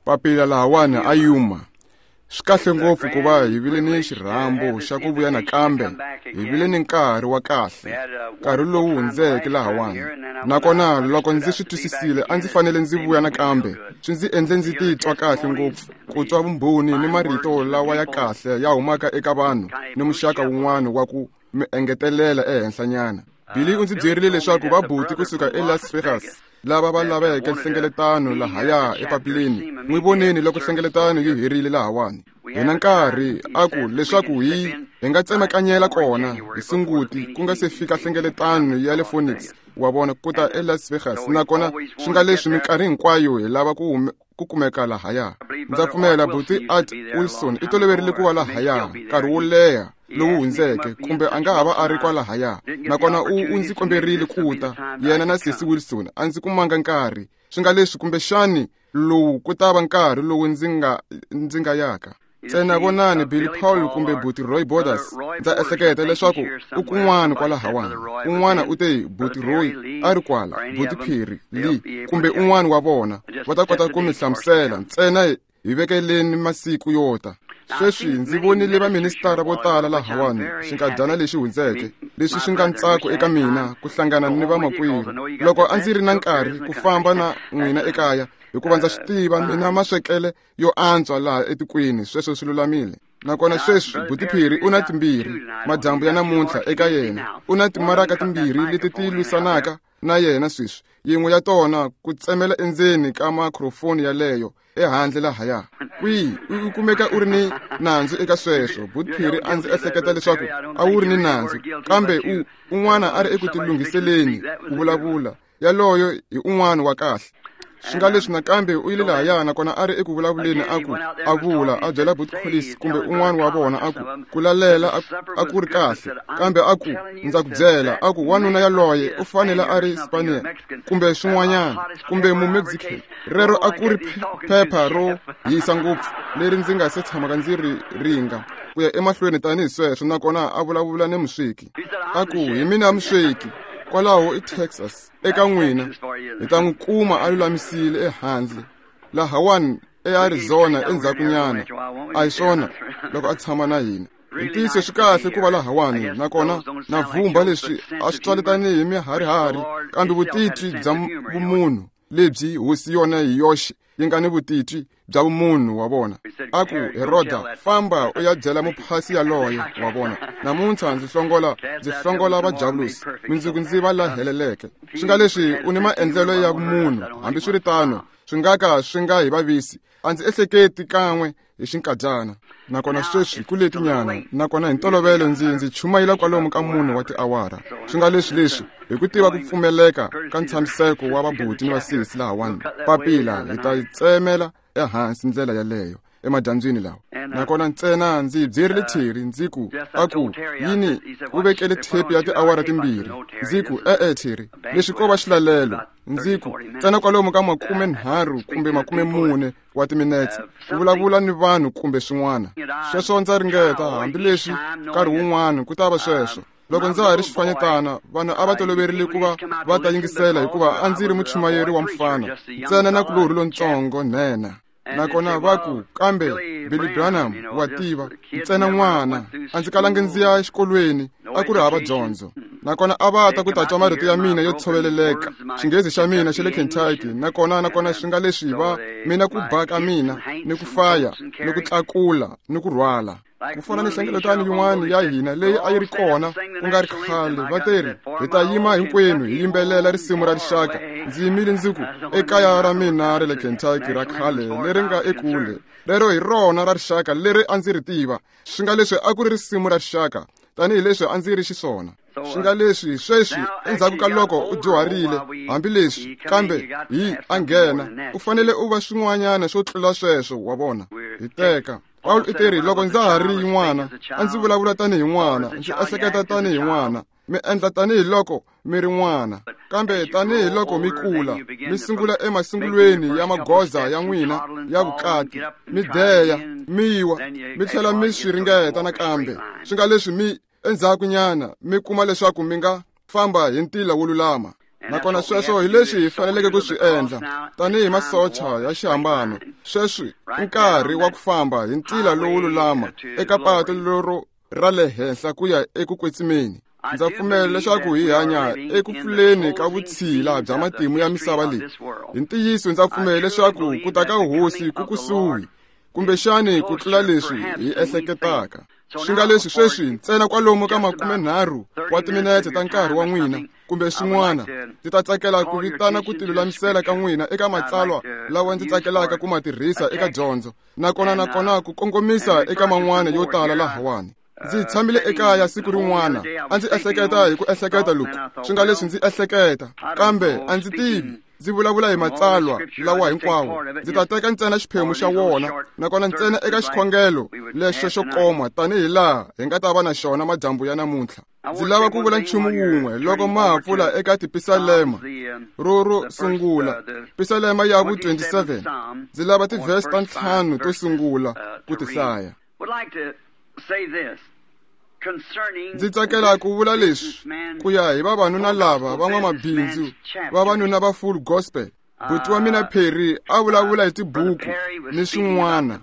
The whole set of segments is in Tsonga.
Papila lahawani a Yuma. Swi kahle ngopfu ku va hi vile ni xirhambo xa ku vuya nakambe, hi vile ni nkarhi wa kahle, nkarhi lowu hundzeke lahawani. Nakona loko ndzi swi twisisile a ndzi fanele ndzi vuya nakambe, swi ndzi endle ndzi titwa kahle ngopfu ku twa vumbhoni ni marito lawa ya kahle ya humaka eka vanhu ni muxaka wun'wana wa ku mi engetelela ehenhlanyana. Billy u ndzi byerile leswaku vabuti kusuka eLas Vegas lava va laveke nhlengeletano lahaya epapileni, n'wi voneni loko nhlengeletano yi herile lahawani. Hi na nkarhi a ku leswaku hi nga tsemakanyela kona hi Sunguti ku nga se fika nhlengeletano ya le Phoenix, wa vona, ku ta eLas Vegas. Nakona swi nga leswi minkarhi hinkwayo hi lava ku kumeka lahaya. Ndza pfumela buti Art Wilson i toloverile ku va lahaya nkarhi wo leha lowu hundzeke, kumbe a nga ha va a ri kwalahaya. Nakona u ndzi komberile ku ta, yena na sesi Wilson, a ndzi kumanga nkarhi. Swi nga leswi kumbexani lowu ku ta va nkarhi lowu ndzi nga yaka. Ntsena vonani Billy Paul kumbe buti Roy Borders, ndza ehleketa leswaku u kun'wana kwalahawani. Un'wana u te buti Roy a ri kwala, buti Perry Lee kumbe un'wana wa vona va ta kota ku mi hlamusela. Ntsena hi vekeleni masiku yo ta. Sweswi ndzi vonile vaministara vo tala lahawani xinkadyana lexi hundzeke, leswi swi nga ntsako eka mina ku hlangana ni vamakwerhu. Loko a ndzi ri na nkarhi ku famba na n'wina ekaya, hikuva ndza swi tiva mina maswekele yo antswa laha etikweni, sweswo swi lulamile. Nakona sweswi buti Perry u na timbirhi madyambu ya namuntlha eka yena, u na timaraka timbirhi leti ti lwisanaka na yena sweswi, yin'we ya tona ku tsemela endzeni ka microphone yaleyo ehandle lahaya. Kwihi u kumeka u ri ni nandzu eka sweswo? Buti Perry a ndzi ehleketa leswaku a wu ri ni nandzu, kambe un'wana a ri eku tilunghiseleni ku vulavula, yaloyo hi un'wana wa kahle. Swi nga leswi nakambe u yile lahaya, nakona a ri eku vulavuleni a ku a vula a byela buti Collis kumbe un'wana wa vona a ku ku lalela a ku ri kahle, kambe a ku ndza ku byela a ku wanuna yaloye u fanele a ri Spaniard kumbe swin'wanyana kumbe mu-Mexican. Rero a ku ri phepha ro hisa ngopfu leri ndzi nga se tshamaka ndzi ri ringa ku ya emahlweni tanihi sweswo. Nakona a vulavula ni musweki a ku hi mina musweki kwalaho i Texas, eka n'wina hi ta n'wi kuma a lulamisile ehandle lahawani eArizona endzhakunyana. A hi swona loko a tshama na hina. Hi ntiyiso swi kahle ku va lahawani, nakona na vhumba leswi a swi twali tanihi miharihari, kambe vutitwi bya vumunhu lebyi hosi yona hi yoxe yi nga ni vutitwi bya vumunhu wa vona. A ku Heroda, famba u ya byela muphasi yaloye wa vona, namuntlha ndzi hlongola vajavulosi, mundzuku ndzi va la heleleke. Swi nga leswi u ni maendlelo ya vumunhu, hambiswiritano swi nga ka swi nga hi vavisi. A ndzi ehleketi kan'we hi xinkadyana. Nakona sweswi ku letinyana, nakona hi ntolovelo ndzi chumayela kwalomu ka 4 wa tiawara. Swi nga leswi leswi hi ku tiva ku pfumeleka ka ntshamiseko wa vabuti ni vasesi lahawani, papila hi ta yi tsemela ehansi ndlela yaleyo emadyambyini lawa. Nakona ntsena ndzi byerile Terry ndzi ku a ku yini u vekele thepi ya tiawara 2. Ndzi ku e-e Terry, leswi ko va xilalelo. Ndzi ku ntsena kwalomu ka 30 kumbe 40 wa timinetse ku vulavula ni vanhu kumbe swin'wana. Sweswo ndza ringeta, hambileswi nkarhi wun'wana ku ta va sweswo. Loko ndza ha ri xifanyetana, vanhu a va toloverile ku va va ta yingisela hikuva a ndzi ri muchumayeri wa mfana, ntsena na kulorhi lontsongo nhenha. Nakona va ku, kambe Billy Branham wa tiva, ntsena n'wana, a ndzi kalangi ndzi ya exikolweni, a ku ri hava dyondzo. Nakona a va ta ku ta twa marito ya mina yo tshoveleleka, xinghezi xa mina xa le Kentucky, nakona swi nga leswi va mina ku ba ka mina ni ku faya ni ku tlakula ni ku rhwala. Ku fana ni nhlengeletano yin'wana ya hina leyi a yi ri kona ku nga ri khale, va teri hi ta yima hinkwenu hi yimbelela risimu ra rixaka. Ndzi yimile ndzi ku ekaya ra mina ra le Kentucky ra khale leri nga ekule, rero hi rona ra rixaka leri a ndzi ri tiva. Swi nga leswi a ku ri risimu ra rixaka tanihileswi a ndzi ri xiswona. Swi nga leswi sweswi endzhaku ka loko u dyuharile, hambileswi kambe hi a nghena, u fanele u va swin'wanyana swo tlula sweswo, wa vona. Hi teka Paul i teri loko ndza ha ri n'wana, a ndzi vulavula tanihi n'wana, ndzi ehleketa tanihi n'wana, mi endla tanihiloko mi ri n'wana. Kambe tanihiloko mi kula, mi sungula emasungulweni ya magoza ya n'wina ya vukati, mi deya, mi wa, mi tlhela mi swi ringeta nakambe. Swi nga leswi mi endzhakunyana mi kuma leswaku mi nga famba hi ntila wo lulama. Nakona sweswo hi leswi hi faneleke ku swi endla tanihi masocha ya xihambano. Sweswi i nkarhi wa ku famba hi ntila lowu lulama eka patu lero ra le henhla ku ya eku kwetsimeni. Ndza pfumela leswaku hi hanya eku pfuleni ka vutshila bya matimu ya misava leyi. Hi ntiyiso ndza pfumela leswaku ku ta ka hosi ku kusuhi, kumbexani ku tlula leswi hi ehleketaka. Swi nga leswi sweswi ntsena kwalomu ka 30 wa timinetse ta nkarhi wa n'wina kumbe swin'wana, ndzi ta tsakela ku vitana ku tilulamisela ka n'wina eka matsalwa lawa ndzi tsakelaka ku ma tirhisa eka dyondzo, nakona ku kongomisa eka man'wana yo tala lahawani. Ndzi tshamile ekaya siku rin'wana, a ndzi ehleketa hi ku ehleketa loku, swi nga leswi ndzi ehleketa, kambe a ndzi tivi. Ndzi vulavula hi matsalwa lawa hinkwawo, ndzi ta teka ntsena xiphemu xa wona, nakona ntsena eka xikhongelo lexo xo koma tanihi laha hi nga ta va na xona madyambu ya namuntlha. Ndzi lava ku vula nchumu wun'we loko ma ha pfula eka tipisalema ro sungula, pisalema ya vu 27. Ndzi lava tivhesi ta 5 to sungula ku ti hlaya. Ndzi tsakela ku vula leswi ku ya hi vavanuna lava van'wamabindzu, vavanuna va Full Gospel. Buti wa mina Perry a vulavula hi tibuku ni swin'wana,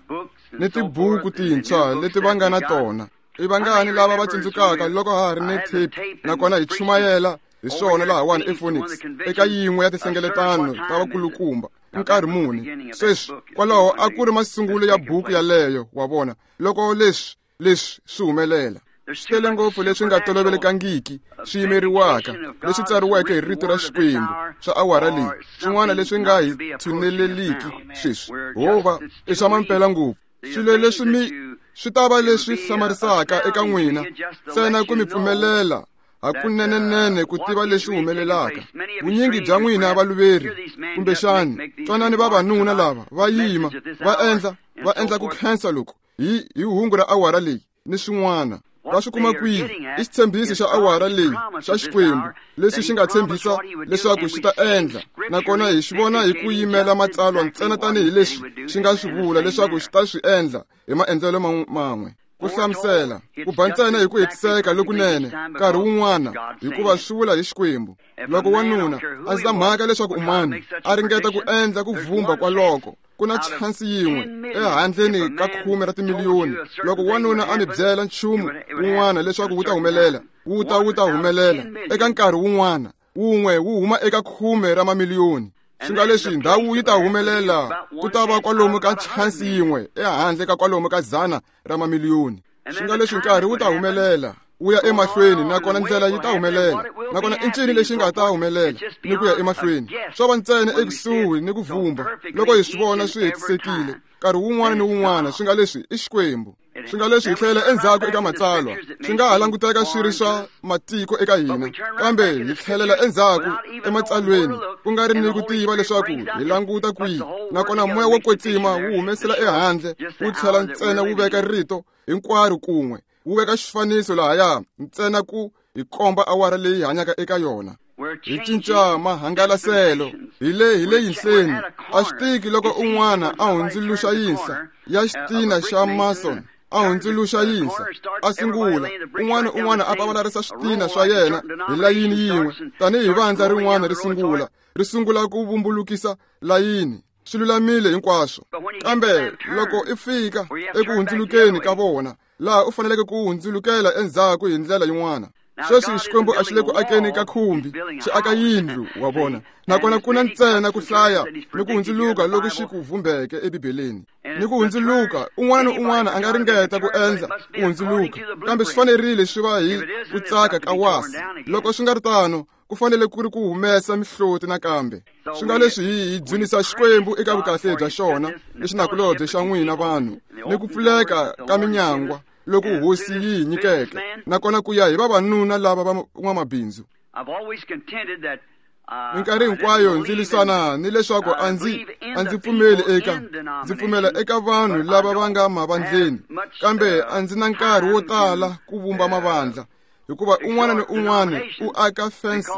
ni tibuku tintshwa leti va nga na tona. I vangani lava va tsundzukaka loko ha ha ri ni tape, nakona hi chumayela hi swona lahawani ePhoenix eka yin'we ya tinhlengeletano ta vakulukumba nkarhi muni. Sweswi kwalaho a ku ri masungulo ya buku yaleyo, wa vona, loko leswi swi humelela. Swi tele ngopfu leswi nga tolovelekangiki swi yimeriwaka, leswi tsariweke hi rito ra Xikwembu swa awara leyi, swin'wana leswi nga hi tshuneleliki sweswi, hova i swa mampela ngopfu. Swilo leswi swi ta va leswi hlamarisaka eka n'wina, ntsena ku mi pfumelela hakunenenene ku tiva leswi humelelaka. Vunyingi bya n'wina valuveri, kumbexani twanani vavanuna lava va yima va endla ku khensa loku hi hungu ra awara leyi ni swin'wana. Va swi kuma kwihi? I xitshembiso xa awara leyi xa Xikwembu leswi xi nga tshembisa leswaku xi ta endla, nakona hi xi vona hi ku yimela matsalwa ntsena tanihi leswi xi nga swi vula leswaku xi ta swi endla hi maendlelo man'we. Ku hlamusela ku ba ntsena hi ku hetiseka lokunene nkarhi wun'wana, hikuva swi vula hi Xikwembu. Loko wanuna a ndzi na mhaka leswaku umani a ringeta ku endla ku vhumba kwaloko, ku na chansi yin'we ehandleni ka 10 ra timiliyoni. Loko wanuna a mi byela nchumu wun'wana leswaku wu ta humelela, wu ta humelela eka nkarhi wun'wana, wun'we wu huma eka 10 ra mamiliyoni. Swi nga leswi ndhawu yi ta humelela, ku ta va kwalomu ka chansi yin'we ehandle ka kwalomu ka 100 ra mamiliyoni. Swi nga leswi nkarhi wu ta humelela, wu ya emahlweni, nakona ndlela yi ta humelela, nakona i ncini lexi nga ta humelela ni ku ya emahlweni. Swo va ntsena ekusuhi ni ku vhumba loko hi swi vona swi hetisekile nkarhi wun'wana ni wun'wana. Swi nga leswi i Xikwembu. Swi nga leswi hi tlhela endzhaku eka matsalwa, swi nga ha languteka swi ri swa matiko eka hina, kambe hi tlhelela endzhaku ematsalweni ku nga ri ni ku tiva leswaku hi languta kwihi, nakona moya wo kwetsima wu humesela ehandle, wu tlhela ntsena wu veka rito hinkwaro kun'we, wu veka xifaniso lahaya ntsena ku hi komba awara leyi hanyaka eka yona. Hi cinca mahangalaselo hi le yinhleni. A swi tiki loko un'wana a hundzuluxa yinhla ya xitina xa mason, a hundzuluxa yinhla, a sungula un'wana a pavalarisa switina swa yena hi layini yin'we, tanihi vandla rin'wana ri sungula ku vumbulukisa layini. Swi lulamile hinkwaswo, kambe loko i fika eku hundzulukeni ka vona, laha u faneleke ku hundzulukela endzhaku hi ndlela yin'wana. Sweswi Xikwembu a xi le ku akeni ka khumbi, xi aka yindlu, wa vona, nakona ku na ntsena ku hlaya ni ku hundzuluka loku xi ku vhumbeke eBibeleni. Ni ku hundzuluka, un'wana ni un'wana a nga ringeta ku endla ku hundzuluka, kambe swi fanerile swi va hi ku tsaka ka wasi. Loko swi nga ri tano, ku fanele ku ri ku humesa mihloti nakambe. Swi nga leswi hi dzunisa Xikwembu eka vukahle bya xona ni xinakulobye xa n'wina vanhu, ni ku pfuleka ka minyangwa loku hosi yi hi nyikeke, nakona ku ya hi vavanuna lava va n'wamabindzu. Minkarhi hinkwayo ndzi lwisana ni leswaku a ndzi pfumeli eka, ndzi pfumela eka vanhu lava va nga mavandleni, kambe a ndzi na nkarhi wo tala ku vumba mavandla. Hikuva un'wana ni un'wana u aka fence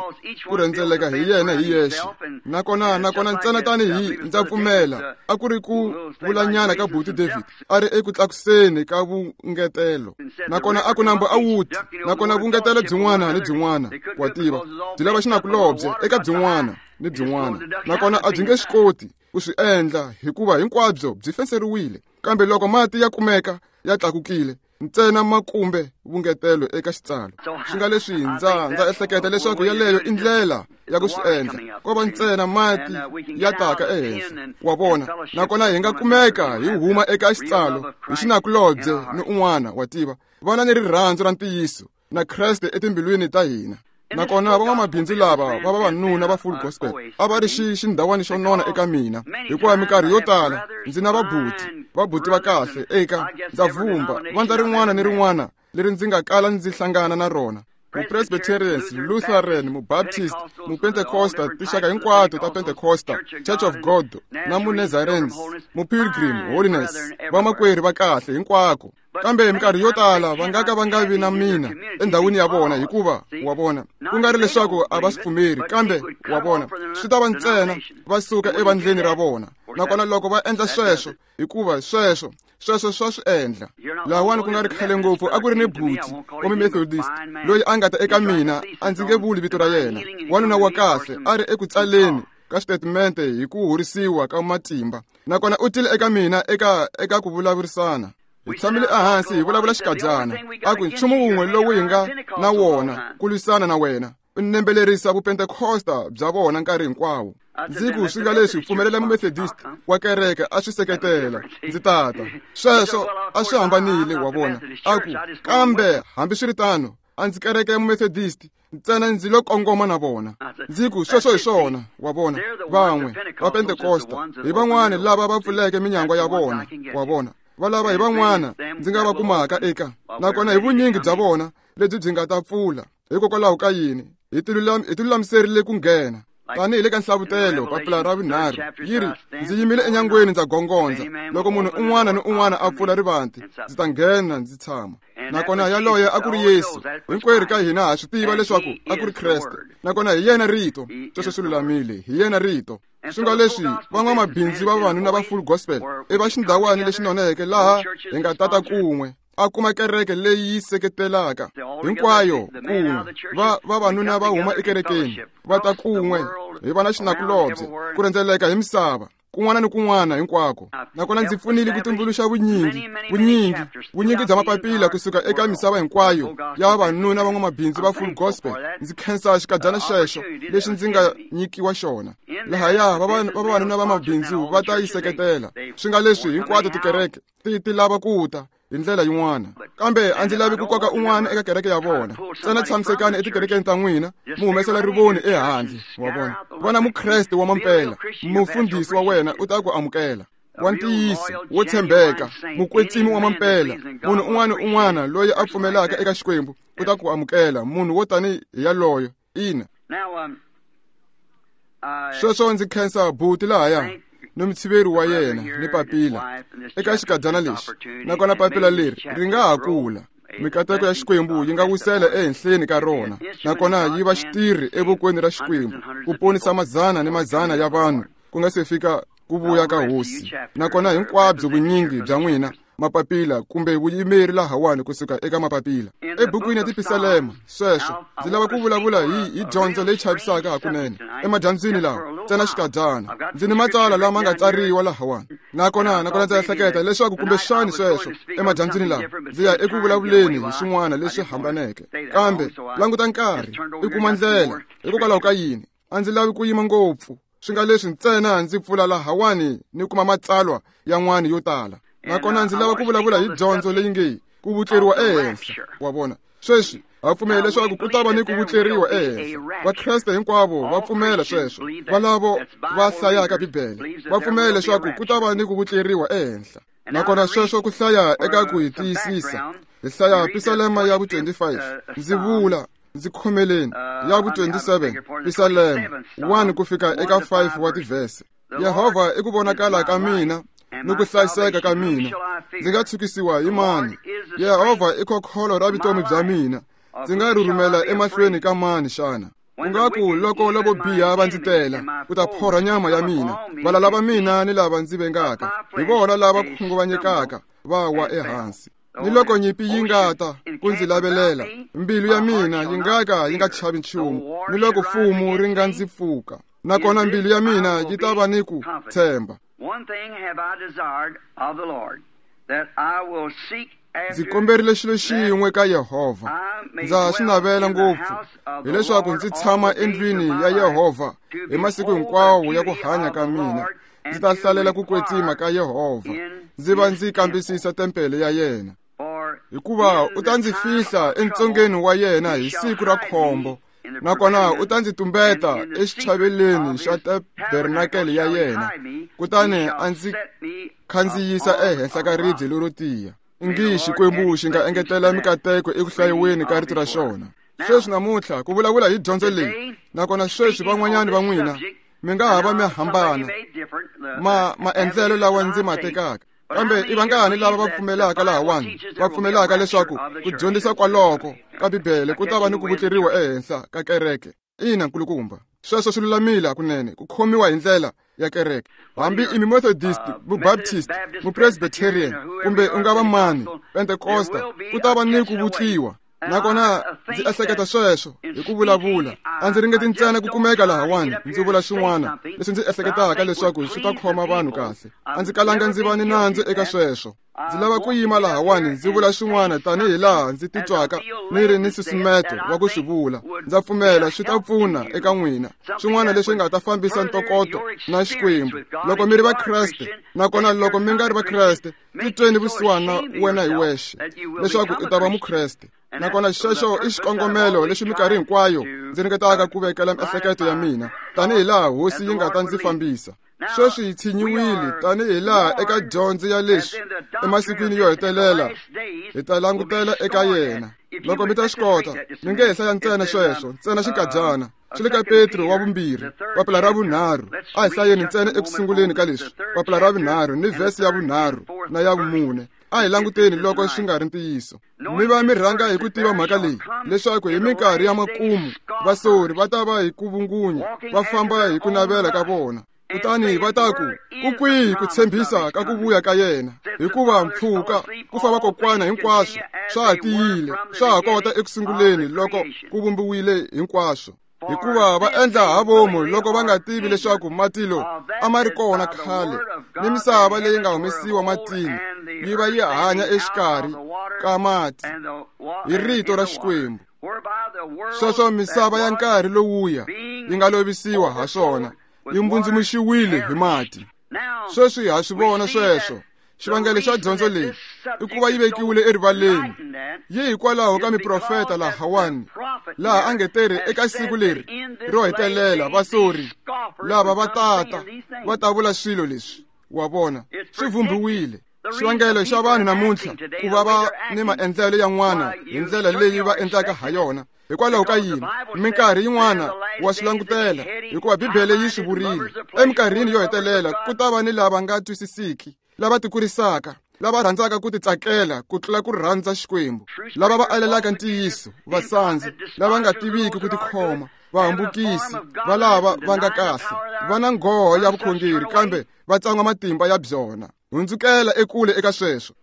ku rhendzeleka hi yena hi yexe. Nakona ntsena tanihi ndza pfumela a ku ri ku vulanyana ka buti David a ri eku tlakuseni ka vungetelo. Nakona a ku nambu a wuti, nakona vungetelo byin'wana ni byin'wana wa tiva byi lava xinakulobye eka byin'wana ni byin'wana. Nakona a byi nge swi koti ku swi endla hikuva hinkwabyo byi fenseriwile. Kambe loko mati ya kumeka ya tlakukile ntsena makumbe vungetelo eka xitsalo. Swi nga leswi ndza ehleketa leswaku yaleyo i ndlela ya ku swi endla. Ko va ntsena mati ya taka ehenhla wa vona. Nakona hi nga kumeka hi huma eka xitsalo hi xinakulobye ni un'wana wa tiva. Vana ni rirhandzu ra ntiyiso na Kreste etimbilwini ta hina. Nakona van'wamabindzu lava va vavanuna va full gospel a va ri xindhawani xo nona eka mina, hikuva minkarhi yo tala ndzi na vabuti va kahle eka ndza vumba vandla rin'wana ni rin'wana leri ndzi nga kala ndzi hlangana na rona. Mupresbyterians, Lutheran, Mubaptist, Mupentecosta, tinxaka hinkwato ta Pentecosta, Church of God na Munazarenes, Mupilgrim, Holiness, vamakwerhu va kahle hinkwako. Kambe minkarhi yo tala va nga ka va nga vi na mina endhawini ya vona, hikuva wa vona ku nga ri leswaku a va swi pfumeri, kambe wa vona swi ta va ntsena va suka evandleni ra vona. Nakona loko va endla sweswo, hikuva sweswo swa swi endla. Lahawani ku nga ri khale ngopfu a ku ri ni buti wa Mumethodist loyi a nga ta eka mina, a ndzi nge vuli vito ra yena, wanuna wa kahle a ri eku tsaleni ka xitatimende hi ku horisiwa ka matimba. Nakona u tile eka mina eka ku vulavurisana. Hi tshamile ehansi hi vulavula xikadyana. A ku nchumu wun'we lowu hi nga na wona ku lwisana na wena u nembelerisa vupentecosta bya vona nkarhi hinkwawo. Ndzi ku swi nga leswi pfumelela Mumethodist wa kereke a swi seketela, ndzi tata. Sweswo a swi hambanile wa vona. A ku kambe hambiswiritano a ndzi kereke ya Mumethodist ntsena ndzi lo kongoma na vona. Ndzi ku sweswo hi swona wa vona. Van'we va Pentecosta hi van'wana lava va pfuleke minyangwa ya vona wa vona. Valava hi van'wana ndzi nga va kumaka eka. Nakona hi vunyingi bya vona lebyi byi nga ta pfula. Hikokwalaho ka yini hi tilulamiserile ku nghena. Tanihi le ka nhlavutelo papila ra vunharhu yi ri ndzi yimile enyangweni ndza gongondza. Loko munhu un'wana ni un'wana a pfula rivanti ndzi ta nghena ndzi tshama. Nakona yaloye a ku ri Yesu. Hinkwerhu ka hina ha swi tiva leswaku a ku ri Kreste. Nakona hi yena rito. Sweswo swi lulamile, hi yena rito. Swi nga leswi van'wamabindzu va vavanuna va full gospel i va xindhawani lexi noneke laha hi nga tata kun'we a kuma kereke leyi yi seketelaka hinkwayo kun'we. Va vavanuna va huma ekerekeni va ta kun'we hi va na xinakulobye ku rhendzeleka hi misava kun'wana ni kun'wana hinkwako. Nakona ndzi pfunile ku tumbuluxa vunyingi bya mapapila kusuka eka misava hinkwayo ya vavanuna van'wamabindzu va full gospel. Ndzi khensa xikadyana xexo lexi ndzi nga nyikiwa xona. Lahaya vavanuna va mabindzu va ta yi seketela. Swi nga leswi hinkwato tikereke ti lava ku ta hi ndlela yin'wana, kambe a ndzi lavi ku koka un'wana eka kereke ya vona. Ntsena tshamisekani etikerekeni ta n'wina mi humesela rivoni ehandle wa vona. Vona Mukreste wa mampela, mufundhisi wa wena u ta ku amukela, wa ntiyiso, wo tshembeka, mukwetsimi wa mampela. Munhu un'wana ni un'wana loyi a pfumelaka eka Xikwembu u ta ku amukela, munhu wo tani hi yaloyo. Ina. Sweswo ndzi khensa buti lahaya ni mutshiveri wa yena ni papila eka xikadyana lexi. Nakona papila leri ri nga ha kula. Mikateko ya Xikwembu yi nga wisela ehenhleni ka rona, nakona yi va xitirhi evokweni ra Xikwembu ku ponisa mazana ni mazana ya vanhu ku nga se fika ku vuya ka Hosi. Nakona hinkwabyo vunyingi bya n'wina mapapila kumbe vuyimeri lahawani kusuka eka mapapila ebukwini ya tipisalema. Sweswo ndzi lava ku vulavula hi dyondzo leyi chavisaka hakunene emadyambyini lawa ntsena xikadyana. Ndzi ni matsalwa lama nga tsariwa lahawani. Nakona ndza ehleketa leswaku kumbexani sweswo emadyambyini lawa ndzi ya eku vulavuleni hi swin'wana leswi hambaneke. Kambe languta nkarhi i kuma ndlela. Hikokwalaho ka yini a ndzi lavi ku yima ngopfu. Swi nga leswi ntsena ndzi pfula lahawani ni kuma matsalwa yan'wana yo tala. Nakona ndzi lava ku vulavula hi dyondzo leyi nge ku vutleriwa ehenhla wa vona. Sweswi ha pfumela leswaku ku ta va ni ku vutleriwa ehenhla. Vakreste hinkwavo va pfumela sweswo. Valavo va hlayaka Bibele va pfumela leswaku ku ta va ni ku vutleriwa ehenhla. Nakona sweswo ku hlaya eka ku hi tiyisisa. Hi hlaya Pisalema ya vu-25. Ndzi vula ndzi khomeleni ya vu-27 Pisalema 1 ku fika eka 5 wa tivhese. Yehovha i ku vonakala ka mina ni ku hlayiseka ka mina. Ndzi nga tshukisiwa hi mani? Yehovha i khokholo ra vutomi bya mina. Ndzi nga rhurhumela emahlweni ka mani xana? Ku nga ku loko lavo biha va ndzi tela ku ta phorha nyama ya mina, valala va mina ni lava ndzi vengaka hi vona lava khunguvanyekaka va wa ehansi. Ni loko nyimpi yi nga ta ku ndzi lavelela, mbilu ya mina yi nga ka yi nga chavi nchumu, ni loko fumu ri nga ndzi pfuka, nakona mbilu ya mina yi ta va ni ku tshemba. Ndzi komberile xilo xin'we ka Yehovha, ndza swi navela ngopfu, hileswaku ndzi tshama endlwini ya Yehovha hi masiku hinkwawo ya ku hanya ka mina. Ndzi ta hlalela ku kwetsima ka Yehovha, ndzi va ndzi kambisisa tempele ya yena. Hikuva u ta ndzi fihla entsongeni wa yena hi siku ra khombo, nakona u ta ndzi tumbeta exichaveleni xa tabernakele ya yena, kutani a ndzi khandziyisa ehenhla ka ribye lero tiya. Ngi Xikwembu xi nga engetela mikateko eku hlayiweni ka rito ra xona. Sweswi namuntlha ku vulavula hi dyondzo leyi, nakona sweswi van'wanyani va n'wina mi nga ha va mi hambana maendlelo lawa ndzi ma tekaka, kambe i vangani lava va pfumelaka lahawani, va pfumelaka leswaku ku dyondzisa kwaloko ka Bibele ku ta va ni ku vutleriwa ehenhla ka kereke? Ina, nkulukumba, sweswo swi lulamile hakunene ku khomiwa hi ndlela ya kereke. Hambi i Methodist, Mubaptist, Mupresbyterian, kumbe u nga va mani, Pentecosta, ku ta va ni ku vutliwa. Nakona ndzi ehleketa sweswo hi ku vulavula, a ndzi ringeti ntsena ku kumeka lahawani ndzi vula swin'wana leswi ndzi ehleketaka leswaku swi ta khoma vanhu kahle. A ndzi kalanga ndzi va ni nandzu eka sweswo. Ndzi lava ku yima lahawani ndzi vula swin'wana tanihi laha ndzi titwaka ni ri ni nsusumeto wa ku swi vula. Ndza pfumela swi ta pfuna eka n'wina, swin'wana leswi nga ta fambisa ntokoto na Xikwembu loko mi ri Vakreste. Nakona loko mi nga ri Vakreste, titweni vusiwana wena hi wexe leswaku u ta va Mukreste. Nakona xexo i xikongomelo lexi minkarhi hinkwayo ndzi ringetaka ku vekela miehleketo ya mina tanihi laha Hosi yi nga ta ndzi fambisa. Sweswi hi tshinyiwile tanihi laha eka dyondzo ya leswi emasikwini yo hetelela hi ta langutela eka yena. Loko mi ta swi kota, mi nge hi hlaya ntsena sweswo, ntsena xinkadyana. Swi le ka Petro wa vumbirhi, papila ra vunharhu. A hi hlayeni ntsena eku sunguleni ka leswi, papila ra vunharhu ni vhesi ya vunharhu na ya vumune. A hi languteni loko swi nga ri ntiyiso. Mi va mi rhanga hi ku tiva mhaka leyi, leswaku hi minkarhi ya makumu vasori va ta va hi ku vungunya, va famba hi ku navela ka vona. Kutani va ta ku, ku kwihi ku tshembisa ka ku vuya ka yena? Hikuva mpfhuka ku fa vakokwana hinkwaswo swa ha tiyile, swa ha kota eku sunguleni loko ku vumbiwile hinkwaswo. Hikuva va endla ha vomu loko va nga tivi leswaku matilo a ma ri kona khale, ni misava leyi nga humesiwa matini yi va yi hanya exikarhi ka mati hi rito ra Xikwembu. Sweswo misava ya nkarhi lowuya yi nga lovisiwa ha swona, yi mbundzumuxiwile hi mati. Sweswi ha swi vona sweswo. Xivangelo xa dyondzo leyi i ku va yi vekiwile erivaleni, yi hikwalaho ka miprofeta lahawani, laha a nge teri eka siku leri ro hetelela vasori lava va tata va ta vula swilo leswi. Wa vona, swi vhumbiwile. Xivangelo xa vanhu namuntlha ku va va ni maendlelo yan'wana hi ndlela leyi va endlaka ha yona, hikwalaho ka yini? Minkarhi yin'wana wa swi langutela, hikuva Bibele yi swi vurile. Eminkarhini yo hetelela ku ta va ni lava nga twisisiki, lava tikurisaka, lava rhandzaka ku titsakela ku tlula ku rhandza Xikwembu, lava va alelaka ntiyiso, vasandzi, lava nga tiviki ku tikhoma, vahambukisi, va lava va nga kahle, va na nghoho ya vukhongeri kambe va tsan'wa matimba ya byona. Hundzukela ekule eka sweswo.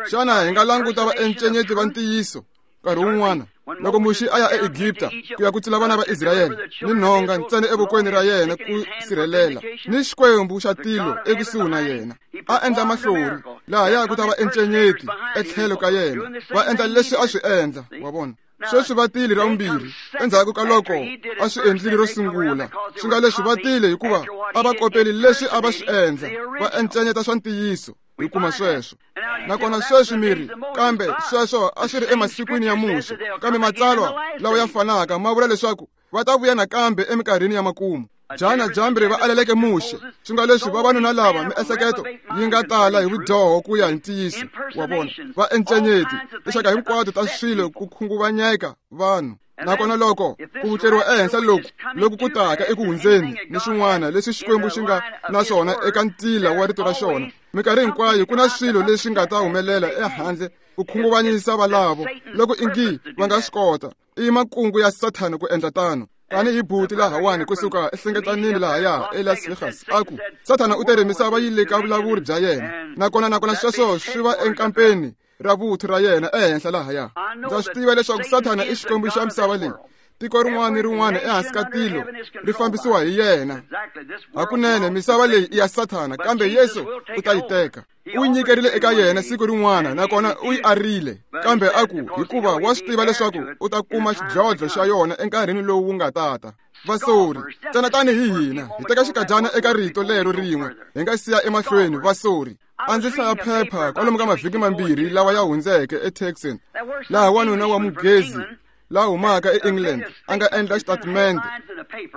Xana hi nga languta vaencenyeti va ntiyiso nkarhi wun'wana? Loko Muxe a ya eEgipta ku ya kutsula vana va Israyele, ni nhonga ntsena evokweni ra yena ku sirhelela, ni Xikwembu xa tilo ekusuhi na yena, a endla mahlori lahaya ku ta va encenyeti etlhelo ka yena, va endla leswi a swi endla. Wa vona? Sweswi va tile ra vumbirhi endzhaku ka loko a swi endlile ro sungula, swi nga leswi va tile hikuva a va kopeli leswi a va swi endla, va encenyeta swa ntiyiso. Hi kuma sweswo. Nakona sweswi mi ri, kambe sweswo a swi ri emasikwini ya Muxe, kambe matsalwa lawa ya fanaka ma vula leswaku va ta vuya nakambe eminkarhini ya makumu. Jana Jambri va aleleke Muxe, swi nga leswi vavanuna lava miehleketo yi nga tala hi vudyoho ku ya hi ntiyiso wa vona, va encenyeti tinxaka hinkwato ta swilo ku khunguvanyeka vanhu. Nakona loko ku vutleriwa ehenhla loku ku taka eku hundzeni ni swin'wana leswi Xikwembu xi nga na swona eka ntila wa rito ra xona, minkarhi hinkwayo ku na swilo leswi nga ta humelela ehandle ku khunguvanyisa valavo loko ingi va nga swi kota. I makungu ya Sathana ku endla tano. Tanihi buti lahawani kusuka ehlengetanini lahaya eLas Vegas, a ku Sathana u tere misava yi le ka vulawuri bya yena, nakona sweswo swi va enkampeni ra vuthu ra yena ehenhla lahaya. Ndza swi tiva leswaku Sathana i xikwembu xa misava leyi. Tiko rin'wana ni rin'wana ehansi ka tilo ri fambisiwa hi yena. Hakunene misava leyi i ya Sathana, kambe Yesu u ta yi teka. U yi nyikerile eka yena siku rin'wana, nakona u yi arile, kambe a ku hikuva wa swi tiva leswaku u ta kuma xidlodlo xa yona enkarhini lowu wu nga tata. Vasori, ntsena tanihi hina, hi teka xikadyana eka rito lero rin'we, hi nga siya emahlweni vasori. A ndzi hlaya phepha kwalomu ka mavhiki mambirhi lawa ya hundzeke eTexan, laha wanuna wa munghezi la humaka eEngland a nga endla xitatimende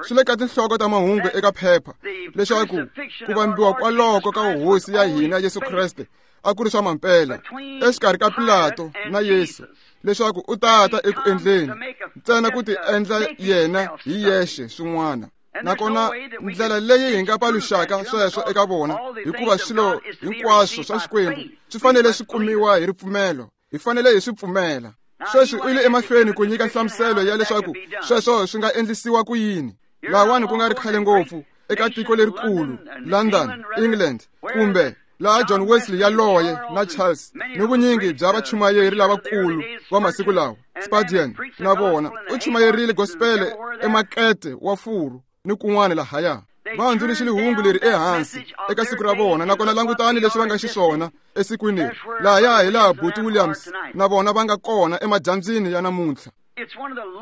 swi le ka tinhloko ta mahungu eka phepha leswaku ku vambiwa kwaloko ka hosi ya hina Yesu Kreste a ku ri swa mampela exikarhi ka Pilato na Yesu, leswaku u tata eku endleni ntsena ku ti endla yena hi yexe swin'wana. Nakona ndlela leyi hi nga paluxaka sweswo eka vona, hikuva swilo hinkwaswo swa Xikwembu swi fanele swi kumiwa hi ripfumelo, hi fanele hi swi pfumela. Sweswi u yile emahlweni ku nyika nhlamuselo ya leswaku sweswo swi nga endlisiwa ku yini. Lahawani ku nga ri khale ngopfu eka tiko lerikulu London, England, kumbe laha John Wesley yaloye na Charles ni vunyingi bya vachumayeri lavakulu va masiku lawa, Spurgeon na vona, u chumayerile gospel emakete wa furu ni kun'wana lahaya. Va hundzuluxile hungu leri ehansi eka siku ra vona, nakona langutani leswi va nga xiswona esikwini leri. Lahaya hi laha Buti Williams na vona va nga kona emadyambyini ya namuntlha.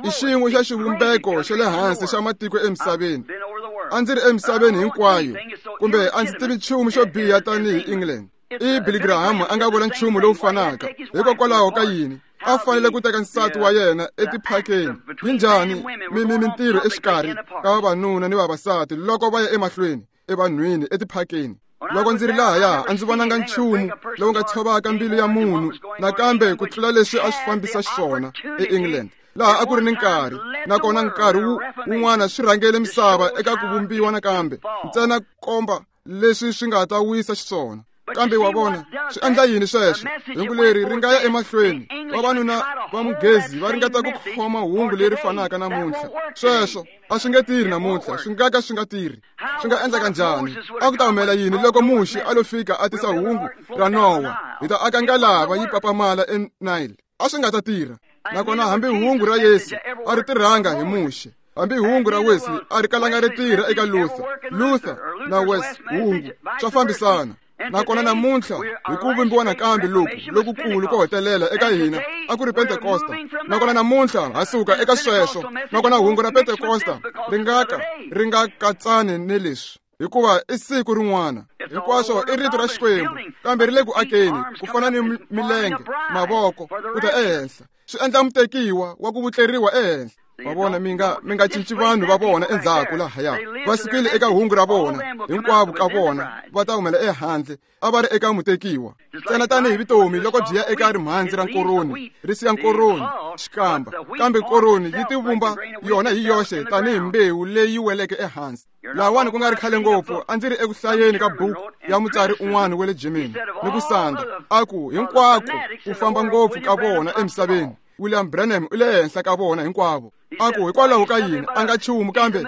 I xin'we xa xivumbeko xa le hansi xa matiko emisaveni. A ndzi ri emisaveni hinkwayo, kumbe a ndzi tivi nchumu xo biha tanihi England. I Billy Graham a nga vula nchumu lowu fanaka. Hikokwalaho ka yini a fanele ku teka nsati wa yena etiphakeni? Yi njhani mintirho exikarhi ka vavanuna ni vavasati loko va ya emahlweni evanhwini etiphakeni? Loko ndzi ri lahaya a ndzi vonanga nchumu lowu nga tshovaka mbilu ya munhu nakambe ku tlula leswi a swi fambisa xiswona eEngland, laha a ku ri ni nkarhi, nakona nkarhi wun'wana swi rhangele misava eka ku vumbiwa nakambe, ntsena komba leswi swi nga ta wisa xiswona. Kambe wa vona swi endla yini sweswo? Hungu leri ri nga ya emahlweni. Vavanuna va munghezi va ringeta ku khoma hungu leri fanaka namuntlha. Sweswo a swi nge tirhi namuntlha, swi nga ka swi nga tirhi. Swi nga endleka njhani? A ku ta humelela yini loko Muxe a lo fika a tisa hungu ra Nowa, hi ta aka ngalava yi papamala eNile? A swi nga ta tirha. Nakona hambi hungu ra Yesu a ri tirhanga hi Muxe, hambi hungu ra Wesley a ri kalanga ri tirha eka Luther. Luther na Wes hungu swa fambisana. Nakona namuntlha hi ku vumbiwa nakambe loku lokukulu ko hetelela eka hina a ku ri Pentekosta. Nakona namuntlha ha suka eka sweswo. Nakona hungu ra Pentekosta ri nga ka ri nga katsani ni leswi, hikuva i siku rin'wana. Hinkwaswo i rito ra Xikwembu, kambe ri le ku akeni ku fana ni milenge, mavoko ku ta ehenhla, swi endla mutekiwa wa ku vutleriwa ehenhla. Va vona mi nga cinci vanhu va vona endzhaku lahaya. Va sukile eka hungu ra vona, hinkwavo ka vona va ta humela ehandle, a va ri eka mutekiwa. Ntsena tanihi vutomi loko byi ya eka rimhandzi ra nkoroni, ri siya nkoroni xikamba, kambe nkoroni yi tivumba yona hi yoxe tanihi mbewu leyi weleke ehansi. Lahawani ku nga ri khale ngopfu a ndzi ri eku hlayeni ka buku ya mutsari un'wana wa le Germany ni ku sandza, a ku hinkwako ku famba ngopfu ka vona emisaveni, William Branham u le henhla ka vona hinkwavo. A ku hikwalaho ka yini a nga nchumu kambe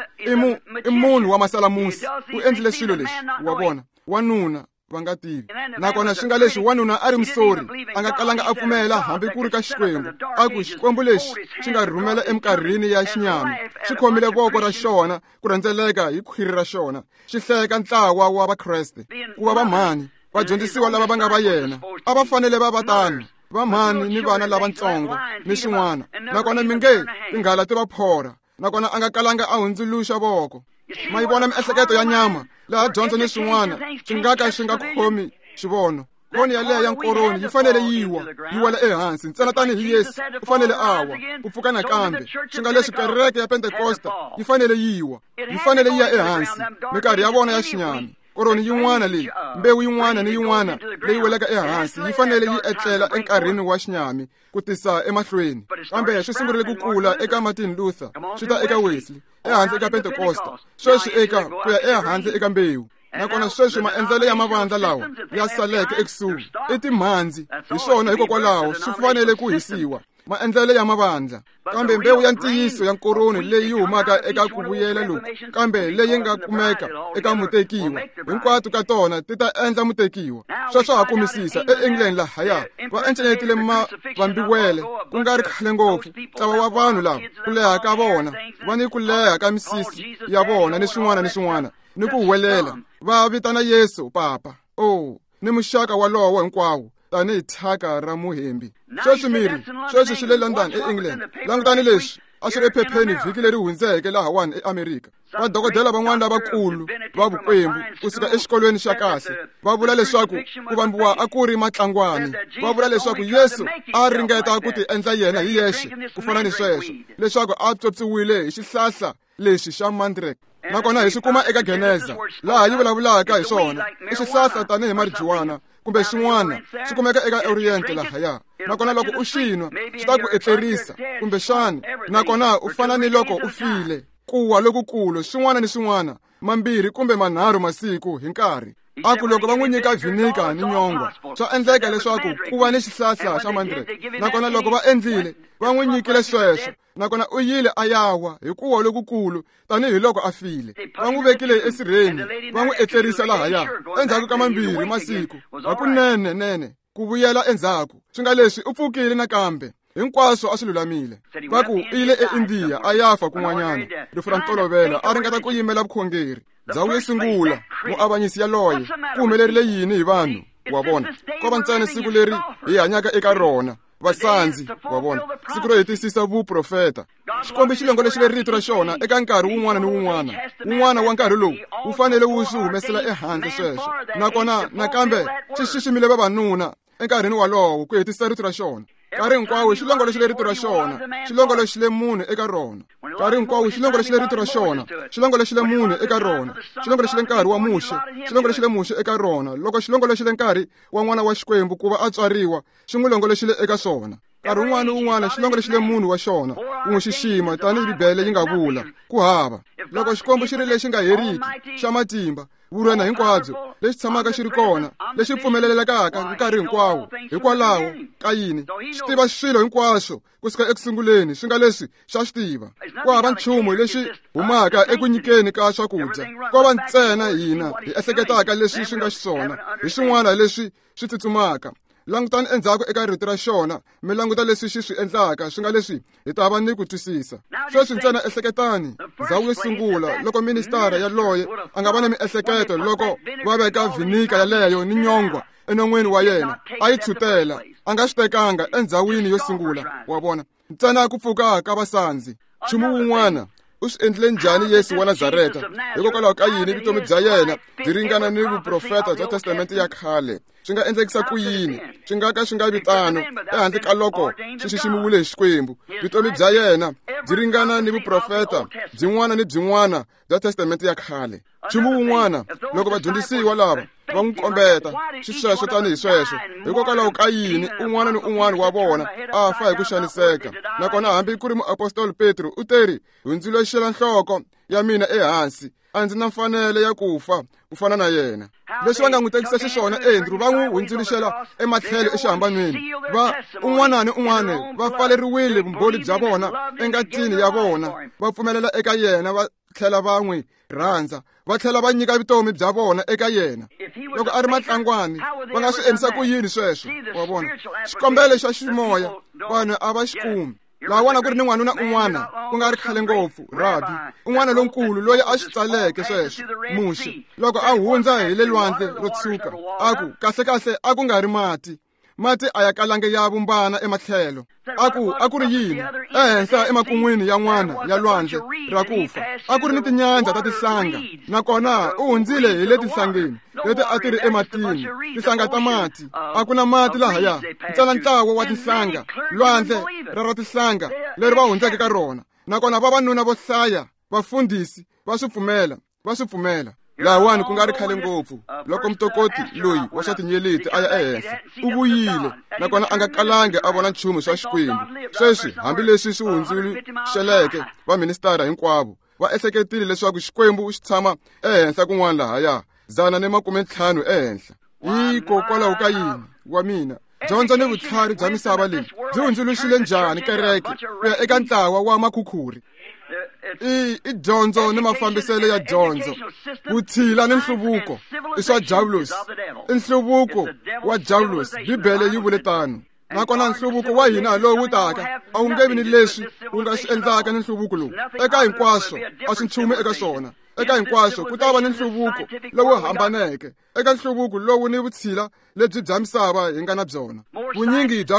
i munhu wa masalamusi, u endlile swilo leswi. Wa vona, wanuna va nga tivi. Nakona swi nga leswi wanuna a ri musori, a nga kalanga a pfumela hambi ku ri ka Xikwembu. A ku Xikwembu lexi xi nga rhumela eminkarhini ya xinyami, xi khomile voko ra xona ku rhendzeleka hi khwiri ra xona, xi hleka ntlawa wa Vakreste ku va vamhani, vadyondzisiwa lava va nga va yena a va fanele va va tano, vamhani ni vana lavatsongo ni swin'wana. Nakona mi nge tinghala ti va phorha, nakona a nga kalanga a hundzuluxa voko. Ma yi vona miehleketo ya nyama laha dyondzo ni swin'wana swi nga ka swi nga khomi xivono. Koni yaleyo ya nkoroni yi fanele yi wa, yi wela ehansi ntsena tanihi Yesu u fanele a wa ku pfuka nakambe. Swi nga leswi kereke ya Pentekosta yi fanele yi wa, yi fanele yi ya ehansi minkarhi ya vona ya xinyami. Koroni yin'wana leyi, mbewu yin'wana ni yin'wana leyi welaka ehansi yi fanele yi etlela enkarhini wa xinyami ku tisa emahlweni. Kambe swi sungurile ku kula eka Martin Luther, swi ta eka Wesley, ehandle eka Pentecosta, sweswi eka ku ya ehandle eka mbewu. Nakona sweswi maendlelo ya mavandla lawa ya saleke ekusuhi i timhandzi, hi swona hikokwalaho swi fanele ku hisiwa maendlelo ya mavandla. Kambe mbewu ya ntiyiso ya nkoroni leyi humaka eka ku vuyela loku, kambe leyi nga kumeka eka mutekiwa, hinkwato ka tona ti ta endla mutekiwa. Sweswo ha kumisisa eEngland lahaya va encenyetile mavambiwele ku nga ri khale ngopfu. Ntlawa wa vanhu lava ku leha ka vona va ni ku leha ka misisi ya vona ni swin'wana ni swin'wana ni ku huwelela va vitana Yesu papa, oh, ni muxaka walowo hinkwawo tanihi thyaka ra muhembi. Sweswi miri sweswi swi le London eEngland. Langutani leswi a swi ri ephepheni vhiki leri hundzeke lahawani eAmerika. Vadokodela van'wana lavakulu va vukwembu kusuka exikolweni xa kahle va vula leswaku ku vambiwa a ku ri matlangwani. Va vula leswaku Yesu a ringeta ku ti endla yena hi yexe ku fana ni sweswo, leswaku a tswotswiwile hi xihlahla lexi xa mandrake. Nakona hi swi kuma eka Geneza laha yi vulavulaka hi swona, i xihlahla tanihi marijuana kumbe xin'wana, swi kumeka eka Orient lahaya. Nakona loko u xi nwa swi ta ku etlerisa kumbexani, nakona u fana ni loko u file, kuwa lokukulu, swin'wana ni swin'wana, 2 kumbe 3 masiku hi nkarhi. A ku loko va n'wi nyika vinika ni nyongwa, swa endleka leswaku ku va ni xihlahla xa mandrake. Nakona loko va endlile, va n'wi nyikile sweswo, nakona u yile a yawa hi kuwa lokukulu tanihiloko a file. Va n'wi vekile esirheni, va n'wi etlerisa lahaya. Endzhaku ka 2 masiku, hakunene nene ku vuyela endzhaku, swi nga leswi u pfukile nakambe. Hinkwaswo a swi lulamile. Va ku u yile eIndiya a ya fa kun'wanyana, rifu ra ntolovelo, a ringeta ku yimela vukhongeri. Ndhawu yo sungula, muavanyisi yaloye, ku humelerile yini hi vanhu? Wa vona, ko va ntsena siku leri hi hanyaka eka rona, vasandzi, wa vona, siku ro hetisisa vuprofeta. Xikwembu xi longoloxile rito ra xona eka nkarhi wun'wana ni wun'wana. Wun'wana wa nkarhi lowu wu fanele wu swi humesela ehandle sweswo. Nakona nakambe xi xiximile vavanuna enkarhini walowo ku hetisisa rito ra xona. Nkarhi hinkwawo xi longoloxile rito ra xona, xi longoloxile munhu eka rona. Nkarhi hinkwawo xi longoloxile rito ra xona, xi longoloxile munhu eka rona. Xi longoloxile nkarhi wa Muxe, xi longoloxile Muxe eka rona. Loko xi longoloxile nkarhi wa n'wana wa Xikwembu ku va a tswariwa, xi n'wi longoloxile eka swona. Nkarhi wun'wana ni wun'wana xi longoloxile munhu wa xona ku n'wi xixima tanihi Bibele yi nga vula, ku hava. Loko Xikwembu xi ri lexi nga heriki, xa matimba, vurwena hinkwabyo, lexi tshamaka xi ri kona, lexi pfumelelekaka nkarhi hinkwawo, hikwalaho ka yini xi tiva swilo hinkwaswo kusuka ekusunguleni, swi nga leswi xa swi tiva. Ku hava nchumu lexi humaka eku nyikeni ka swakudya, ko va ntsena hina hi ehleketaka leswi swi nga xiswona, hi swin'wana leswi swi tsutsumaka. Langutani endzhaku eka rito ra xona, mi languta leswi xi swi endlaka, swi nga leswi hi ta va ni ku twisisa. Sweswi ntsena ehleketani, ndhawu yo sungula loko ministara yaloye a nga va na miehleketo loko va veka vinika yaleyo ni nyongwa enon'weni wa yena, a yi tshutela, a nga swi tekanga endzhawini yo sungula, wa vona, ntsena ku pfuka ka vasandzi. Nchumu wun'wana u swi endlile njhani Yesu wa Nazareta? Hikokwalaho ka yini vutomi bya yena byi ringana ni vuprofeta bya Testamente ya khale? Swi nga endlekisa ku yini? Swi nga ka swi nga vi tano ehandle ka loko swi xiximiwile hi Xikwembu. Vutomi bya yena byi ringana ni vuprofeta byin'wana ni byin'wana bya Testamente ya khale. Nchumu wun'wana, loko vadyondzisiwa lava va n'wi kombeta xisweswo tanihi sweswo, hikokwalaho ka yini un'wana ni un'wana wa vona a fa hi ku xaniseka? Nakona hambi ku ri muapostoli Petro u teri, hundzuluxela nhloko ya mina ehansi, a ndzi na mfanelo ya ku fa ku fana na yena. Leswi va nga n'wi tekisa xiswona Andrew, va n'wi hundzuluxela ematlhelo exihambanweni. Va un'wana ni un'wana va pfaleriwile vumbhoni bya vona engatini ya vona, va pfumelela eka yena, va tlhela va n'wi rhandza, va tlhela va nyika vutomi bya vona eka yena. Loko a ri matlangwani, va nga swi endlisa ku yini sweswo? Wa vona, xikombelo xa ximoya vanhu a va xi kumi. Lawana ku ri ni n'wanuna un'wana ku nga ri khale ngopfu, rabi un'wana lonkulu loyi a swi tsaleke sweswo, Muxe, loko a hundza hi le lwandle ro tshuka, a ku kahlekahle a ku nga ri mati, mati a ya kalange ya vumbana ematlhelo. A ku a ku ri yini? Ehenhla emakun'wini ya n'wana ya lwandle ra ku fa a ku ri ni tinyandza ta tihlanga, nakona u hundzile hi le tinhlangeni leti a ti ri ematini, tinhlanga ta mati. A ku na mati lahaya, ntsena ntlawa wa tinhlanga, lwandle ra ra tinhlanga leri va hundzeke ka rona. Nakona vavanuna vo hlaya, vafundhisi, va swi pfumela, va swi pfumela. Lahawani ku nga ri khale ngopfu loko mutokoti loyi wa swa tinyeleti a ya ehenhla u vuyile nakona a nga kalangi a vona nchumu swa Xikwembu. Sweswi hambileswi swi hundzuluxeleke vaministara hinkwavo va ehleketile leswaku Xikwembu xi tshama ehenhla kun'wana lahaya 150 ehenhla. Hikokwalaho ka yini wa mina dyondzo ni vutlhari bya misava leyi byi hundzuluxile njhani kereke ku ya eka ntlawa wa makhukhuri? I dyondzo ni mafambiselo ya dyondzo, vutshila ni nhluvuko i swa Diavulosi. I nhluvuko wa Diavulosi, Bibele yi vule tano. Nakona nhluvuko wa hina lowu taka a wu nge vi ni leswi wu nga swi endlaka ni nhluvuko lowu. Eka hinkwaswo a swi nchumu eka swona. Eka hinkwaswo ku ta va ni nhluvuko lowu hambaneke. Eka nhluvuko lowu ni vutshila lebyi bya misava hi nga na byona, vunyingi bya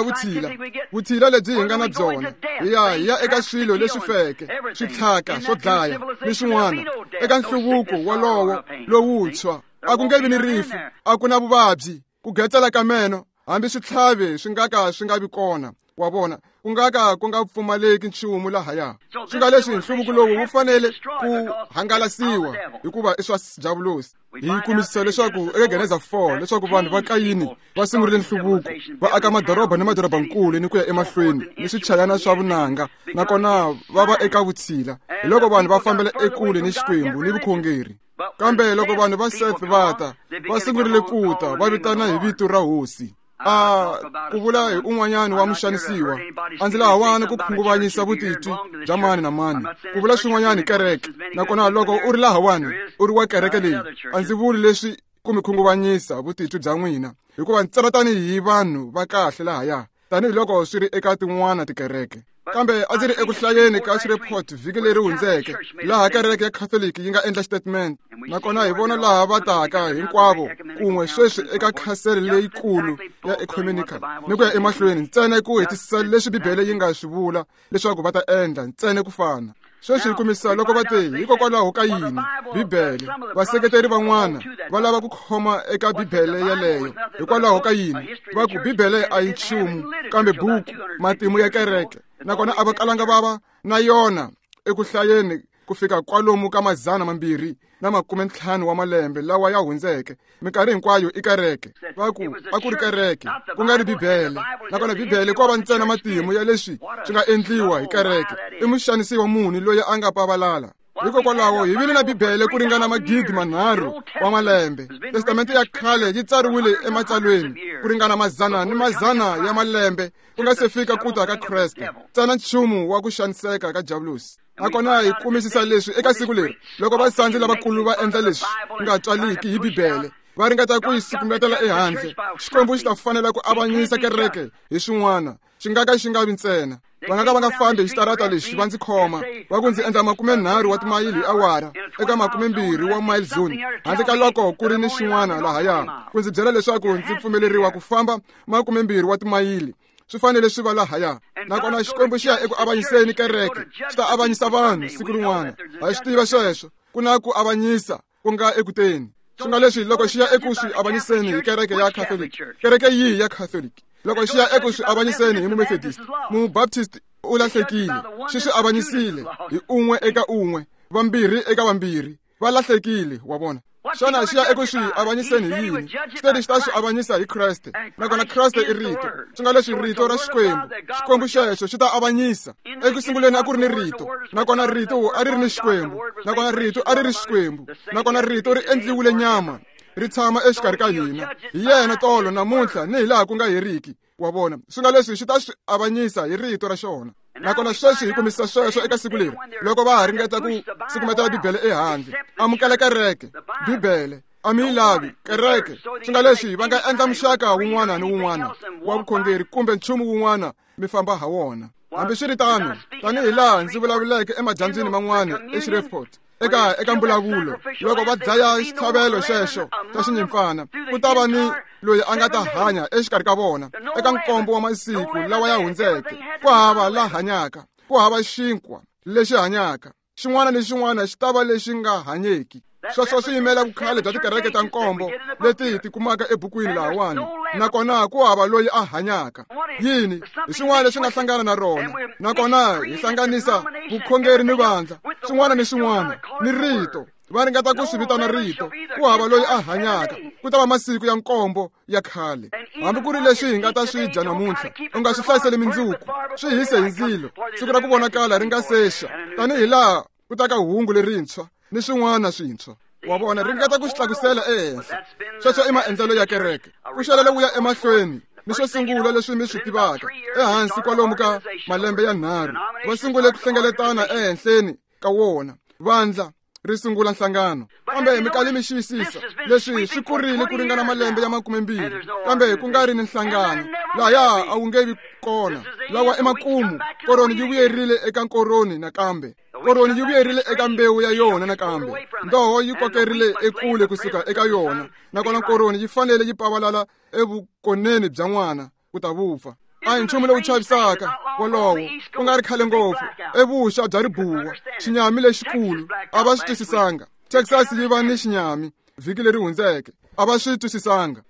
vutshila lebyi hi nga na byona, hi ya eka swilo leswi feke, switlhaka swo dlaya ni swin'wana. Eka nhluvuko wolowo lowuntshwa a ku nge vi ni rifu, a ku na vuvabyi, ku getsela ka meno, hambi switlhavi swi nga ka swi nga vi kona. Wa vona, ku nga ka ku nga pfumaleki nchumu lahaya. Swi nga leswi nhluvuko lowu wu fanele ku hangalasiwa hikuva i swa Diavulosi. Hi kumisisa leswaku eka Geneza 4 leswaku vanhu va Kayini va sungurile nhluvuko, va aka madoroba ni madorobankulu ni ku ya emahlweni ni swichayana swa vunanga, nakona va va eka vutshila. Hi loko vanhu va fambela ekule ni Xikwembu ni vukhongeri. Kambe loko vanhu va Seth va ta, va sungurile ku ta va vitana hi vito ra Hosi. A ku vula hi un'wanyana wa muxanisiwa, a ndzi lahawani ku khunguvanyisa vutitwi bya mani na mani, ku vula swin'wanyana hi kereke. Nakona loko u ri lahawani u ri wa kereke leyi, a ndzi vuli leswi ku mi khunguvanyisa vutitwi bya n'wina, hikuva ntsena tanihi vanhu va kahle lahaya, tanihiloko swi ri eka tin'wana tikereke. Kambe a ndzi ri eku hlayeni ka Shreveport vhiki leri hundzeke, laha kereke ya Catholic yi nga endla statement, nakona hi vona laha va taka hinkwavo kun'we sweswi eka khasele leyikulu ya ecumenical ni ku ya emahlweni, ntsena ku hetisisa leswi Bibele yi nga swi vula leswaku va ta endla, ntsena ku fana. Sweswi hi kumisa loko va te hikokwalaho ka yini Bibele, vaseketeri van'wana va lava ku khoma eka Bibele yeleyo. Hikwalaho ka yini va ku Bibele a yi nchumu kambe buku matimu ya kereke, nakona a va kalanga va va na yona eku hlayeni ku fika kwalomu ka 250 wa malembe lawa ya hundzeke. Minkarhi hinkwayo i kereke. Va ku a ku ri kereke, ku nga ri Bibele. Nakona Bibele ko va ntsena matimu ya leswi swi nga endliwa hi kereke. I muxanisiwa munhu loyi a nga pavalala. Hikokwalaho hi vile na Bibele ku ringana 3,000 wa malembe. Testamente ya khale yi tsariwile ematsalweni ku ringana mazana ni mazana ya malembe ku nga se fika ku ta ka Kreste. Ntsena nchumu wa ku xaniseka ka Diavulosi. Nakona hi kumisisa leswi eka siku leri loko vasandzi lavakulu va endla leswi nga tswaliki hi Bibele, va ringeta ku yi sukumetela ehandle. Xikwembu xi ta fanela ku avanyisa kereke hi swin'wana, xi nga ka xi nga vi ntsena. Va nga ka va nga fambi hi xitarata lexi va ndzi khoma, va ku ndzi endla 30 wa timayili hi awara eka 20 wa mile zone, handle ka loko ku ri ni xin'wana lahaya ku ndzi byela leswaku ndzi pfumeleriwa ku famba 20 wa timayili. Swi fanele swi va lahaya. Nakona Xikwembu xi ya eku avanyiseni kereke, xi ta avanyisa vanhu siku rin'wana. Ha swi tiva sweswo, ku na ku avanyisa ku nga ekuteni. Swi nga leswi loko xi ya eku swi avanyiseni hi kereke ya Catholic, kereke yihi ya Catholic? Loko xi ya eku swi avanyiseni hi Mumethodist, Mubaptist u lahlekile. Xi swi avanyisile hi un'we eka un'we, vambirhi eka vambirhi, va lahlekile. Wa vona? Xana xi ya eku swi avanyiseni hi yini? Xi teri xi ta swi avanyisa hi Kreste, nakona Kreste i Rito. Swi nga leswi Rito ra Xikwembu, Xikwembu xexo xi ta avanyisa. Eku sunguleni a ku ri ni Rito, nakona Rito a ri ri ni Xikwembu, nakona Rito a ri ri Xikwembu, nakona Rito ri endliwile nyama, ri tshama exikarhi ka hina. Hi yena tolo, namuntlha ni hilaha ku nga heriki. Wa vona? Swi nga leswi xi ta swi avanyisa hi Rito ra xona. Nakona sweswi hi kumisa sweswo eka siku leri loko va ha ringeta ku sukumetela Bibele ehandle. Amukela kereke, Bibele a mi yi lavi kereke. Swi nga leswi va nga endla muxaka wun'wana ni wun'wana wa vukhongeri kumbe nchumu wun'wana mi famba ha wona. Hambiswiritano, tanihi laha ndzi vulavuleke emadyambyini man'wana eShreveport, eka mbulavulo, loko va dlaya xitlhavelo xexo xa xinyimpfana, ku ta va ni loyi a nga ta hanya exikarhi ka vona eka nkombo wa masiku lawa ya hundzeke. Ku hava la hanyaka, ku hava xinkwa lexi hanyaka, xin'wana ni xin'wana xi ta va lexi nga hanyeki. Sweswo swi yimela vukhale bya tikereke ta nkombo leti hi ti kumaka ebukwini lahawani, nakona ku hava loyi a hanyaka. Yini? Hi swin'wana leswi nga hlangana na rona, nakona hi hlanganisa vukhongeri ni vandla, swin'wana ni swin'wana ni Rito. Va ringeta ku swi vitana rito, ku hava loyi a hanyaka. Ku ta va masiku ya nkombo ya khale. Hambi ku ri leswi hi nga ta swi dya namuntlha, u nga swi hlayiseli mindzuku, swi hise hi ndzilo. Siku ra ku vonakala ri nga sexa, tanihi laha ku ta ka hungu lerintshwa ni swin'wana swintshwa. Wa vona, ringeta ku swi tlakusela ehenhla. Sweswo i maendlelo ya kereke. Ku xelele wu ya emahlweni ni swo sungula leswi mi swi tivaka. Ehansi kwalomu ka malembe ya 3 va sungule ku hlengeletana ehenhleni ka wona. Vandla ri sungula nhlangano. Kambe mi kali mi xiyisisa leswi swi kurile ku ringana malembe ya 20, kambe ku nga ri ni nhlangano. Lahaya a wu nge vi kona. Lawa i makumu. Koroni yi vuyerile eka koroni nakambe. Koroni yi vuyerile eka mbewu ya yona nakambe. Ndoho yi kokerile ekule kusuka eka yona, nakona koroni yi fanele yi pavalala evukoneni bya n'wana ku ta vupfa. A hi nchumu lowu chavisaka wolowo, ku nga ri khale ngopfu evuxa bya ribuwa, xinyami lexikulu a va swi twisisanga. Texas yi va ni xinyami vhiki leri hundzeke, a va swi twisisanga.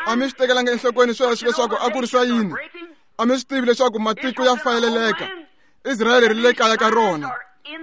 A mi swi tekelanga enhlokweni sweswo leswaku a ku ri sayini? A mi swi tivi leswaku matiko ya fayeleleka? Israyele ri le kaya ka rona,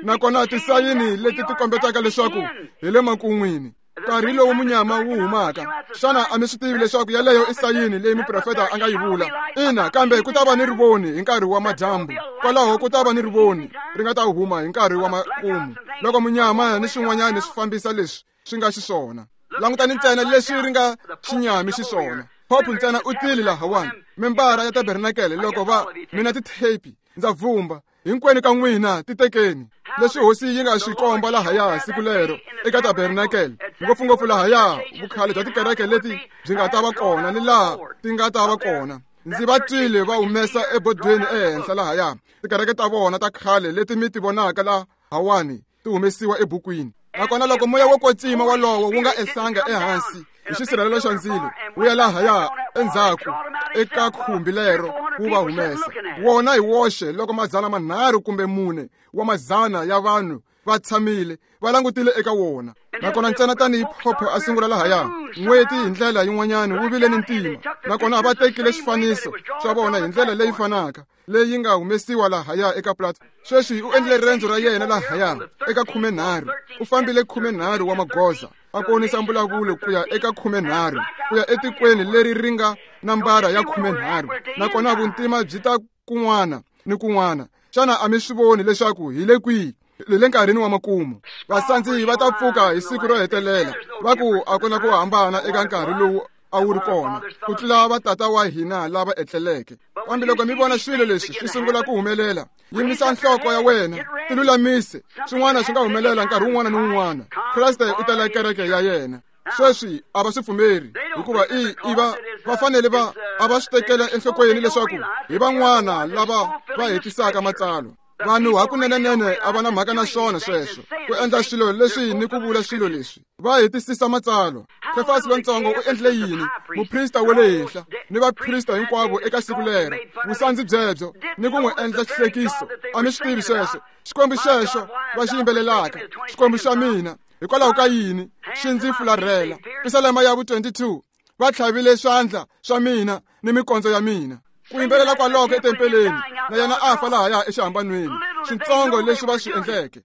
nakona tisayini leti ti kombetaka leswaku hi le makun'wini. Nkarhi lowu munyama wu humaka, xana a mi swi tivi leswaku yaleyo i sayini leyi muprofeta a nga yi vula? Ina, kambe ku ta va ni rivoni hi nkarhi wa madyambu. Kwalaho ku ta va ni rivoni ri nga ta huma hi nkarhi wa makumu, loko munyama ni swin'wanyana swi fambisa leswi swi nga xiswona. Langutani ntsena leswi ri nga xinyami xiswona. Pope ntsena u tile lahawani, membara ya tabernakele, loko va mina tithepi ndza vumba hinkwenu ka n'wina titekeni. Leswi hosi yi nga swi komba lahaya siku lero eka tabernakele, ngopfungopfu lahaya vukhale bya tikereke leti byi nga ta va kona ni laha ti nga ta va kona. Ndzi va twile va humesa ebodweni ehenhla lahaya tikereke ta vona ta khale leti mi ti vonaka lahawani ti humesiwa ebukwini. Nakona loko moya wo kwetsima wolowo wu nga ehlanga ehansi hi xisirhelelo xa ndzilo wu ya lahaya endzhaku eka khumbi lero wu va humesa wona hi woxe, loko 300 kumbe 4 wa mazana ya vanhu va tshamile va langutile eka wona. Nakona ntsena tanihi phopho a sungula lahaya, n'weti hi ndlela yin'wanyana wu vile ni ntima, nakona va tekile xifaniso xa vona hi ndlela leyi fanaka leyi nga humesiwa lahaya eka platform. Sweswi u endlile riendzo ra yena lahaya eka 13. U fambile 13 wa magoza a konisa mbulavulo ku ya eka 13, ku ya etikweni leri ri nga nambara ya 13. Nakona vuntima byi ta kun'wana ni kun'wana. Xana a mi swi voni leswaku hi le kwihi? Hi le nkarhini wa makumu. Vasandzi va ta pfuka hi siku ro hetelela, va ku a ku na ku hambana eka nkarhi lowu a wu ri kona ku tlula vatata wa hina lava etleleke. Kambe loko mi vona swilo leswi swi sungula ku humelela, yimisa nhloko ya wena, tilulamise. Swin'wana swi nga humelela nkarhi wun'wana ni wun'wana. Kreste u tela kereke ya yena. Sweswi a va swi pfumeri, hikuva i va va fanele va a va swi tekela enhlokweni leswaku hi van'wana lava va hetisaka matsalwa. Vanhu hakunenenene a va na mhaka na swona sweswo, ku endla swilo leswi ni ku vula swilo leswi. Va hetisisa matsalwa. Kefasi lontsongo u endlile yini? Muprista wa le henhla ni vaprista hinkwavo eka siku lero, vusandzi byebyo ni ku n'wi endla xihlekiso. A mi swi tivi sweswo? Xikwembu xexo va xi yimbelelaka, Xikwembu xa mina, hikwalaho ka yini xi ndzi fularhela? Pisalema ya vu-22, va tlhavile swandla swa mina ni mikondzo ya mina. Ku yimbelela kwaloko etempeleni, na yena a fa lahaya exihambanweni. Swintsongo leswi va swi endleke.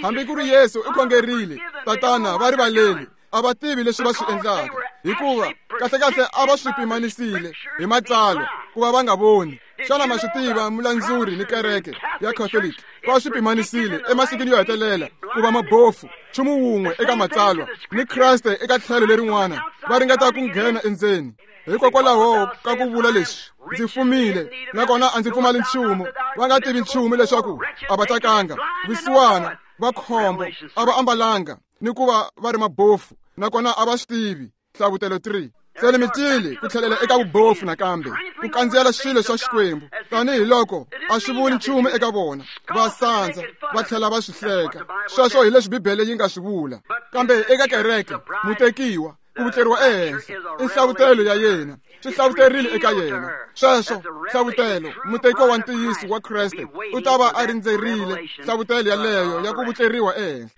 Hambi ku ri Yesu u khongerile, Tatana, va rivaleli, a va tivi leswi va swi endlaka, hikuva kahlekahle a va swi pimanisile hi matsalwa ku va va nga voni. Xana ma swi tiva mulandzuri ni kereke ya Catholic va swi pimanisile emasikwini yo hetelela ku va mabofu, nchumu wun'we eka matsalwa ni Kreste eka tlhelo lerin'wana, va ringeta ku nghena endzeni. Hikokwalaho ka ku vula leswi, ndzi fumile nakona a ndzi pfumali nchumu, va nga tivi nchumu leswaku a va tsakanga, vusiwana, va khombo, a va ambalanga ni ku va va ri mabofu, nakona a va swi tivi. Hlavutelo 3. Se ni mi tile ku tlhelela eka vubofu nakambe, ku kandziyela swilo swa Xikwembu tanihi loko a swi vuli nchumu eka vona. Va sandza va tlhela va swi hleka. Sweswo hi leswi Bibele yi nga swi vula. Kambe eka kereke, mutekiwa, ku vutleriwa ehenhla i nhlavutelo ya yena, swi hlavuterile eka yena. Sweswo nhlavutelo, mutekiwa wa ntiyiso wa Kreste u ta va a rindzerile nhlavutelo yaleyo ya ku vutleriwa ehenhla.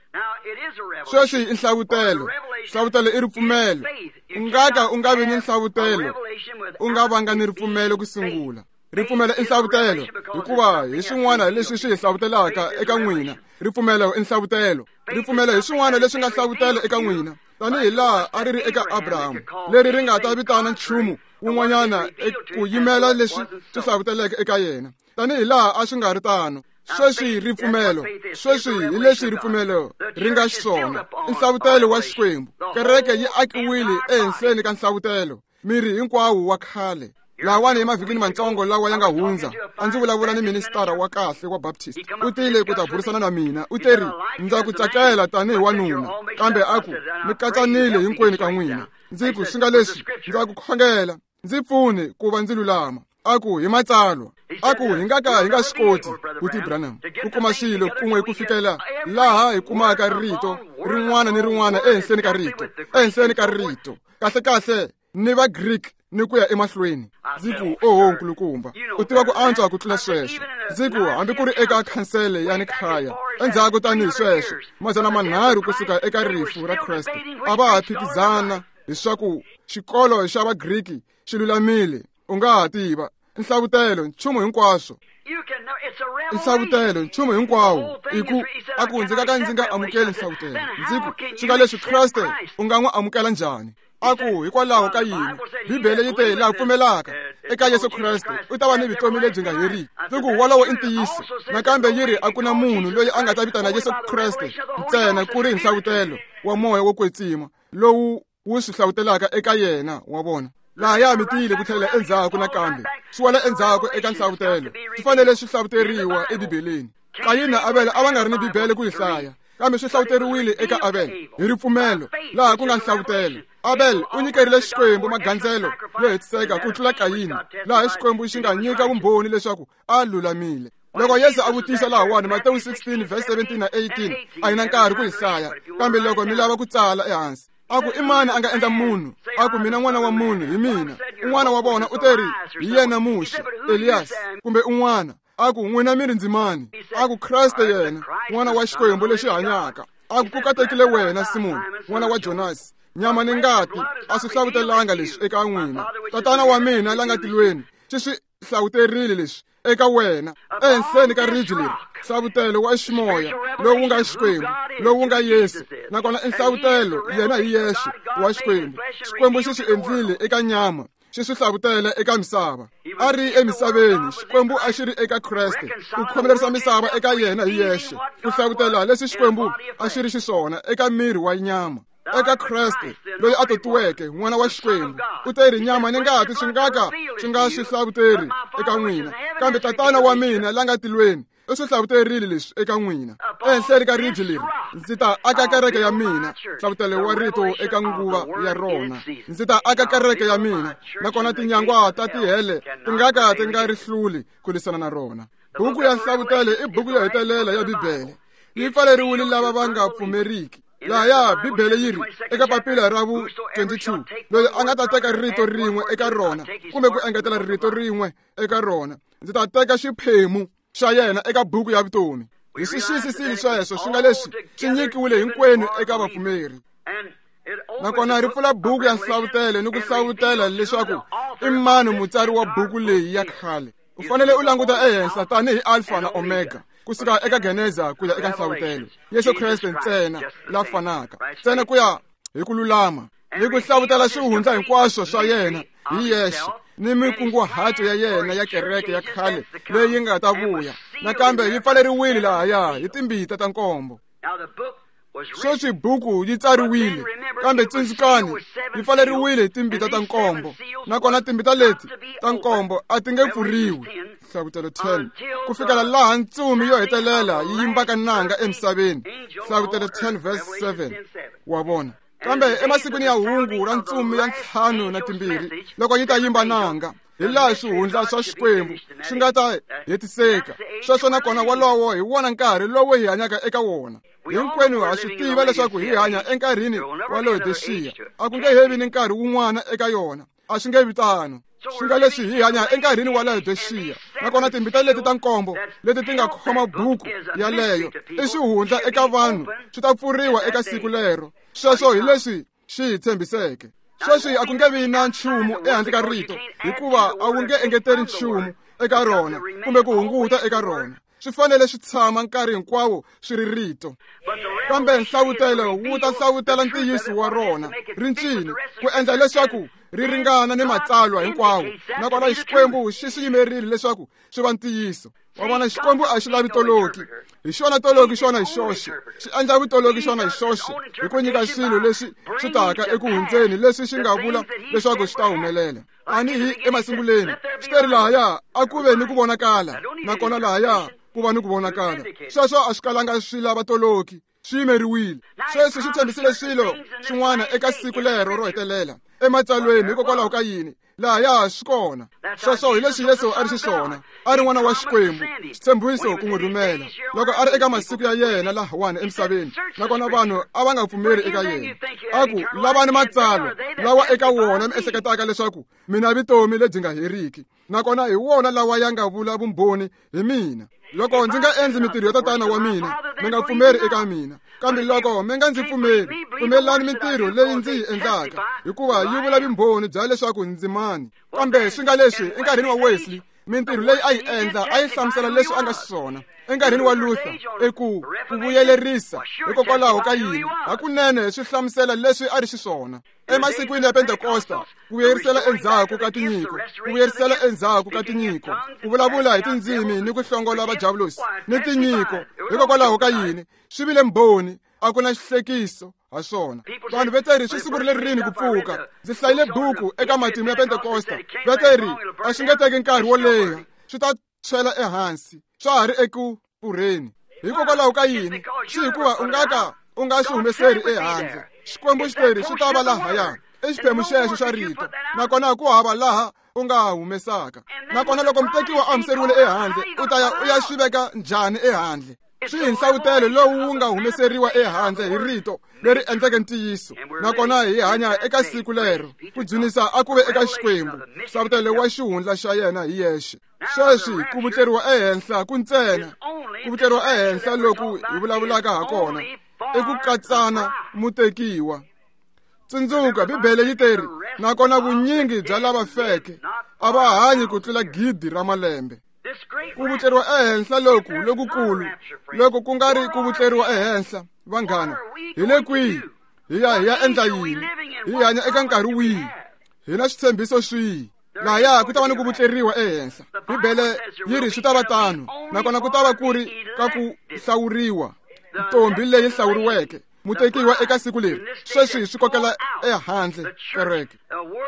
Sweswi i nhlavutelo. Nhlavutelo i ripfumelo. U nga ka u nga vi ni nhlavutelo u nga vanga ni ripfumelo ku sungula. Ripfumelo i nhlavutelo, hikuva hi swin'wana leswi swi hi hlavutelaka eka n'wina. Ripfumelo i nhlavutelo. Ripfumelo hi swin'wana leswi nga hlavutelo eka n'wina, tanihi laha a ri ri eka Abraham, leri ri nga ta vitana nchumu wun'wanyana ku yimela leswi swi hlavuteleke eka yena, tanihi laha a swi nga ri tano. Sweswi ripfumelo, sweswi hi leswi ripfumelo ri nga xiswona, i nhlavutelo wa Xikwembu. Kereke yi akiwile ehenhleni ka nhlavutelo, miri hinkwawo wa khale. Lawani emavhikini matsongo lawa ya nga hundza, a ndzi vulavula ni ministara wa kahle wa Baptist. U tile ku ta burisana na mina. U teri, ndza ku tsakela tanihi wanuna, kambe a ku, mi katsanile hinkwenu ka n'wina. Ndzi ku, swi nga leswi, ndza ku khongela, ndzi pfune ku va ndzi lulama. A ku, hi matsalwa. A ku, hi nga ka hi nga swi koti, Buti Branham, ku kuma swilo kun'we ku fikela laha hi kumaka rito rin'wana ni rin'wana ehenhleni ka rito, ehenhleni ka rito. Kahle kahle ni va Greek ni ku ya emahlweni. Ndzi ku, oho nkulukumba, u tiva ku antswa ku tlula sweswo. Ndzi ku, hambi ku ri eka khansele ya Nikhaya, endzhaku tanihi sweswo, 300 kusuka eka rifu ra Kreste, a va ha phikizana leswaku xikolo xa Vagriki xi lulamile. U nga ha tiva nhlavutelo nchumu hinkwaswo, nhlavutelo nchumu hinkwawo. I ku, a ku, ndzi nga ka ndzi nga amukeli nhlavutelo. Ndzi ku, swi nga leswi Kreste u nga n'wi amukela njhani? A ku, hikwalaho ka yini? Bibele yi te, laha pfumelaka eka Yesu Kreste u ta va ni vutomi lebyi nga heriki. Ndzi ku, wolowo i ntiyiso. Nakambe yi ri, a ku na munhu loyi a nga ta vitana Yesu Kreste ntsena ku ri nhlavutelo wa moya wo kwetsima lowu wu swi hlavutelaka eka yena. Wa vona, laha ya mi tiyile ku tlhelela endzhaku nakambe, swi wela endzhaku eka nhlavutelo. Swi fanele swi hlavuteriwa eBibeleni. Kayini na Abele a va nga ri ni Bibele ku yi hlaya, kambe swi hlavuteriwile eka Abele hi ripfumelo, laha ku nga nhlavutelo. Abel u nyikerile Xikwembu magandzelo yo hetiseka ku tlula Kayini, laha Xikwembu xi nga nyika vumbhoni leswaku a lulamile. Loko Yesu a vutisa lahawani, Matewu 16 verse 17 na 18, a hi na nkarhi ku yi hlaya, kambe loko mi lava ku tsala ehansi, a ku, i mani a nga endla munhu? A ku, mina n'wana wa munhu hi mina. Un'wana wa vona u teri, hi yena Muxe, Elias, kumbe un'wana. A ku, n'wina mi ri ndzi mani? A ku, Kreste yena, n'wana wa Xikwembu lexi hanyaka. A ku, ku katekile wena, Simoni, n'wana wa Jonasi. Nyama ni ngati a swi hlavutelanga leswi eka n'wina. Tatana wa mina la nga tilweni xi swi hlavuterile leswi eka wena. Ehenhleni ka ribye leri, nhlavutelo wa ximoya lowu nga Xikwembu, lowu nga Yesu, nakona i nhlavutelo yena hi yexe wa Xikwembu. Xikwembu xi swi endlile eka nyama, xi swi hlavutela eka misava. A ri emisaveni, Xikwembu a xi ri eka Kreste, ku khomelerisa misava eka yena hi yexe, ku hlavutela leswi Xikwembu a xi ri xiswona eka miri wa nyama. Eka Kreste loyi a totiweke, n'wana wa Xikwembu, u te ri, nyama ni ngati swi nga ka swi nga swi hlavuteri eka n'wina, kambe Tatana wa mina la nga tilweni u swi hlavuterile leswi eka n'wina. Ehenhleni ka ribye leri ndzi ta aka kereke ya mina, nhlavutelo wa rito eka nguva ya rona. Ndzi ta aka kereke ya mina, nakona tinyangwa ta tihele ti nga ka ti nga ri hluli ku lwisana na rona. Buku ya Nhlavutelo i buku yo hetelela ya Bibele. Yi pfaleriwile lava va nga pfumeriki. Lahaya Bibele yi ri eka papila ra vu 22, loyi a nga ta teka rito rin'we eka rona kumbe ku engetela rito rin'we eka rona, ndzi ta teka xiphemu xa yena eka buku ya vutomi. Hi swi xiyisisile sweswo, swi nga leswi swi nyikiwile hinkwenu eka vapfumeri. Nakona ri pfula buku ya nhlavutelo ni ku hlavutela leswaku i mani mutsari wa buku leyi ya khale. U fanele u languta ehenhla tanihi Alpha na Omega, kusuka eka Geneza ku ya eka nhlavutelo. Yesu Kreste ntsena la fanaka, ntsena ku ya hi ku lulama ni ku hlavutela swihundla hinkwaswo swa yena hi yexe ni mikunguhato ya yena ya kereke ya khale leyi nga ta vuya. Nakambe yi pfaleriwile lahaya hi timbita ta nkombo. Sweswi buku yi tsariwile, kambe tsundzukani, yi pfaleriwile hi timbita ta nkombo, nakona timbita leti ta nkombo a ti nge pfuriwi, Nhlavutelo 10, ku fikela laha ntsumi yo hetelela yi yimbaka nanga emisaveni, Nhlavutelo 10 verse 7. Wa vona? Kambe emasikwini ya hungu ra ntsumi ya 52, loko yi ta yimba nanga, hi laha swihundla swa Xikwembu swi nga ta hetiseka. Sweswo nakona wolowo hi wona nkarhi lowu hi hanyaka eka wona. Hinkwenu ha swi tiva leswaku hi hanya enkarhini wa Laodicea. A ku nge he vi ni nkarhi wun'wana eka yona. A swi nge vi tano. Swi nga leswi hi hanya enkarhini wa Laodicea, nakona timbita leti ta nkombo leti ti nga khoma buku yaleyo i swihundla eka vanhu, swi ta pfuriwa eka siku lero. Sweswo hi leswi xi hi tshembiseke. Sweswi a ku nge vi na nchumu ehandle ka rito, hikuva a wu nge engeteli nchumu eka rona kumbe ku hunguta eka rona. Swi fanele swi tshama nkarhi hinkwawo swi ri rito. Kambe nhlavutelo wu ta hlavutela ntiyiso wa rona rincini ku endla leswaku ri ringana ni matsalwa hinkwawo, nakona Xikwembu xi swi yimerile leswaku swi va ntiyiso. Wa vona, Xikwembu a xi lavi toloki. Hi xona toloki xona hi xoxe. Xi endla vutoloki xona hi xoxe hi ku nyika swilo leswi swi taka eku hundzeni leswi xi nga vula leswaku swi ta humelela. Tanihi emasunguleni, xi teri lahaya a ku ve ni ku vonakala, nakona lahaya ku va ni ku vonakala. Sweswo a swi kalanga swi lava toloki, swi yimeriwile. Sweswi xi tshembisile swilo swin'wana eka siku lero ro hetelela ematsalweni. Hikokwalaho ka yini? Lahaya swi kona. Sweswo hi leswi Yesu a ri xiswona, a ri n'wana wa Xikwembu, xitshembiso ku n'wi rhumela loko a ri eka masiku ya yena lahawani emisaveni, nakona vanhu a va nga pfumeri eka yena. A ku, lavani matsalwa lawa eka wona mi ehleketaka leswaku mina vutomi lebyi nga heriki, nakona hi wona lawa ya nga vula vumbhoni hi mina. Loko ndzi nga endli mintirho ya tatana wa mina, mi nga pfumeri eka mina. Kambe loko mi nga ndzi pfumeri, pfumelani mintirho leyi ndzi yi endlaka, hikuva yi vula vumbhoni bya leswaku ndzi mani. Kambe swi nga leswi enkarhini wa Wesley, mintirho leyi a yi endla a yi hlamusela leswi a nga xiswona. Enkarhini wa Luther, eku ku vuyelerisa, hikokwalaho ka yini? Hakunene swi hlamusela leswi a ri xiswona. Emasikwini ya Pentekosta, ku vuyerisela endzhaku ka tinyiko, ku vuyerisela endzhaku ka tinyiko, ku vulavula hi tindzimi ni ku hlongola vajavulosi ni tinyiko. Hikokwalaho ka yini? Swi vile mbhoni, a ku na xihlekiso ha swona. Vanhu va teri swi sungurile rini ku pfuka? Ndzi hlayile buku eka matimu ya Pentekosta. Va teri a swi nge teki nkarhi wo leha, swi ta tshwela ehansi, swa ha ri eku pfurheni. Hikokwalaho ka yini? Swi hikuva u nga ka u nga swi humeseri ehandle. Xikwembu xi teri swi ta va lahaya, i xiphemu xexo xa rito, nakona ku hava laha u nga humesaka. Nakona loko mutekiwa a humeseriwile ehandle, u ta ya u ya swi veka njhani ehandle? Swi hi nhlavutelo lowu wu nga humeseriwa ehandle hi rito leri endleke ntiyiso, nakona hi hanya eka siku lero. Ku dzunisa a ku ve eka Xikwembu, nhlavutelo wa xihundla xa yena hi yexe. Sweswi ku vutleriwa ehenhla ku ntsena, ku vutleriwa ehenhla loku hi vulavulaka ha kona i ku katsana mutekiwa. Tsundzuka, Bibele yi teri, nakona vunyingi bya lava feke a va hanyi ku tlula 1,000 ra malembe. Ku vutleriwa ehenhla loku lokukulu, loko ku nga ri ku vutleriwa ehenhla, vanghana, hi le kwihi? Hi ya endla yini? Hi hanya eka nkarhi wihi? Hi na switshembiso swihi? Lahaya ku ta va ni ku vutleriwa ehenhla. Bibele yi ri swi ta va tano, nakona ku ta va ku ri ka ku hlawuriwa, ntombi leyi hlawuriweke, mutekiwa eka siku leri. Sweswi swi kokela ehandle kereke.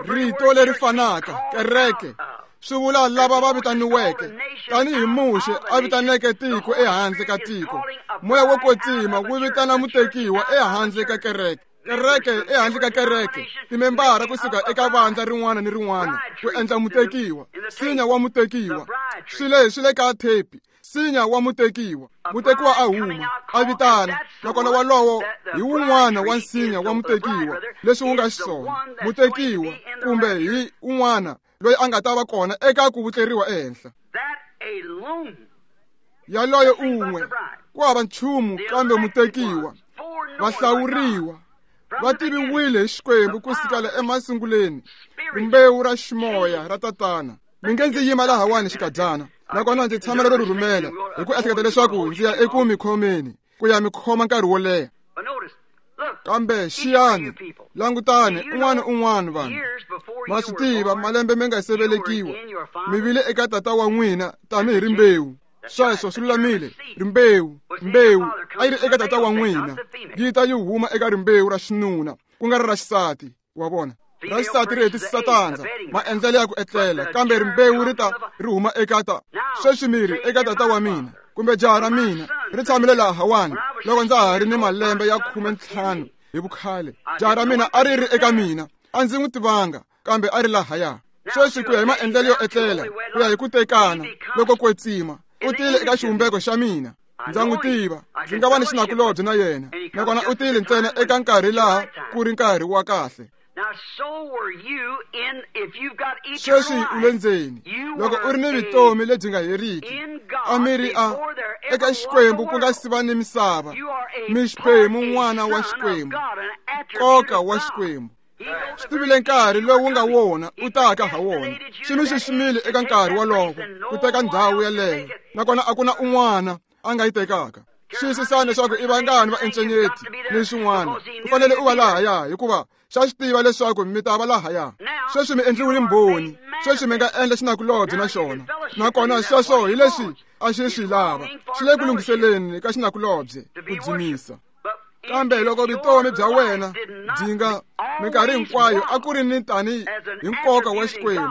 Rito leri fanaka kereke swi vula lava va vitaniweke, tanihi Muxe a vitaneke tiko ehandle ka tiko. Moya wo kwetsima wu vitana mutekiwa ehandle ka kereke. Kereke ehandle ka kereke, timembara kusuka eka vandla rin'wana ni rin'wana ku endla mutekiwa, nsinya wa mutekiwa. Swi le ka thepi, nsinya wa mutekiwa. Mutekiwa a huma, a vitana, nakona walowo hi wun'wana wa nsinya wa mutekiwa, leswi wu nga xiswona. Mutekiwa kumbe hi un'wana loyi a nga ta va kona eka ku vutleriwa ehenhla. Yaloye un'we, ku hava nchumu kambe mutekiwa. Vahlawuriwa va tiviwile hi Xikwembu ku sukela emasunguleni, rimbewu ra ximoya ra tatana. Mi nge ndzi yima lahawani xikadyana, nakona ndzi tshamela ro rhumela hi ku ehleketa leswaku ndzi ya eku mi khomeni, ku ya mi khoma nkarhi wo leha. Kambe xiyani, langutani un'wana un'wana vanhu. Ma swi tiva, malembe mi nga se velekiwa, mi vile eka tata wa n'wina tanihi rimbewu. Sweswo swi lulamile. Rimbewu, mbewu a yi ri eka tata wa n'wina, yi ta yi huma eka rimbewu ra xinuna, ku nga ri ra xisati. Wa vona, ra xisati ri hetisisa tandza, maendlelo ya ku etlela, kambe rimbewu ri ta ri huma eka ta. Sweswi mi ri eka tata wa mina kumbe jaha ra mina ri tshamile lahawani loko ndza ha ri ni malembe ya 15 hi vukhale. Jaha ra mina a ri ri eka mina, a ndzi n'wi tivanga, kambe a ri lahaya. Sweswi ku ya hi maendlelo yo etlela, ku ya hi ku tekana loko kwetsima, u tile eka xivumbeko xa mina. Ndza n'wi tiva, ndzi nga va ni xinakulobye na yena, nakona u tile ntsena eka nkarhi laha ku ri nkarhi wa kahle. Sweswi u le ndzeni, loko u ri ni vutomi lebyi nga heriki, a mi ri a eka Xikwembu ku nga si va ni misava, mi xiphemu n'wana wa Xikwembu, nkoka wa Xikwembu. Xi tivile nkarhi lowu nga wona u taka ha wona. Xi mi xiximile eka nkarhi wolowo ku teka ndhawu yeleyo, nakona a ku na un'wana a nga yi tekaka. Xiyisisani leswaku i vangani va encenyeti ni swin'wana. U fanele u va lahaya hikuva xa swi tiva leswaku mi ta va lahaya. Sweswi mi endliwile mbhoni, sweswi mi nga endla xinakulobye na xona. Nakona sweswo hi leswi a xi swi lava. Xi le ku lunghiseleni ka xinakulobye ku dzunisa. Kambe loko vutomi bya wena byi nga minkarhi hinkwayo a ku ri ni tani hi nkoka wa Xikwembu,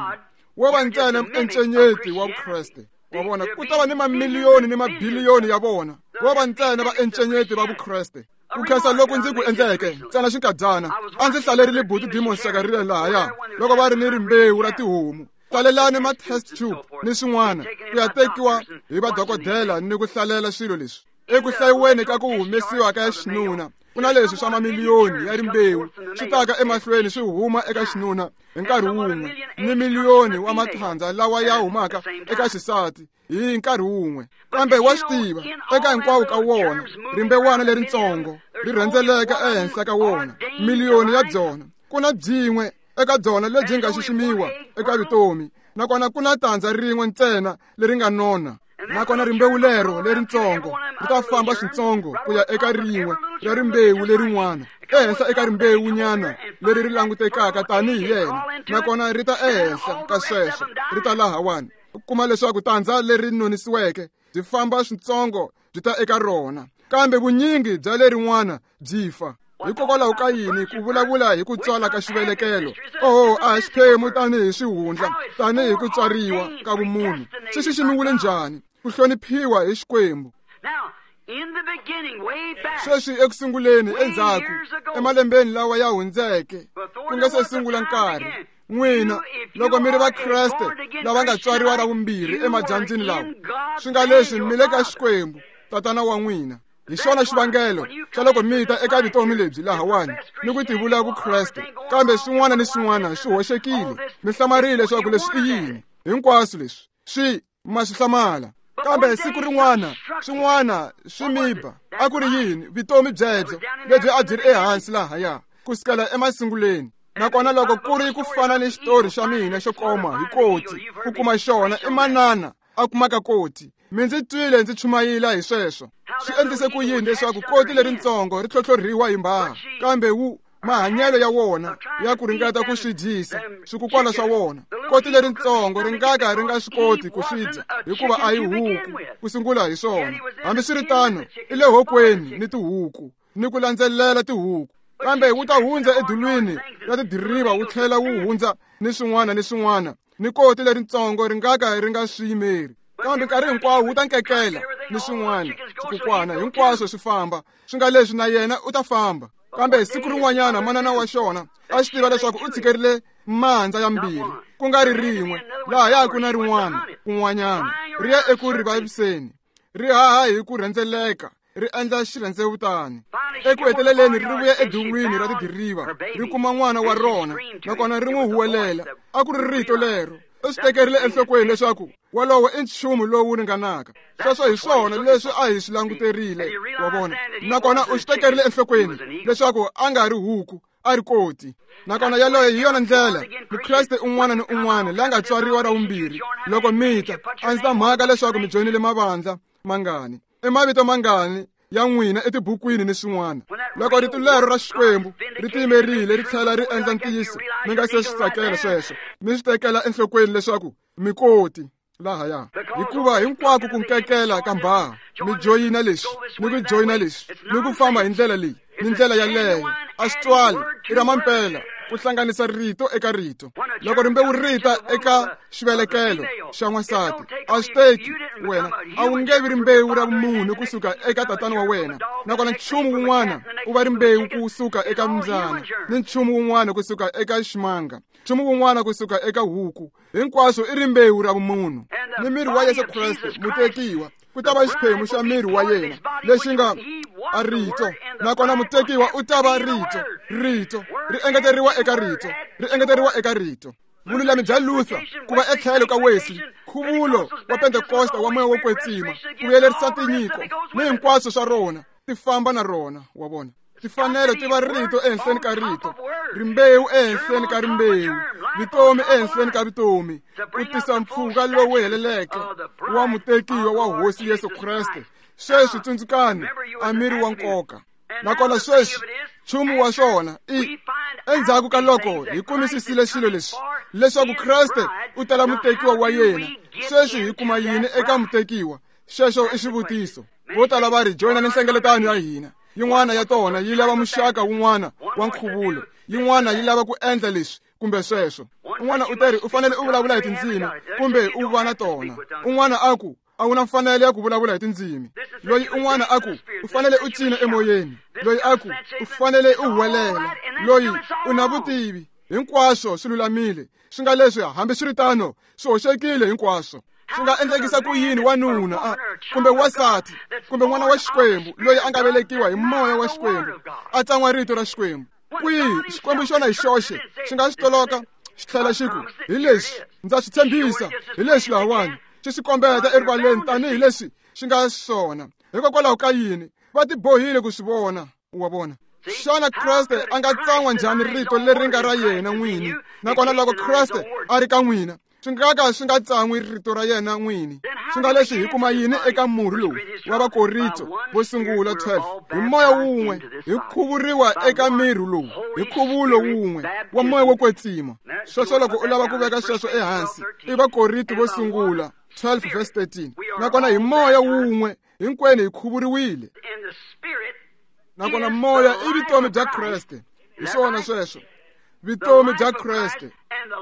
wo va ntsena encenyeti wa Vukreste. Wa vona, ku ta va ni mamiliyoni ni mabiliyoni ya vona vo va ntsena va encenyeti va Vukreste. Ku khensa loku ndzi ku endleke ntsena xinkadyana, a ndzi hlalerile buti Demon Sakarile lahaya loko va ri ni rimbewu ra tihomu. Hlalelani ma test tube ni swin'wana ku ya tekiwa hi vadokodela ni ku hlalela swilo leswi. Eku hlayiweni ka ku humesiwa ka xinuna, ku na leswi swa mamiliyoni ya rimbewu swi taka emahlweni swi huma eka xinuna hi nkarhi wun'we, ni miliyoni wa mathandza lawa ya humaka eka xisati hi nkarhi wun'we. Kambe wa swi tiva, eka hinkwawo ka wona rimbewana leritsongo ri rhendzeleka ehenhla ka wona, miliyoni ya byona. Ku na byin'we eka byona lebyi nga xiximiwa eka vutomi, nakona ku na tandza rin'we ntsena leri nga nona. Nakona rimbewu lero leritsongo ri ta famba switsongo ku ya eka rin'we ra rimbewu lerin'wana, ehenhla eka rimbewunyana leri ri langutekaka tanihi yena, nakona ri ta ehenhla ka sweswo ri ta lahawani. U kuma leswaku tandza leri nonisiweke byi famba switsongo byi ta eka rona, kambe vunyingi bya lerin'wana byi fa. Hikokwalaho ka yini ku vulavula hi ku tswala ka xivelekelo? Oho, a hi xiphemu tanihi swihundla, tanihi ku tswariwa ka vumunhu. Swi xiximiwile njhani ku hloniphiwa hi Xikwembu? Sweswi ekusunguleni, endzhaku emalembeni lawa ya hundzeke, ku nga se sungula nkarhi, n'wina loko mi ri Vakreste lava nga tswariwa ra vumbirhi emadyambyini lawa, swi nga leswi mi le ka Xikwembu Tatana wa n'wina. Hi xona xivangelo xa loko mi ta eka vutomi lebyi lahawani ni ku tivula Vukreste, kambe swin'wana ni swin'wana swi hoxekile. Mi hlamarile leswaku leswi i yini hinkwaswo leswi swi ma swi hlamala. Kambe siku rin'wana swin'wana swi mi ba. A ku ri yini vutomi byebyo lebyi a byi ri ehansi lahaya ku sukela emasunguleni? Nakona loko ku ri ku fana ni xitori xa mina xo koma hi koti ku kuma xona i manana a kumaka koti. Mi ndzi twile ndzi chumayila hi sweswo. Swi endlise ku yini leswaku koti leritsongo ri tlhotlhorhiwa hi mbhaha, kambe wu mahanyelo ya wona ya ku ringeta ku swi dyisa swikukwana swa wona. Koti leritsongo ri nga ka ri nga swi koti ku swi dya hikuva a hi huku ku sungula hi swona. Hambiswiritano, i le hokweni ni tihuku ni ku landzelela tihuku, kambe wu ta hundza edulwini ra tidiriva wu tlhela wu hundza ni swin'wana ni swin'wana, ni koti leritsongo ri nga ka ri nga swi yimeri. Kambe nkarhi hinkwawo wu ta nkekela ni swin'wana swikukwana hinkwaswo swi famba, swi nga leswi na yena u ta famba. Kambe siku rin'wanyana manana wa xona a swi tiva leswaku u tshikerile mandza ya mbirhi, ku nga ri rin'we lahaya ku na rin'wana kun'wanyana, ri ya eku ri vaviseni, ri haha hi ku rhendzeleka, ri endla xirhendzevutani. Eku heteleleni ri vuya edulwini ra tidiriva, ri kuma n'wana wa rona, nakona ri n'wi huwelela. A ku ri rito lero. U swi tekerile enhlokweni leswaku wolowo i nchumu lowu ringanaka. Sweswo hi swona leswi a hi swi languterile, wa vona. Nakona u swi tekerile enhlokweni leswaku a nga ri huku, a ri koti. Nakona yaloyo hi yona ndlela Mukreste un'wana ni un'wana la nga tswariwa ra vumbirhi. Loko mi ta, a ndzi ta mhaka leswaku mi joyinile mavandla mangani, i mavito mangani ya n'wina etibukwini ni swin'wana. Loko rito lero ra Xikwembu ri tiyimerile ri tlhela ri endla ntiyiso, mi nga se swi tsakela sweswo, mi swi tekela enhlokweni leswaku mi koti lahaya. Hikuva hinkwako ku nkekela ka mbhaha, mi joyina leswi ni ku joyina leswi ni ku famba hi ndlela leyi ni ndlela yaleyo, a swi twali, i ra mampela ku hlanganisa rito eka rito. Loko rimbewu ri ta eka xivelekelo xa n'wansati, a swi teki wena, a wu nge vi rimbewu ra munhu kusuka eka tatana wa wena, nakona nchumu wun'wana u va rimbewu kusuka eka mbyana, ni nchumu wun'wana kusuka eka ximanga, nchumu wun'wana kusuka eka huku. Hinkwaswo i rimbewu ra vumunhu. Ni miri wa Yesu Kreste mutekiwa ku ta va xiphemu xa miri wa yena lexi nga a rito, nakona mutekiwa u ta va rito. Rito ri engeteriwa eka rito, ri engeteriwa eka rito. Vululami bya Luther ku va etlhelo ka Wesley, nkhuvulo wa Pentekosta wa moya wo kwetsima, ku vuyelerisa tinyiko ni hinkwaswo swa rona ti famba na rona, wa vona. Tifanelo ti va rito ehenhleni ka rito, rimbewu ehenhleni ka rimbewu, vutomi ehenhleni ka vutomi, ku tisa mpfhuka lowu heleleke wa mutekiwa wa Hosi Yesu Kreste. Sweswi tsundzukani, a miri wa nkoka. Nakona sweswi nchumu wa swona i endzhaku ka loko hi kumisisile swilo leswi leswaku Kreste u tala mutekiwa wa yena. Sweswi hi kuma yini eka mutekiwa? Xexo i xivutiso. Vo tala va ri joyina ni nhlengeletano ya hina. Yin'wana ya tona yi lava muxaka wun'wana wa nkhuvulo, yin'wana yi lava ku endla leswi kumbe sweswo. Un'wana u teri u fanele u vulavula hi tindzimi kumbe u va na tona. Un'wana a ku a wu na mfanelo ya ku vulavula hi tindzimi. Loyi un'wana a ku u fanele u cina emoyeni. Loyi a ku u fanele u huwelela. Loyi u na vutivi. Hinkwaswo swi lulamile, swi nga leswi hambiswiritano swi hoxekile hinkwaswo. Swi nga endlekisa ku yini wanuna kumbe wansati kumbe n'wana wa Xikwembu loyi a nga velekiwa hi moya wa Xikwembu a tsan'wa rito ra Xikwembu? Kwihi Xikwembu xona hi xoxe xi nga swi toloka xi tlhela xi ku hi leswi ndza swi tshembisa, hi leswi lahawani xi swi kombeta erivaleni tanihi leswi xi nga swona. Hikokwalaho ka yini va tibohile ku swi vona? Wa vona? Xana Kreste a nga tsan'wa njhani rito leri nga ra yena n'wini? Nakona loko Kreste a ri ka n'wina, swi nga ka swi nga tsan'wi rito ra yena n'wini. Swi nga leswi hi kuma yini eka murhi lowu wa Vakorinto vo sungula 12? Hi moya wun'we hi khuvuriwa eka miri lowu hi nkhuvulo wun'we wa moya wo kwetsima. Sweswo loko u lava ku veka sweswo ehansi, i Vakorinto vo sungula 12 verse 13. Nakona hi moya wun'we hinkwenu hi khuvuriwile. Nakona moya i vutomi bya Kreste. Hi swona sweswo, vutomi bya Kreste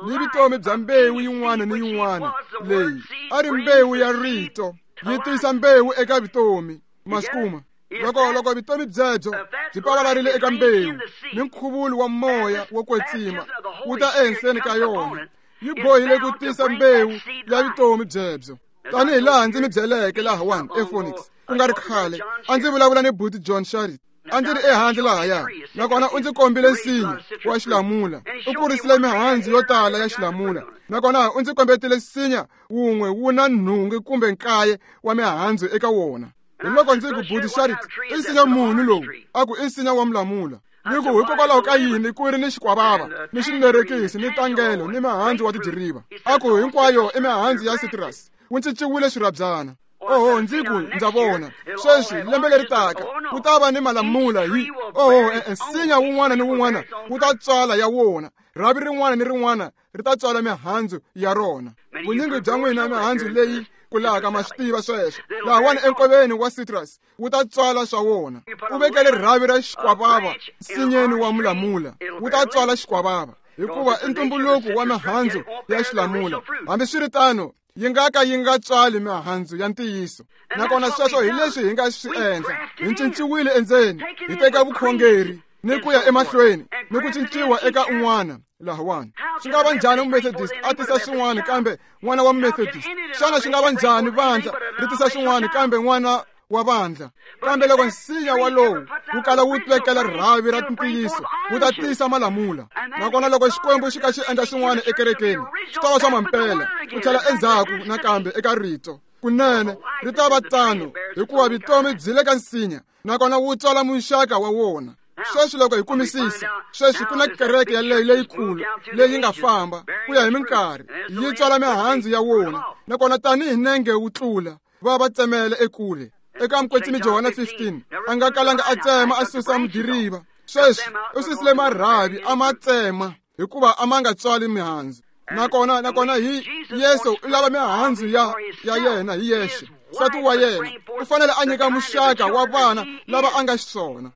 ni vutomi bya mbewu yin'wana ni yin'wana leyi a ri mbewu ya rito yi tisa mbewu eka vutomi. Ma swi kuma? Loko vutomi byebyo byi pavalarile eka mbewu ni nkhuvulo wa moya wo kwetsima wu ta ehenhleni ka yona, yi bohile ku tisa mbewu ya vutomi byebyo. Tanihi laha ndzi mi byeleke lahawani ePhoenix ku nga ri khale, a ndzi vulavula ni buti John Sharrit. A ndzi ri ehandle lahaya, nakona u ndzi kombile nsinya wa xilamula. U kurisile mihandzu yo tala ya xilamula, nakona u ndzi kombetile nsinya wun'we wu na nhungu kumbe 9 wa mihandzu eka wona. Hi loko ndzi ku, buti Sharrit, i nsinya muni lowu? A ku i nsinya wa mulamula. Ni ku hikokwalaho ka yini ku ri ni xikwavava ni xinerekisi ni tangelo ni mihandzu wa tidiriva? A ku hinkwayo i mihandzu ya citrus, wu cinciwile swirhabyana. Oho, ndzi ku ndza vona sweswi lembe leri taka ku ta va ni malamula hi oho, nsinya wun'wana ni wun'wana wu ta tswala ya wona, rhavi rin'wana ni rin'wana ri ta tswala mihandzu ya rona. Vunyingi bya n'wina mihandzu leyi kulaka ma swi tiva sweswo. Lahawani enkoveni wa citrus wu ta tswala swa wona. U vekele rhavi ra xikwavava nsinyeni wa mulamula, wu ta tswala xikwavava, hikuva i ntumbuluko wa mihandzu ya xilamula. Hambiswiritano yi nga ka yi nga tswali mihandzu ya ntiyiso. Nakona sweswo hi leswi hi nga swi endla. Hi cinciwile endzeni, hi teka vukhongeri ni ku ya emahlweni ni ku cinciwa eka un'wana lahawani. Swi nga va njhani Mumethodist a tisa swin'wana kambe n'wana wa Mumethodist? Xana swi nga va njhani vandla ri tisa swin'wana kambe n'wana wa vandla? Kambe loko nsinya walowu wu kala wu vekela rhavi ra ntiyiso, wu ta tisa malamula. Nakona loko Xikwembu xi ka xi endla swin'wana ekerekeni, swi ta va swa mampela ku tlhela endzhaku nakambe eka rito. Kunene ri ta va tano, hikuva vutomi byi le ka nsinya, nakona wu tswala muxaka wa wona. Sweswi loko hi kumisisa, sweswi ku na kereke yaleyo leyikulu leyi nga famba ku ya hi minkarhi, yi tswala mihandzu ya wona. Nakona tanihi nenge wu tlula, va tsemele ekule. Eka Mukwetsimi Johana 15, a nga kalanga a tsema a susa mudiriva. Sweswi u susile marhavi a ma tsema, hikuva a ma nga tswali mihandzu. Nakona hi Yesu u lava mihandzu ya yena hi yexe. Nsati wa yena u fanele a nyika muxaka wa vana lava a nga xiswona.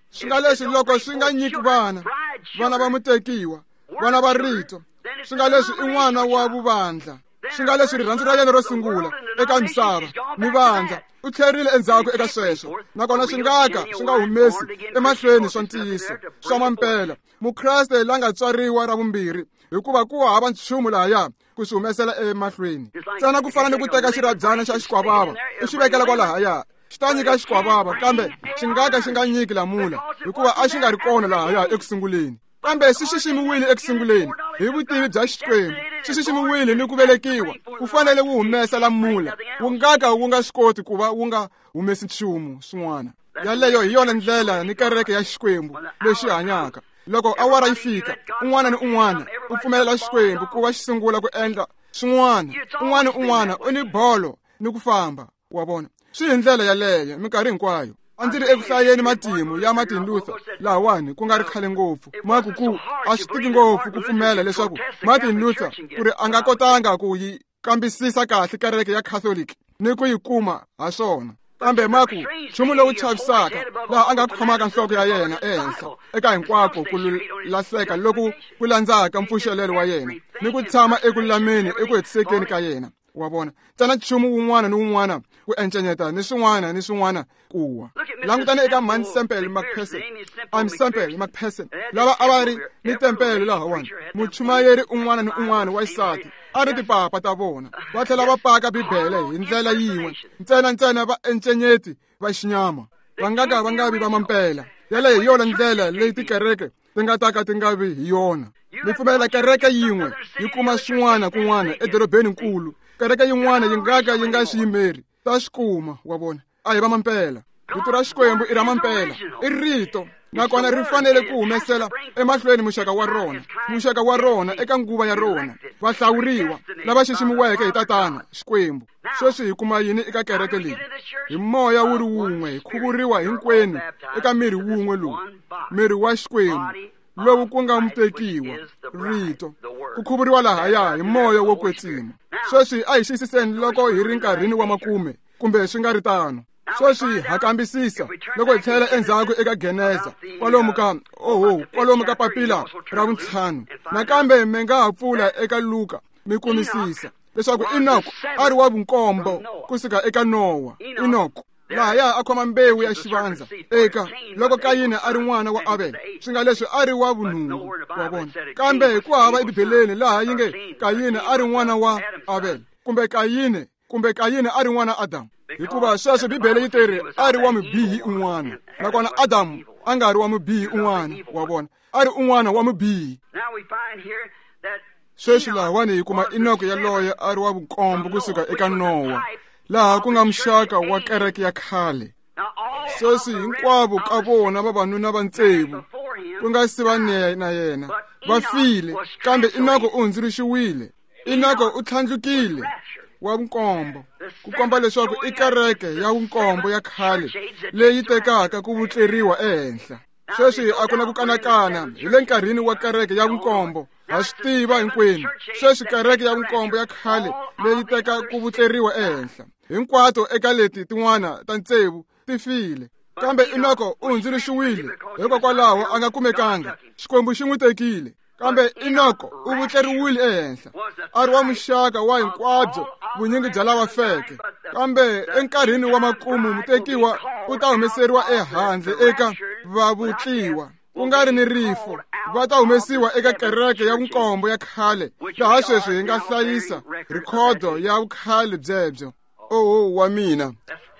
Swi nga leswi loko swi nga nyiki vana, vana va mutekiwa, vana va rito, swi nga leswi i n'wana wa vuvandla. Swi nga leswi rirhandzu ra yena ro sungula eka misava ni vandla, u tlherile endzhaku eka sweswo. Nakona swi nga ka swi nga humesi emahlweni swa ntiyiso swa mampela Mukreste la nga tswariwa ra vumbirhi, hikuva ku hava nchumu lahaya ku swi humesela emahlweni. Ntsena ku fana ni ku teka xirhabyana xa xikwavava u xi vekela kwalahaya, xi ta nyika xikwavava, kambe xi nga ka xi nga nyiki lamula, hikuva a xi nga ri kona lahaya eku sunguleni. Kambe swi xiximiwile eku sunguleni hi vutivi bya Xikwembu, swi xiximiwile ni ku velekiwa. Wu fanele wu humesa lamula, wu nga ka wu nga swi koti ku va wu nga humesi nchumu swin'wana. Yaleyo hi yona ndlela ni kereke ya Xikwembu lexi hanyaka. Loko awara yi fika, un'wana ni un'wana u pfumelela Xikwembu ku va xi sungula ku endla swin'wana. Un'wana ni un'wana u ni bolo ni ku famba, wa vona. Swi hi ndlela yaleyo minkarhi hinkwayo. A ndzi ri eku hlayeni matimu ya Martin Luther lahawani ku nga ri khale ngopfu. Maku ku a swi tiki ngopfu ku pfumela leswaku Martin Luther ku ri a nga kotanga ku yi kambisisa kahle kereke ya Catholic ni ku yi kuma ha swona. Kambe maku nchumu lowu chavisaka laha a nga khomaka nhloko ya yena ehenhla eka hinkwako ku lahleka loku ku landzaka mpfuxelelo wa yena ni ku tshama eku lulameni eku hetisekeni ka yena. Wa vona, ntsena nchumu wun'wana ni wun'wana ku encenyeta ni swin'wana ni swin'wana ku wa. Langutani eka Man Semple McPherson, I'm Semple McPherson, lava a va ri ni tempele lahawani. Muchumayeri un'wana ni un'wana wa xisati a ri tipapa ta vona, va tlhela va paka Bibele hi ndlela yin'we, ntsena ntsena va encenyeti va xinyama, va nga ka va nga vi va mampela. Yaleyo hi yona ndlela leyi tikereke ti nga ta ka ti nga vi hi yona. Mi pfumelela kereke yin'we yi kuma swin'wana kun'wana edorobeni nkulu, kereke yin'wana yi nga ka yi nga xi yimeri, ta swi kuma, wa vona. A hi va mampela. Rito ra Xikwembu i ra mampela, i rito, nakona ri fanele ku humesela emahlweni muxaka wa rona, muxaka wa rona eka nguva ya rona, vahlawuriwa lava xiximiweke hi Tatana Xikwembu. Sweswi hi kuma yini eka kereke leyi? Hi moya wu ri wun'we hi khuvuriwa hinkwenu eka miri wun'we lowu, miri wa Xikwembu lowu ku nga mutekiwa, rito, ku khuvuriwa lahaya hi moya wo kwetsima. Sweswi a hi xiyisiseni loko hi ri nkarhini wa makume kumbe swi nga ri tano. Sweswi ha kambisisa loko hi tlhela endzhaku eka Geneza kwalomu ka kwalomu ka papila ra vuntlhanu. Nakambe mi nga ha pfula eka Luka mi kumisisa leswaku Enoch a ri wa vunkombo kusuka eka Nowa. Enoch lahaya a khoma mbewu ya xivandza eka loko Kayini a ri n'wana wa Abel, swi nga leswi a ri wa vunhungu, wa vona. Kambe ku hava eBibeleni laha yi nge Kayini a ri n'wana wa Abel kumbe Kayini a ri n'wana Adamu, hikuva sweswo Bibele yi teri a ri wa mubihi un'wana, nakona Adamu a nga ri wa mubihi un'wana, wa vona, a ri un'wana wa mubihi. Sweswi lahawani hi kuma Enoch yaloye a ri wa vunkombo kusuka eka Nowa, laha ku nga muxaka wa kereke ya khale. Sweswi hinkwavo ka vona vavanuna va tsevu ku nga si va na yena va file, kambe Enoch u hundzuluxiwile. Enoch u tlhandlukile wa vunkombo, ku komba leswaku i kereke ya vunkombo ya khale leyi tekaka ku vutleriwa ehenhla. Sweswi a ku na ku kanakana hi le nkarhini wa kereke ya vunkombo, ha swi tiva hinkwenu. Sweswi kereke ya vunkombo ya khale leyi teka ku vutleriwa ehenhla, hinkwato eka leti tin'wana ta tsevu ti file, kambe Enoch u hundzuluxiwile, hikokwalaho a nga kumekanga. Xikwembu xi n'wi tekile. Kambe Enoch u vutleriwile ehenhla, a ri wa muxaka wa hinkwabyo vunyingi bya lava feke. Kambe enkarhini wa makumu mutekiwa u ta humeseriwa ehandle eka vavutliwa, ku nga ri ni rifo. Va ta humesiwa eka kereke ya vunkombo ya khale, laha sweswi hi nga hlayisa rhikhodo ya vukhale byebyo. Oho wa mina,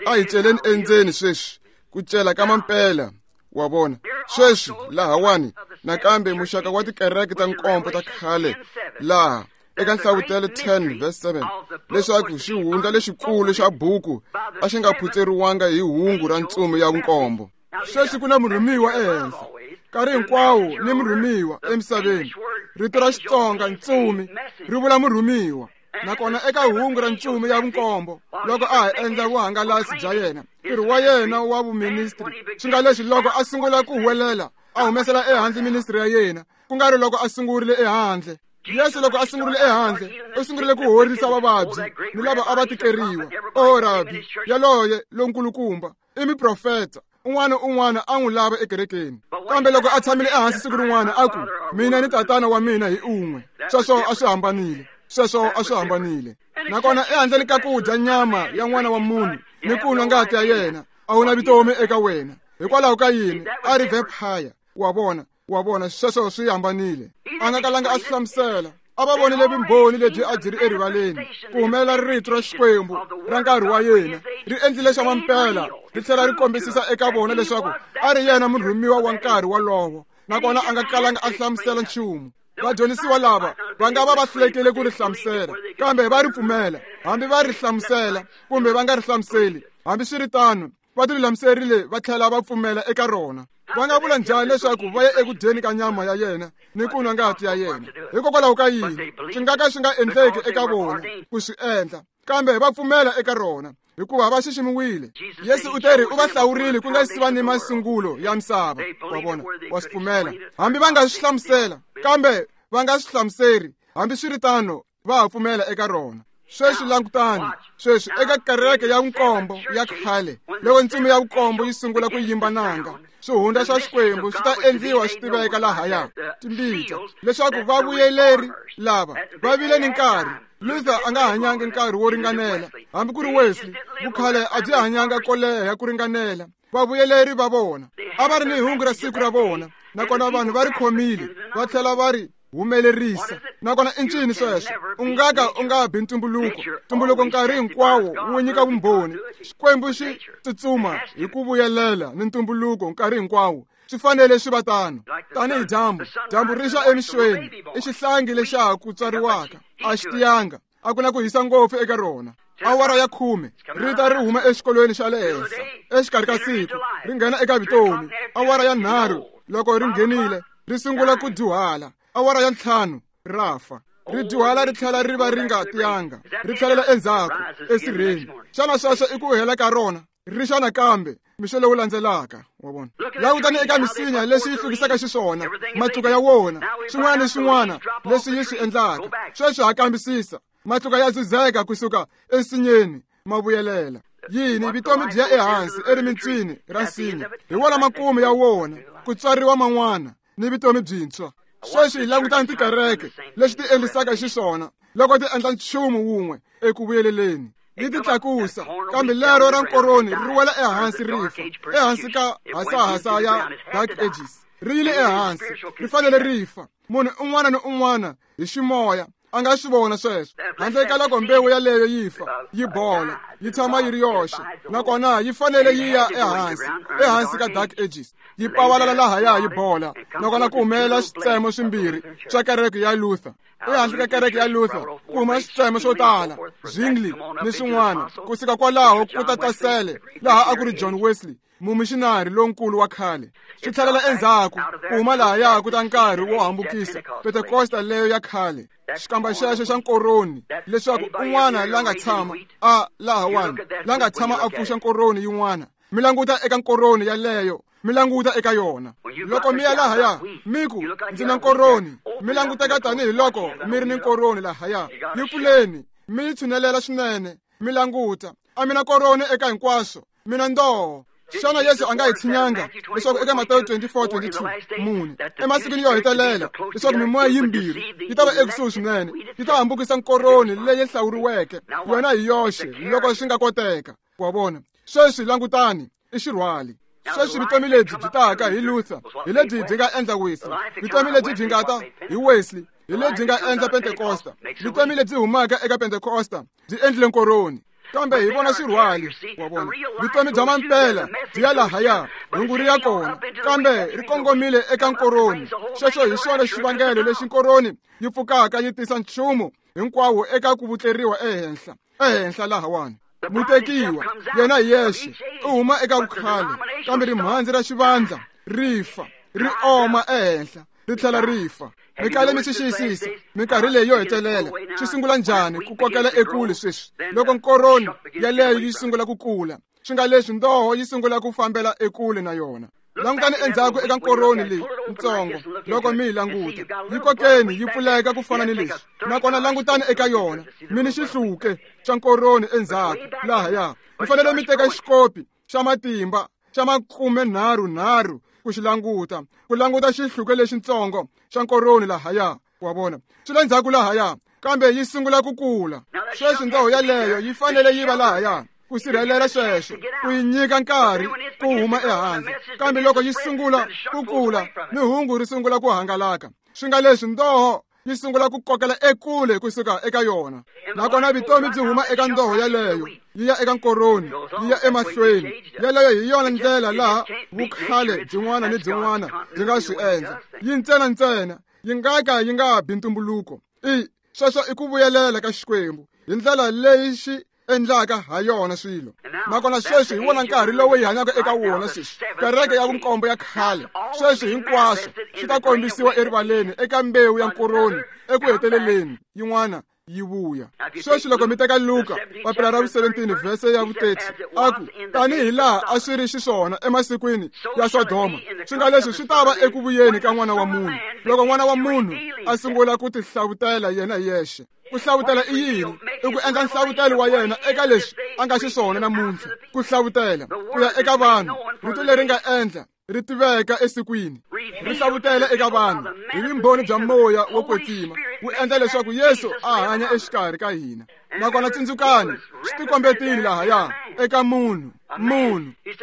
a hi celeni endzeni sweswi, ku cela ka mampela, wa vona. Sweswi lahawani nakambe muxaka wa tikereke ta nkombo ta khale laha eka Nhlavutelo 10 verse 7, leswaku xihundla lexikulu xa buku a xi nga phutseriwanga hi hungu ra ntsumi ya vunkombo. Sweswi ku na murhumiwa ehenhla nkarhi hinkwawo ni murhumiwa emisaveni. Rito ra Xitsonga ntsumi ri vula murhumiwa, nakona eka hungu ra ntsumi ya vunkombo loko a ha endla vuhangalasi bya yena, ntirho wa yena wa vuministri, swi nga leswi loko a sungula ku huwelela a humesela ehandle ministri ya yena, ku nga ri loko a sungurile ehandle. Yesu loko a sungurile ehandle u sungurile ku horisa vavabyi ni lava a va tikeriwa. O rabi yaloye lonkulukumba i muprofeta, un'wana un'wana a n'wi lava ekerekeni. Kambe loko a tshamile ehansi siku rin'wana a ku, mina ni tatana wa mina hi un'we, sweswo a swi hambanile, sweswo a swi hambanile. Nakona ehandleni ka ku dya nyama ya n'wana wa munhu ni ku nwa ngati ya yena, a wu na vutomi eka wena. Hikwalaho ka yini? A ri vampire, wa vona, wa vona, sweswo swi hambanile. A nga kalanga a swi hlamusela. A va vonile vumbhoni lebyi a byi ri erivaleni, ku humelela rito ra Xikwembu ra nkarhi wa yena ri endlile xa mampela, ri tlhela ri kombisisa eka vona leswaku a ri yena murhumiwa wa nkarhi wolowo, nakona a nga kalanga a hlamusela nchumu. Vadyondzisiwa lava va nga va va hlulekile ku ri hlamusela, kambe va ri pfumela, hambi va ri hlamusela kumbe va nga ri hlamuseli. Hambi swi ri tano, Va tilulamiserile va tlhela va pfumela eka rona. Va nga vula njhani leswaku va ya eku dyeni ka nyama ya yena ni ku nwa ngati ya yena? Hikokwalaho ka yini swi nga ka swi nga endleki eka vona ku swi endla, kambe va pfumela eka rona hikuva va xiximiwile. Yesu u teri u va hlawurile ku nga si va ni masungulo ya misava. Wa vona, wa swi pfumela hambi va nga swi hlamusela, kambe va nga swi hlamuseri, hambiswiritano va ha pfumela eka rona. Sweswi langutani, sweswi eka kereke ya vunkombo ya khale, loko ntsumi ya vunkombo yi sungula ku yimba nanga, swihundla swa Xikwembu swi ta endliwa swi tiveka lahaya timbita, leswaku vavuyeleri lava va vile ni nkarhi. Luther a nga hanyanga nkarhi wo ringanela, hambi ku ri Wesley vukhale a byi hanyanga ko leha ku ringanela. Vavuyeleri va vona a va ri ni hungu ra siku ra vona, nakona vanhu va ri khomile va tlhela va ri humelerisa. Nakona i ncini sweswo? U nga ka u nga bi ntumbuluko. Ntumbuluko nkarhi hinkwawo wu nyika vumbhoni. Xikwembu xi tsutsuma hi ku vuyelela ni ntumbuluko nkarhi hinkwawo. Swi fanele swi va tano. Tanihi dyambu, dyambu ri xa emixweni, i xihlangi lexa ha ku tswariwaka, a xi tiyanga, a ku na ku hisa ngopfu eka rona. Awara ya 10 ri ta ri huma exikolweni xa le henhla exikarhi ka siku ri nghena eka vutomi. Awara ya 3 loko ri nghenile ri sungula ku dyuhala. Awara ya 5 ra fa, ri dyuhala ri tlhela ri va ri nga tiyanga, ri tlhelela endzhaku esirheni. Xana sweswo i ku hela ka rona? Ri xa nakambe mixo lowu landzelaka. Wa vona, langutani eka misinya leswi yi hlukisaka xiswona, matluka ya wona, swin'wana ni swin'wana leswi yi swi endlaka. Sweswi ha kambisisa, matluka ya dzudzeka kusuka ensinyeni ma vuyelela. Yini? Vutomi byi ya ehansi erimintswini ra nsinya, hi wona makumu ya wona, ku tswariwa man'wana ni vutomi byintshwa. Sweswi hi langutani tikereke leswi ti endlisaka xiswona loko ti endla nchumu wun'we eku vuyeleleni, yi ti tlakusa, kambe lero ra nkoroni ri wela ehansi ri fa, ehansi ka hasahasa ya Dark Ages. Ri yile ehansi, ri fanele ri fa. Munhu un'wana ni un'wana hi ximoya a nga swi vona sweswo, handle ka loko mbewu yaleyo yi fa, yi bola, yi tshama yi ri yoxe, nakona yi fanele yi ya ehansi, ehansi ka Dark Ages, yi pavalala lahaya yi bola, nakona ku humelela switsemo swimbirhi swa kereke ya Luther. Ehansi ka kereke ya Luther ku huma switsemo swo tala, Zwingli ni swin'wana. Kusuka kwalaho ku ta tasele laha a ku ri John Wesley, mumixinari lonkulu wa khale. Swi tlhelela endzhaku ku huma lahaya ku ta nkarhi wo hambukisa Pentekosta leyo ya khale, xikamba xexo xa nkoroni, leswaku un'wana la nga tshama a lahawani, la nga tshama a pfuxa nkoroni yin'wana. Mi languta eka nkoroni yaleyo, mi languta eka yona. Loko mi ya lahaya mi ku ndzi na nkoroni, mi languteka tanihiloko mi ri ni nkoroni lahaya. Yi pfuleni, mi yi tshunelela swinene, mi languta. A mi na koroni eka hinkwaswo, mi na ndoho. Xana Yesu a nga hi tshinyanga leswaku eka Matewu 24:22 mune emasikwini yo hetelela leswaku mimoya yimbirhi yi ta va ekusuhi swinene, yi ta hambukisa nkoroni leyi hlawuriweke yona hi yoxe loko swi nga koteka. Wa vona, sweswi langutani, i xirhwali. Sweswi vutomi lebyi byi taka hi Luther hi lebyi byi nga endla Wesley, vutomi lebyi byi nga ta hi Wesley hi lebyi nga endla Pentekosta, vutomi lebyi humaka eka Pentekosta byi endlile nkoroni. Kambe hi vona xirhwali, wa vona, vutomi bya mampela byi ya lahaya, hungu ri ya kona, kambe ri kongomile eka nkoroni. Xexo hi xona xivangelo lexi nkoroni yi pfukaka yi tisa nchumu hinkwawo eka ku vutleriwa ehenhla, ehenhla lahawani. Mutekiwa yena hi yexe u huma eka vukhale, kambe rimhandzi ra xivandla ri fa, ri oma ehenhla, ri tlhela ri fa. Mi kale mi swi xiyisisa minkarhi leyi yo hetelela swi sungula njhani ku kokela ekule sweswi loko nkoroni yaleyo yi sungula ku kula, swi nga leswi ndoho yi sungula ku fambela ekule na yona. Langutani endzhaku eka nkoroni leyi ntsongo loko mi yi languta, yi kokeni yi pfuleka ku fana ni leswi, nakona langutani eka yona, mi ni xihluke xa nkoroni endzhaku lahaya. Mi fanele mi teka xikopi xa matimba xa 33 ku xi languta, ku languta xihluke lexintsongo xa nkoroni lahaya. Wa vona, swi le ndzhaku lahaya, kambe yi sungula ku kula. Sweswi ndoho yaleyo yi fanele yi va lahaya ku sirhelela sweswo, ku yi nyika nkarhi ku huma ehandle. Kambe loko yi sungula ku kula, ni hungu ri sungula ku hangalaka, swi nga leswi ndoho yi sungula ku kokela ekule kusuka eka yona, nakona vutomi byi huma eka ndoho yaleyo yi ya eka nkoroni, yi ya emahlweni. Yaleyo hi yona ndlela laha vukhale byin'wana ni byin'wana byi nga swi endla. Yi ntsena ntsena yi nga ka yi nga bi ntumbuluko. I sweswo i ku vuyelela ka Xikwembu hi ndlela leyi xi endlaka ha yona swilo. Nakona sweswi hi wona nkarhi lowu hi hanyaka eka wona sweswi, kereke ya vunkombo ya khale. Sweswi hinkwaswo swi ta kombisiwa erivaleni eka mbewu ya nkoroni eku heteleleni yin'wana yi vuya. Sweswi loko mi teka Luka papila ra vu-17 vhese ya vu-30, a ku tanihi laha a swi ri xiswona emasikwini ya Sodoma, swi nga leswi swi ta va eku vuyeni ka N'wana wa Munhu, loko N'wana wa Munhu a sungula ku tihlavutela yena hi yexe. Ku hlavutela i yini? I ku endla nhlavutelo wa yena eka leswi a nga xiswona namuntlha. Ku hlavutela ku ya eka vanhu, rito leri nga endla ri tiveka esikwini, ri hlavutela eka vanhu hi vumbhoni bya moya wo kwetsima, wu endla leswaku Yesu a hanya exikarhi ka hina. Nakona tsundzukani, swi tikombetile lahaya eka munhu.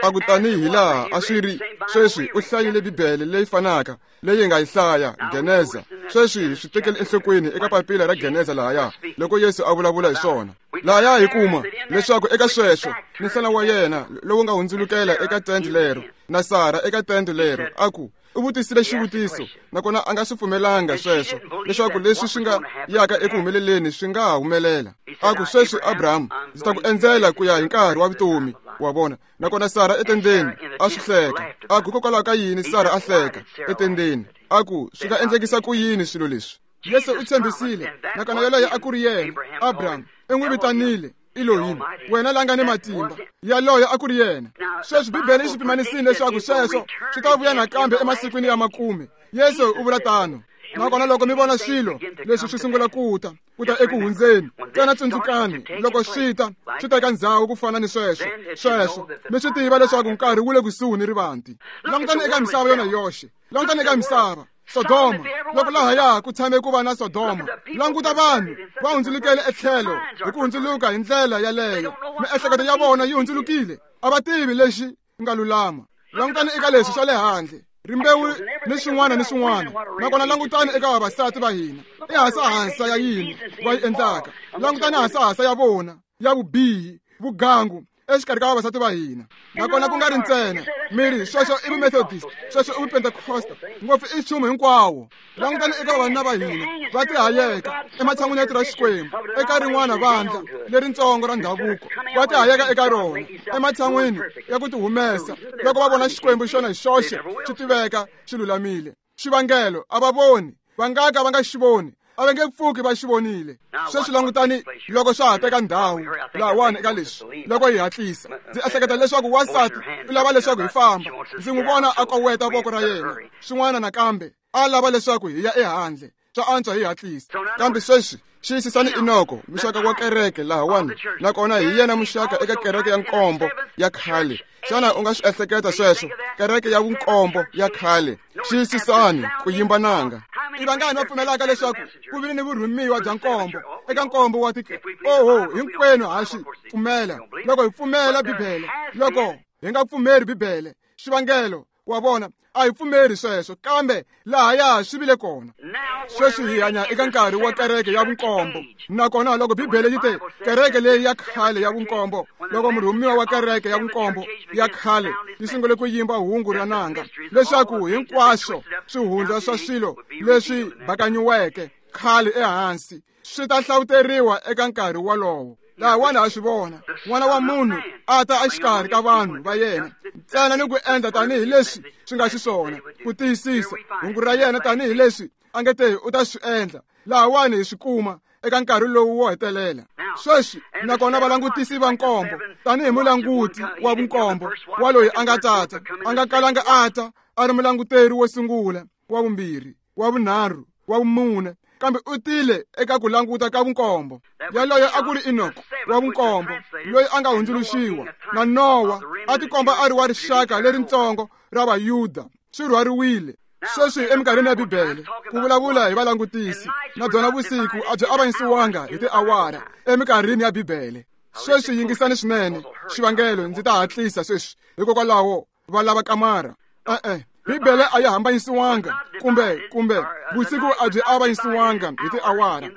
A ku tanihi laha a swi ri sweswi, u hlayile Bibele leyi fanaka leyi nga yi hlaya Geneza. Sweswi hi swi tekele enhlokweni eka papila ra Geneza lahaya loko Yesu a vulavula hi swona. Lahaya hi kuma leswaku eka sweswo ni nhlana wa yena lowu nga hundzulukela eka tende lero, na Sara eka tende lero, a ku u vutisile xivutiso, nakona a nga swi pfumelanga sweswo leswaku leswi swi nga yaka eku humeleleni swi nga ha humelela. A ku sweswi Abraham, ndzi ta ku endzela ku ya hi nkarhi wa vutomi wa vona. Nakona Sara etendeni a swi hleka. A ku hikokwalaho ka yini Sara a hleka etendeni? A ku swi nga endlekisa ku yini swilo leswi? Yesu u tshembisile, nakona yoloye a ku ri yena. Abraham i n'wi vitanile Elohim, wena la nga ni matimba. Yaloye a ku ri yena. Sweswi Bibele yi swi pimanisile leswaku sweswo swi ta vuya nakambe emasikwini ya makume. Yesu u vula tano. Nakona loko mi vona swilo leswi swi sungula ku ta eku hundzeni, ntsena tsundzukani, loko swi ta swi teka ndzhawu ku fana ni sweswo, sweswo mi swi tiva leswaku nkarhi wu le kusuhi ni rivanti. Langutani eka misava yona yoxe, langutani eka misava Sodoma, loko lahaya ku tshame ku va na Sodoma. Languta vanhu va hundzulukele etlhelo hi ku hundzuluka hi ndlela yaleyo. Miehleketo ya vona yi hundzulukile, a va tivi lexi nga lulama. Langutani eka leswi swa le handle, rimbewu ni swin'wana ni swin'wana. Nakona langutani eka vavasati va hina, i hasahasa ya yini va yi endlaka. Langutani hasahasa ya vona ya vubihi, vugangu exikarhi ka vavasati va hina. Nakona ku nga ri ntsena miri, sweswo i vumethodist, sweswo i vupentecosta, ngopfu i nchumu hinkwawo. Langutani eka vavanuna va hina va tihayeka ematshan'wini ya tirha Xikwembu eka rin'wana vandla leritsongo ra ndhavuko, va tihayeka eka rona ematshan'wini ya ku tihumesa loko va vona Xikwembu xona hi xoxe xi tiveka xi lulamile. Xivangelo a va voni, va nga ka va nga xi voni, a va nge pfuki va xi vonile. Sweswi langutani loko swa ha teka ndhawu lahawani eka leswi, loko hi hatlisa. Ndzi ehleketa leswaku wansati u lava leswaku hi famba. Ndzi n'wi vona a koweta voko ra yena swin'wana nakambe, a lava leswaku hi ya ehandle. Swa antswa hi hatlisa. Kambe sweswi xiyisisani Enoko, muxaka wa kereke lahawani, nakona hi yena muxaka eka kereke ya nkombo ya khale. Xana u nga swi ehleketa sweswo? Kereke ya vunkombo ya khale. Xiyisisani ku yimba nanga. I vangani va pfumelaka leswaku ku vile ni vurhumiwa bya nkombo eka nkombo wa oho, hinkwenu ha swi pfumela. Loko hi pfumela Bibele, loko hi nga pfumeri Bibele, xivangelo wa vona a hi pfumeri sweswo, kambe lahaya swi vile kona. Sweswi hi hanya eka nkarhi wa kereke ya vunkombo. Nakona loko Bibele yi te kereke leyi ya khale ya vunkombo, loko murhumiwa wa kereke ya vunkombo ya khale yi sungule ku yimba hungu ra nanga leswaku hinkwaswo swihundla swa swilo leswi bakanyiweke khale ehansi swi ta hlawuteriwa eka nkarhi wolowo. Lahawani ha swi vona N'wana wa Munhu a ta exikarhi ka vanhu va yena ntsena ni ku endla tanihi leswi swi nga xiswona, ku tiyisisa hungu ra yena tanihi leswi a nge te u ta swi endla. Lahawani hi swi kuma eka nkarhi lowu wo hetelela. Sweswi nakona valangutisi va nkombo, tanihi mulanguti wa vunkombo wa loyi a nga tata, a nga kalanga a ta a ri mulanguteri wo sungula, wa vumbirhi, wa vunharhu, wa vumune, kambe u tile eka ku languta ka vunkombo. Yaloye a ku ri Enoko wa vunkombo loyi a nga hundzuluxiwa, na Nowa a tikomba a ri wa rixaka leritsongo ra Vayuda, swi rhwariwile. Sweswi eminkarhini ya Bibele ku vulavula hi valangutisi, na byona vusiku a byi avanyisiwanga hi tiawara eminkarhini ya Bibele. Sweswi yingisani swinene, xivangelo ndzi ta hatlisa sweswi, hikokwalaho va lava kamara. E-e, Bibele a yi hambanyisiwanga kumbe vusiku a byi avanyisiwanga hi tiawara.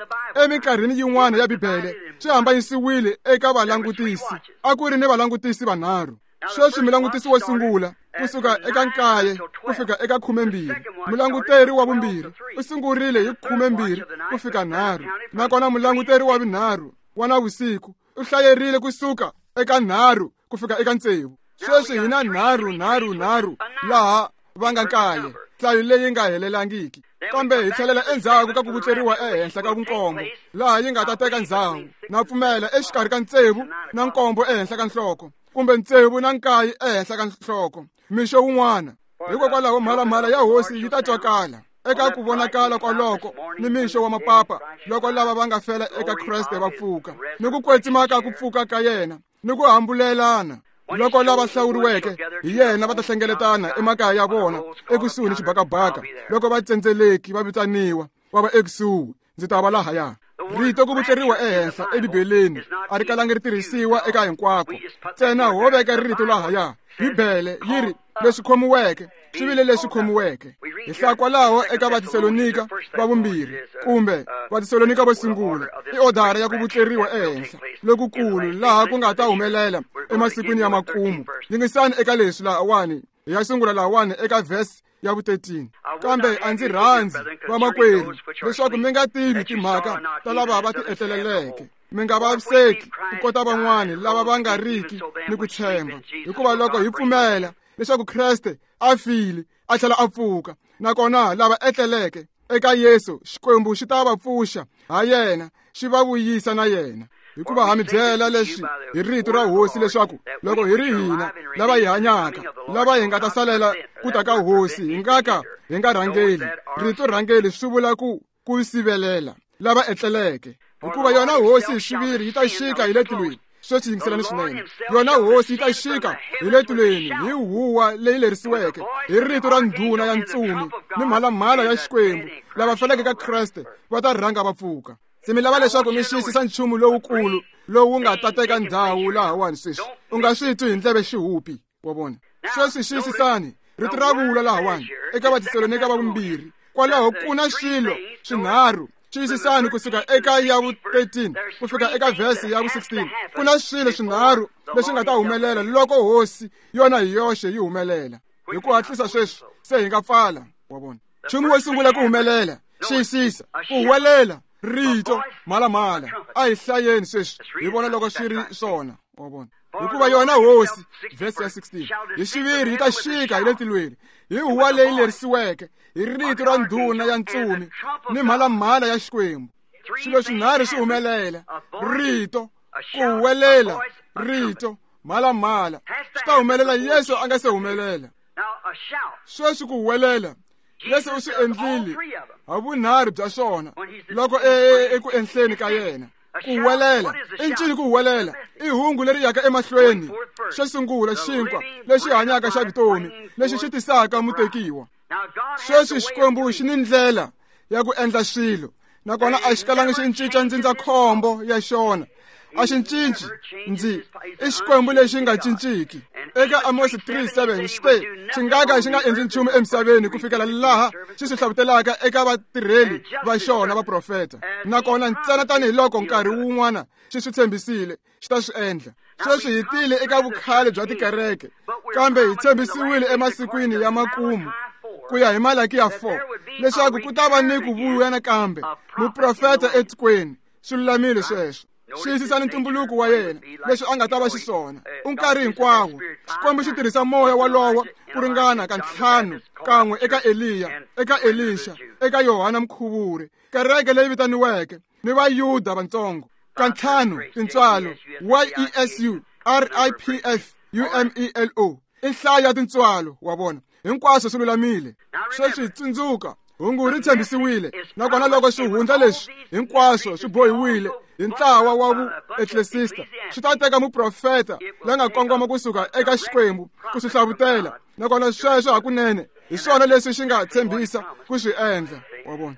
Eminkarhini yin'wana ya Bibele swi hambanyisiwile eka valangutisi. A ku ri ni valangutisi vanharhu. Sweswi mulangutisi wo sungula kusuka eka 9 ku fika eka 12, mulanguteri wa vumbirhi u sungurile hi 12 ku fika 3, nakona mulanguteri wa vunharhu wa navusiku U hlayerile kusuka eka 3 ku fika eka 6. Sweswi hi na 3 3 3 laha va nga 9, nhlayo leyi nga helelangiki. Kambe hi tlhelela endzhaku ka ku vutleriwa ehenhla ka vunkombo, laha yi nga ta teka ndzhawu. Na pfumela exikarhi ka 6 na 7 ehenhla ka nhloko, kumbe 6 na 9 ehenhla ka nhloko, mixo wun'wana. Hikokwalaho mhalamhala ya hosi yi ta twakala eka ku vonakala kwaloko ni mixo wa mapapa, loko lava va nga fela eka Kreste va pfuka, ni ku kwetsima ka ku pfuka ka yena, ni ku hambulelana. Loko lava hlawuriweke hi yena va ta hlengeletana emakaya ya vona ekusuhi ni xibakabaka, loko va tsendzeleki va vitaniwa va va ekusuhi, ndzi ta va lahaya. Rito ku vutleriwa ehenhla eBibeleni a ri kalangi ri tirhisiwa eka hinkwako, ntsena ho veka rito lahaya. Bibele yi ri leswi khomiweke swi vile leswi khomiweke. Hi hlaya kwalaho eka Vatesalonika va vumbirhi kumbe Vatesalonika vo sungula, i odara ya ku vutleriwa ehenhla lokukulu laha ku nga ta humelela emasikwini ya makumu. Yingisani eka leswi lahawani, hi ya sungula lahawani eka verse ya vu-13. Kambe a ndzi rhandzi vamakwerhu leswaku mi nga tivi timhaka ta lava va ti etleleleke, mi nga vaviseki ku kota van'wani lava va nga riki ni ku tshemba. Hikuva loko hi pfumela leswaku Kreste a file a tlhela a pfuka, nakona lava etleleke eka Yesu, Xikwembu xi ta va pfuxa ha yena, xi va vuyisa na yena. Hikuva ha mi byela leswi hi rito ra hosi, leswaku loko hi ri hina lava hi hanyaka, lava hi nga ta salela ku ta ka hosi, hi nga ka hi nga rhangeli. Rito rhangeli swi vula ku sivelela lava etleleke. Hikuva yona hosi hi xiviri yi ta xika hi le tilweni. Sweswi yingiselani swinene. Yona hosi yi ta xika hi le tilweni hi huwa leyi lerisiweke hi rito ra ndhuna ya ntsumi ni mhalamhala ya Xikwembu. Lava feleke ka Kreste va ta rhanga va pfuka. Ndzi mi lava leswaku mi xiyisisa nchumu lowukulu lowu nga ta teka ndhawu lahawani sweswi. U nga swi twi hi ndleve xihupi, wa vona. Sweswi xiyisisani rito ra vula lahawani eka Vatesalonika va vumbirhi. Kwalaho ku na swilo swinharhu. Xiyisisani kusuka eka ya vu-13 ku fika eka verse ya vu-16. Ku na swilo swinharhu leswi nga ta humelela loko hosi yona hi yoxe yi humelela. Hi ku hatlisa sweswi se hi nga pfala, wa vona. Nchumu wo sungula ku humelela, xiyisisa, ku huwelela rito mhalamhala. A hi hlayeni sweswi hi vona loko swi ri swona, wa vona. Hikuva yona hosi, verse ya 16, hi xiviri yi ta xika hi le tilweni hi huwa leyi lerisiweke hi rito ra ndhuna ya ntsumi ni mhalamhala ya Xikwembu. Swilo swinharhu swi humelela: rito, ku huwelela, rito, mhalamhala. Swi ta humelela Yesu a nga se humelela. Sweswi ku huwelela, Yesu u swi endlile ha vunharhu bya swona loko eku enhleni ka yena. Ku huwelela i ncini? Ku huwelela i hungu leri yaka emahlweni. Xo sungula, xinkwa lexi hanyaka xa vutomi lexi xi tisaka mutekiwa. Sweswi Xikwembu xi ni ndlela ya ku endla swilo, nakona a xi kalangi xi cinca ndzindzakhombo ya xona. A xi cinci ndzi i Xikwembu lexi nga cinciki. Eka Amos 3:7 xi te xi nga ka xi nga endli nchumu emisaveni ku fikela laha xi swi hlavutelaka eka vatirheli va xona vaprofeta. Nakona ntsena tanihiloko nkarhi wun'wana xi swi tshembisile, xi ta swi endla. Sweswi hi tile eka vukhale bya tikereke, kambe hi tshembisiwile emasikwini ya makumu ku ya hi Malakiya 4 leswaku ku ta va ni ku vuya nakambe muprofeta etikweni. Swi lulamile sweswo. Xiyisisani ntumbuluko wa yena, leswi a nga ta va xiswona. U nkarhi hinkwawo Xikwembu xi tirhisa moya walowo ku ringana ka 5, kan'we eka Eliya, eka Elisha, eka Yohana Mukhuvuri, kereke leyi vitaniweke ni Vayuda vantsongo. Ka 5 tintswalo YESU RIPF UMELO i nhlayo ya tintswalo, wa vona. Hinkwaswo swi lulamile. Sweswi tsundzuka, hungu ri tshembisiwile, nakona loko swihundla leswi hinkwaswo swi bohiwile hi ntlawa wa vueklesista, swi ta teka muprofeta la nga kongoma kusuka eka Xikwembu ku swi hlavutela. Nakona sweswo hakunene hi swona leswi xi nga tshembisa ku swi endla, wa vona.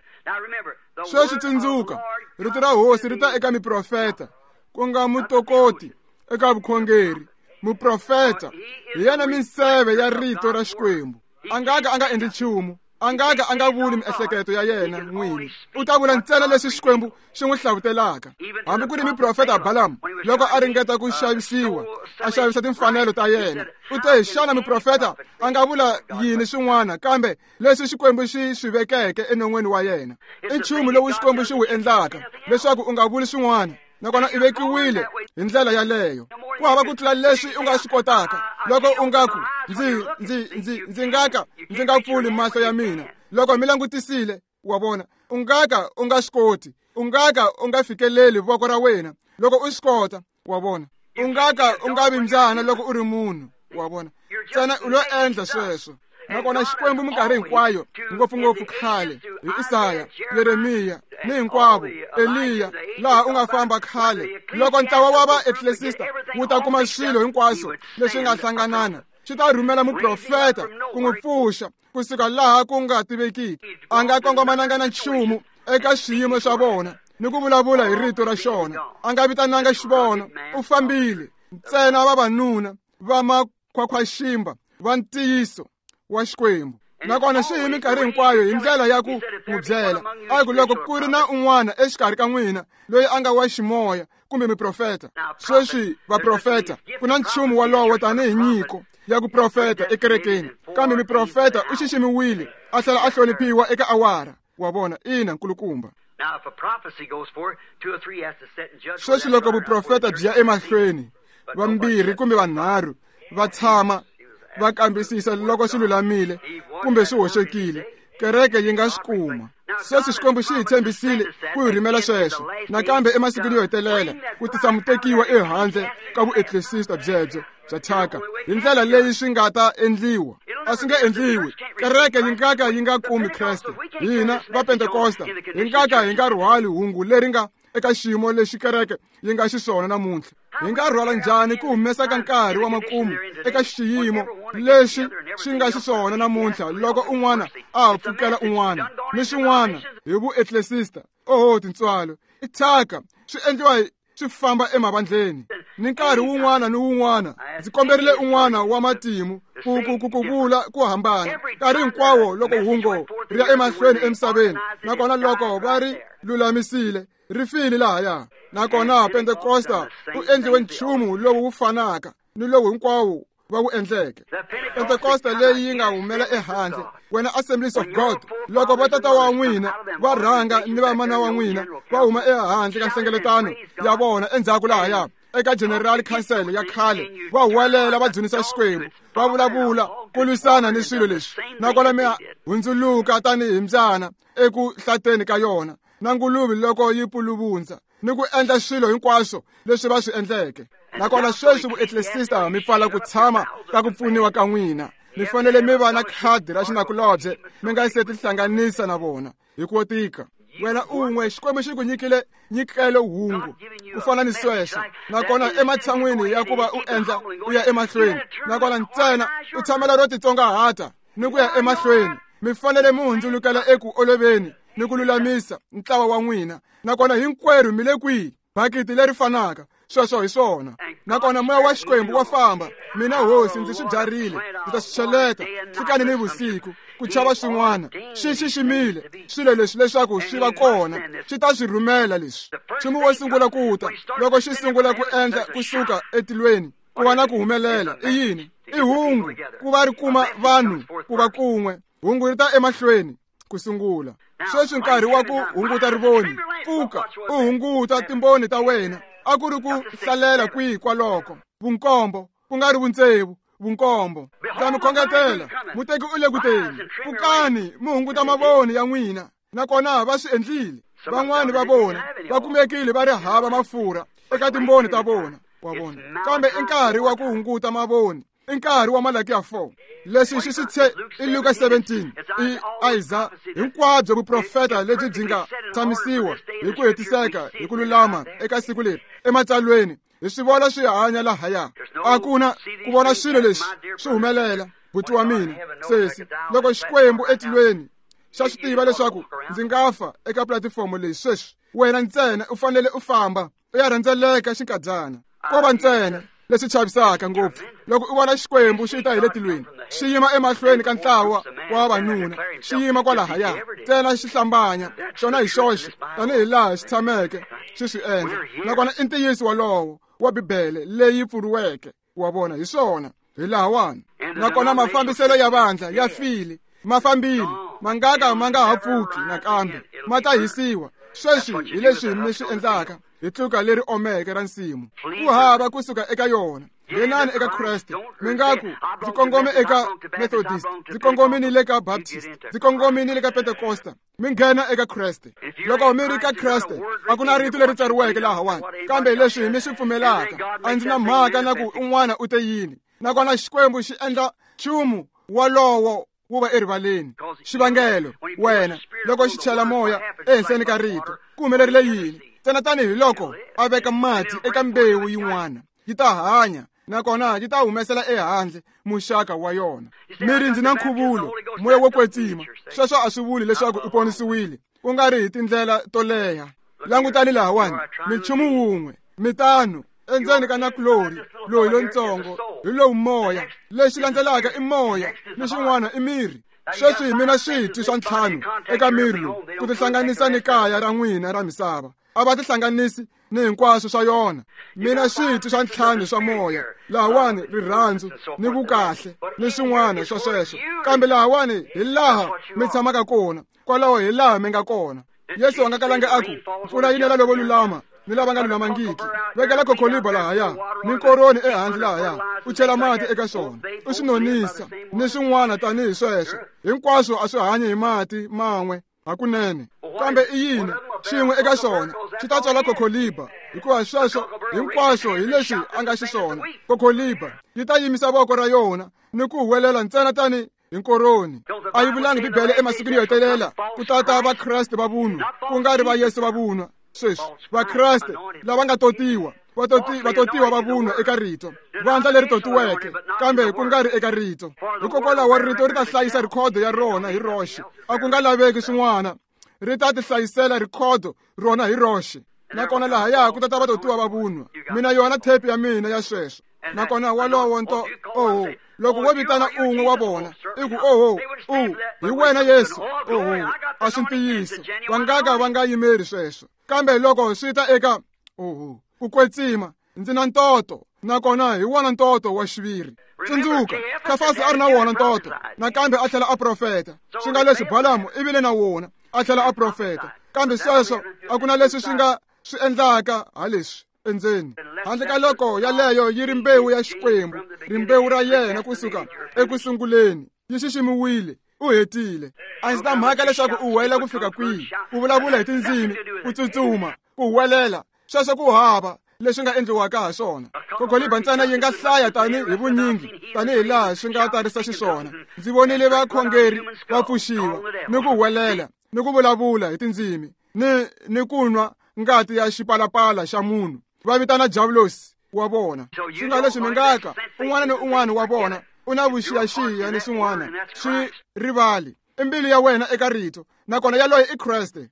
Sweswi tsundzuka, rito ra hosi ri ta eka miprofeta, ku nga mutokoti eka vukhongeri. Muprofeta hi yena minseve ya rito ra Xikwembu. A nga ka a nga endli nchumu, a nga ka a nga vuli miehleketo ya yena n'wini. U ta vula ntsena leswi Xikwembu xi n'wi hlavutelaka. Hambi ku ri miprofeta Balaam, loko a ringeta ku xavisiwa, a xavisa timfanelo ta yena, u te, xana muprofeta a nga vula yini swin'wana kambe leswi Xikwembu xi swi vekeke enon'weni wa yena? I nchumu lowu Xikwembu xi wu endlaka leswaku u nga vuli swin'wana. Nakona i vekiwile hi ndlela yaleyo. Ku hava ku tlula leswi u nga swi kotaka. Loko u nga ku ndzi nga ka ndzi nga pfuli mahlo ya mina. Loko mi langutisile, wa vona, u nga ka u nga swi koti. U nga ka u nga fikeleli voko ra wena loko u swi kota, wa vona. U nga ka u nga vi mbyana loko u ri munhu, wa vona. Ntsena u lo endla sweswo. Nakona Xikwembu minkarhi hinkwayo, ngopfungopfu khale, hi Isaya, Yeremiya, ni hinkwavo, Eliya, laha u nga famba khale. Loko ntlawa wa va-ecclesista wu ta kuma swilo hinkwaswo leswi nga hlanganana, swi ta rhumela muprofeta ku n'wi pfuxa kusuka laha ku nga tivekiki. A nga kongomananga na nchumu eka swiyimo swa vona ni ku vulavula hi rito ra xona. A nga vitananga xivono, u fambile. Ntsena vavanuna va makhwakhwaximba va ntiyiso wa Xikwembu. Nakona swi hi minkarhi hinkwayo hi ndlela ya ku n'wi byela. A ku loko ku ri na un'wana exikarhi ka n'wina loyi a nga wa ximoya kumbe miprofeta. Sweswi vaprofeta, ku na nchumu wolowo tanihi nyiko ya ku profeta ekerekeni. Kambe miprofeta u xiximiwile a tlhela a hloniphiwa eka awara. Wa vona, ina nkulukumba. Sweswi loko vuprofeta byi ya emahlweni, vambirhi kumbe vanharhu va tshama va kambisisa loko swi lulamile kumbe swi hoxekile, kereke yi nga swi kuma. Sweswi Xikwembu xi hi tshembisile ku hi rhumela sweswo nakambe emasikwini yo hetelela, ku tisa mutekiwa ehandle ka vueklesista byebyo bya thyaka. Hi ndlela leyi swi nga ta endliwa, a swi nge endliwi. Kereke yi nga ka yi nga kumi Kreste. Hina va Pentekosta hi nga ka hi nga rhwali hungu leri nga eka xiyimo lexi kereke yi nga xiswona namuntlha. Hi nga rhwala njhani ku humesa ka nkarhi wa makumu eka xiyimo lexi xi nga xiswona namuntlha, loko un'wana a ha pfukela un'wana ni swin'wana hi vueklesista? Oho, tintswalo, i thyaka, swi endliwa swi famba emavandleni. Ni nkarhi wun'wana ni wun'wana ndzi komberile un'wana wa matimu ku vula ku hambana. Nkarhi hinkwawo loko hungu ri ya emahlweni emisaveni, nakona loko va ri lulamisile, ri file lahaya. Nakona Pentekosta u endliwe nchumu lowu wu fanaka ni lowu hinkwawo va wu endleke. Pentekosta leyi yi nga humela ehandle, wena Assemblies of God, loko vatata wa n'wina va rhanga ni vamana wa n'wina va huma ehandle ka nhlengeletano ya vona endzhaku lahaya eka General Council ya khale, va huwelela va dzunisa Xikwembu, va vulavula ku lwisana ni swilo leswi, nakona mi hundzuluka tanihi mbyana eku hlateni ka yona na nguluve loko yi puluvundza, ni ku endla swilo hinkwaswo leswi va swi endleke. Nakona sweswi vueklesista mi pfala ku tshama ka ku pfuniwa ka n'wina. Mi fanele mi va na khadi ra xinakulobye mi nga se tihlanganisa na vona hi ku tika. Wena un'we, Xikwembu xi ku nyikile nyikelo hungu ku fana ni sweswo, nakona ematshan'wini ya ku va u endla u ya emahlweni, nakona ntsena u tshamela ro titsongahata ni ku ya emahlweni, mi fanele mi hundzulukela eku oloveni ni ku lulamisa ntlawa wa n'wina. Nakona hinkwerhu mi le kwihi? Bakiti leri fanaka. Sweswo hi swona. Nakona moya wa Xikwembu wa famba. Mina hosi ndzi swi byarile, ndzi ta swi cheleta nhlikani ni vusiku, ku chava swin'wana. Xi xiximile swilo leswi leswaku swi va kona, xi ta swi rhumela leswi. Nchumu wo sungula ku ta, loko xi sungula ku endla kusuka etilweni, ku va na ku humelela, i yini? I hungu ku va ri kuma vanhu ku va kun'we. Hungu ri ta emahlweni ku sungula. Sweswi nkarhi wa ku hunguta rivoni. Pfuka u hunguta timboni ta wena. A ku ri ku hlalela kwihi kwaloko? Vunkombo, ku nga ri vuntsevu, vunkombo. Ndza mi khongetela, muteki u le ku teni. Pfukani mi hunguta mavoni ya n'wina. Nakona va swi endlile. Van'wani va vona va kumekile va ri hava mafurha eka timboni ta vona, wa vona. Kambe i nkarhi wa ku hunguta mavoni. I nkarhi wa Malakiya 4. Leswi xi swi tshe i Luka 17, i Isaya, hinkwabyo vuprofeta lebyi byi nga tshamisiwa hi ku hetiseka hi ku lulama eka siku leri ematsalweni, hi swi vona swi hanya lahaya. A ku na ku vona swilo leswi swi humelela. Buti wa mina, sesi, loko Xikwembu etilweni xa swi tiva leswaku ndzi nga fa eka platifomo leyi sweswi, wena ntsena u fanele u famba u ya rhendzeleka xinkadyana. Ko va ntsena leswi chavisaka ngopfu loko u vona Xikwembu xi ta hi le tilweni, xi yima emahlweni ka ntlawa wa vavanuna, xi yima kwalahaya ntsena xi hlambanya xona hi xoxe tanihi laha xi tshameke xi swi endla. Nakona i ntiyiso wolowo wa Bibele leyi pfuriweke, wa vona, hi swona hi lahawani. Nakona mafambiselo ya vandla ya file, ma fambile, ma nga ka ma nga ha pfuki nakambe, ma ta hisiwa. Sweswi hi leswi mi swi endlaka hi tluka leri omeke ra nsimu. Ku hava kusuka eka yona. Nghenani eka Kreste. Mi nga ku ndzi kongome eka Methodist, ndzi kongome ni le ka Baptist, ndzi kongome ni le ka Pentecosta. Mi nghena eka Kreste. Loko mi ri ka Kreste, a ku na rito leri tsariweke lahawani, kambe leswi mi swi pfumelaka, a ndzi na mhaka na ku un'wana u te yini. Nakona Xikwembu xi endla nchumu walowo wu va erivaleni. Xivangelo, wena, loko xi chela moya ehenhleni ka rito, ku humelerile yini? Ntsena tanihi loko a veka mati eka mbewu yin'wana, yi ta hanya, nakona yi ta humesela ehandle muxaka wa yona. Mi ri ndzi na nkhuvulo, moya wo kwetsima. Sweswo a swi vuli leswaku u ponisiwile, ku nga ri hi tindlela to leha. Langutani lahawani, minchumu wun'we, mitano endzeni ka nakulori loyi lontsongo hi lowu moya. Lexi landzelaka i moya, ni xin'wana i miri. Sweswi mina switwi swa ntlhanu eka miri lowu ku tihlanganisa ni kaya ra n'wina ra misava. A va tihlanganisi ni hinkwaswo swa yona. Mina switwi swa ntlhanu swa moya lahawani, rirhandzu ni vukahle ni swin'wana swa sweswo, kambe lahawani hi laha mi tshamaka kona, kwalaho hi laha mi nga kona. Yesu a nga kalanga a ku mpfula yi nela lavo lulama ni lava nga lulamangiki. Vekela khokholiba lahaya ni nkoroni ehandle lahaya, u chela mati eka swona, u swi nonisa ni swin'wana tanihi sweswo. Hinkwaswo a swi hanyi hi mati man'we hakunene. Kambe i yini xin'we eka swona xi ta tswala khokholiba, hikuva sweswo hinkwaswo hi leswi a nga xiswona. Khokholiba yi ta yimisa voko ra yona ni ku huwelela ntsena tani hi nkoroni. A yi vulanga Bibele emasikwini yo hetelela ku tata Vakreste va vunwa, ku nga ri va Yesu va vunwa. Sweswi Vakreste lava nga totiwa, va totiwa va vunwa eka rito, vandla leri totiweke, kambe ku nga ri eka rito. Hikokwalaho rito ri ta hlayisa rhikhodo ya rona hi roxe, a ku nga laveki swin'wana. Ri ta tihlayisela rhikhodo rona hi roxe. Nakona lahaya ku tata vatotiwa va vunwa. Mina yona thepi ya mina ya sweswo. Nakona walowo nto oho, loko wo vitana un'we wa vona i ku oho, u hi wena Yesu, oho, a swi ntiyiso. Va nga ka va nga yimeri sweswo. Kambe loko swi ta eka oho, ku kwetsima, ndzi na ntoto, nakona hi wona ntoto wa xiviri. Tsundzuka, Kafasi a ri na wona ntoto, nakambe a tlhela a profeta. Swi nga leswi Balamu i vile na wona, a tlhela a profeta. Kambe sweswo a ku na leswi swi nga swi endlaka ha leswi endzeni, handle ka loko yaleyo yi ri mbewu ya Xikwembu, rimbewu ra yena kusuka ekusunguleni, yi xiximiwile, u hetile. A ndzi ta mhaka leswaku u huwelela ku fika kwihi, ku vulavula hi tindzimi, ku tsutsuma, ku huwelela, sweswo ku hava leswi nga endliwaka ha swona. Khokholiba ntsena yi nga hlaya tani hi vunyingi tanihi laha swi nga tarisa xiswona. Ndzi vonile vakhongeri va pfuxiwa ni ku huwelela ni ku vulavula hi tindzimi ni ku nwa ngati ya xipalapala xa munhu, va vitana Diabulosi wa vona. Swi nga leswi mi nga ka un'wana ni un'wana wa vona u na vuxiyaxiya ni swin'wana, swi rivali i mbilu ya wena eka rito, nakona yaloye i Kreste.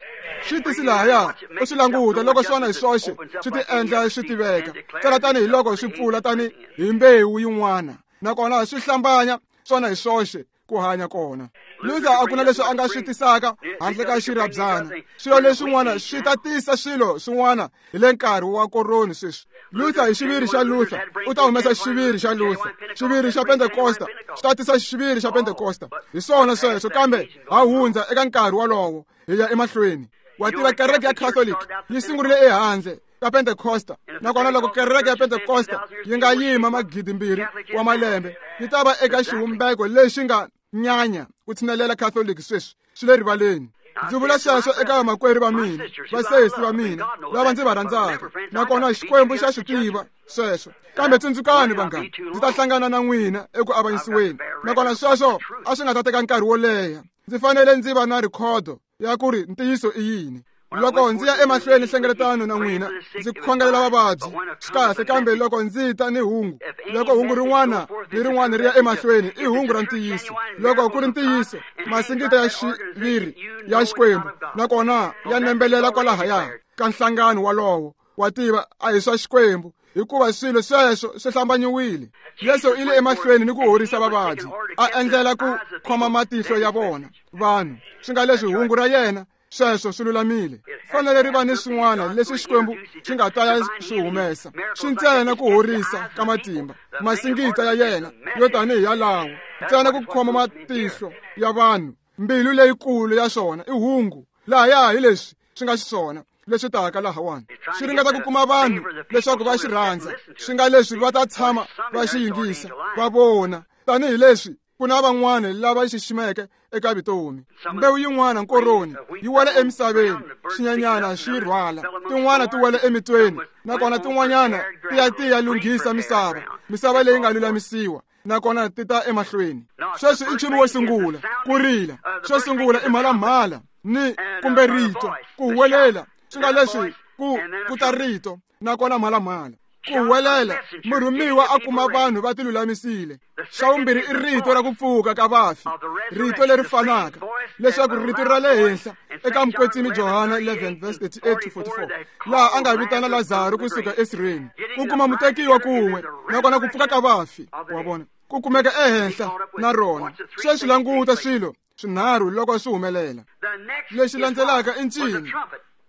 Swi tisi lahaya u swi languta loko swona hi swoxe swi ti endla swi tiveka ntsena tanihi loko swi pfula tani hi mbewu yin'wana, nakona swi hlambanya swona hi swoxe ku hanya kona. Luther a ku na leswi a nga swi tisaka handle ka xirhabyana. Swilo leswin'wana swi ta tisa swilo swin'wana hi le nkarhi wa koroni sweswi. Luther hi xiviri xa Luther u ta humesa xiviri xa Luther, xiviri xa Pentecosta xi ta tisa xiviri xa Pentecosta. Hi swona sweswo, kambe ha hundza eka nkarhi wolowo hi ya emahlweni. Wa tiva kereke ya Catholic yi sungurile ehandle ka Pentecosta, nakona loko kereke ya Pentecosta yi nga yima 2,000 wa malembe, yi ta va eka xivumbeko lexi nga nyanya ku tshinelela Catholic sweswi. Swi le rivaleni. Ndzi vula sweswo eka vamakwerhu va mina, vasesi va mina lava ndzi va rhandzaka, nakona Xikwembu xa swi tiva sweswo. Kambe tsundzukani vanghana, ndzi ta hlangana na n'wina eku avanyisiweni, nakona sweswo a swi nga ta teka nkarhi wo leha. Ndzi fanele ndzi va na rhikhodo ya ku ri ntiyiso i yini. Loko ndzi ya emahlweni nhlengeletano na n'wina, ndzi khongelela vavabyi, swi kahle, kambe loko ndzi ta ni hungu, loko hungu rin'wana ni rin'wana ri ya emahlweni, i hungu ra ntiyiso. Loko ku ri ntiyiso, masingita ya xiviri ya Xikwembu, nakona ya nembelela kwalahaya ka nhlangano walowo, wa tiva a hi swa Xikwembu, hikuva swilo sweswo swi hlambanyiwile. Yesu i le emahlweni ni ku horisa vavabyi, a endlela ku khoma matihlo ya vona vanhu. Swi nga leswi hungu ra yena sweswo swi lulamile. Fanele ri va ni swin'wana leswi Xikwembu xi nga ta ya swi humesa, swi ntsena ku horisa ka matimba, masingita ya yena yo tanihi yalawo, ntsena ku khoma matihlo ya vanhu, mbilu leyikulu ya swona i hungu. Lahaya hi leswi swi nga xiswona leswi taka lahawani. Swi ringeta ku kuma vanhu leswaku va xi rhandza, swi nga leswi va ta tshama va xi yingisa, va vona tanihileswi ku na van'wana lava xiximeke eka vutomi. Mbewu yin'wana nkoroni yi wela emisaveni, swinyenyana swi rhwala, tin'wana ti wela emitweni, nakona tin'wanyana ti ya ti ya lunghisa misava, misava leyi nga lulamisiwa, nakona ti ta emahlweni. Sweswi i nchumu wo sungula ku rila, xo sungula i mhalamhala ni kumbe rito, ku huwelela, swi nga leswi ku ta rito, nakona mhalamhala. Ku huwelela, murhumiwa a kuma vanhu va tilulamisile. Xa vumbirhi i rito ra ku pfuka ka vafi, rito leri fanaka, leswaku rito ra le henhla eka Mukwetsimi Johana 11:38-44, laha a nga vitana Lazaro kusuka esirheni, ku kuma mutekiwa kun'we, nakona ku pfuka ka vafi, wa vona, ku kumeka ehenhla na rona. Sweswi languta swilo swinharhu loko swi humelela. Lexi landzelaka i ncini?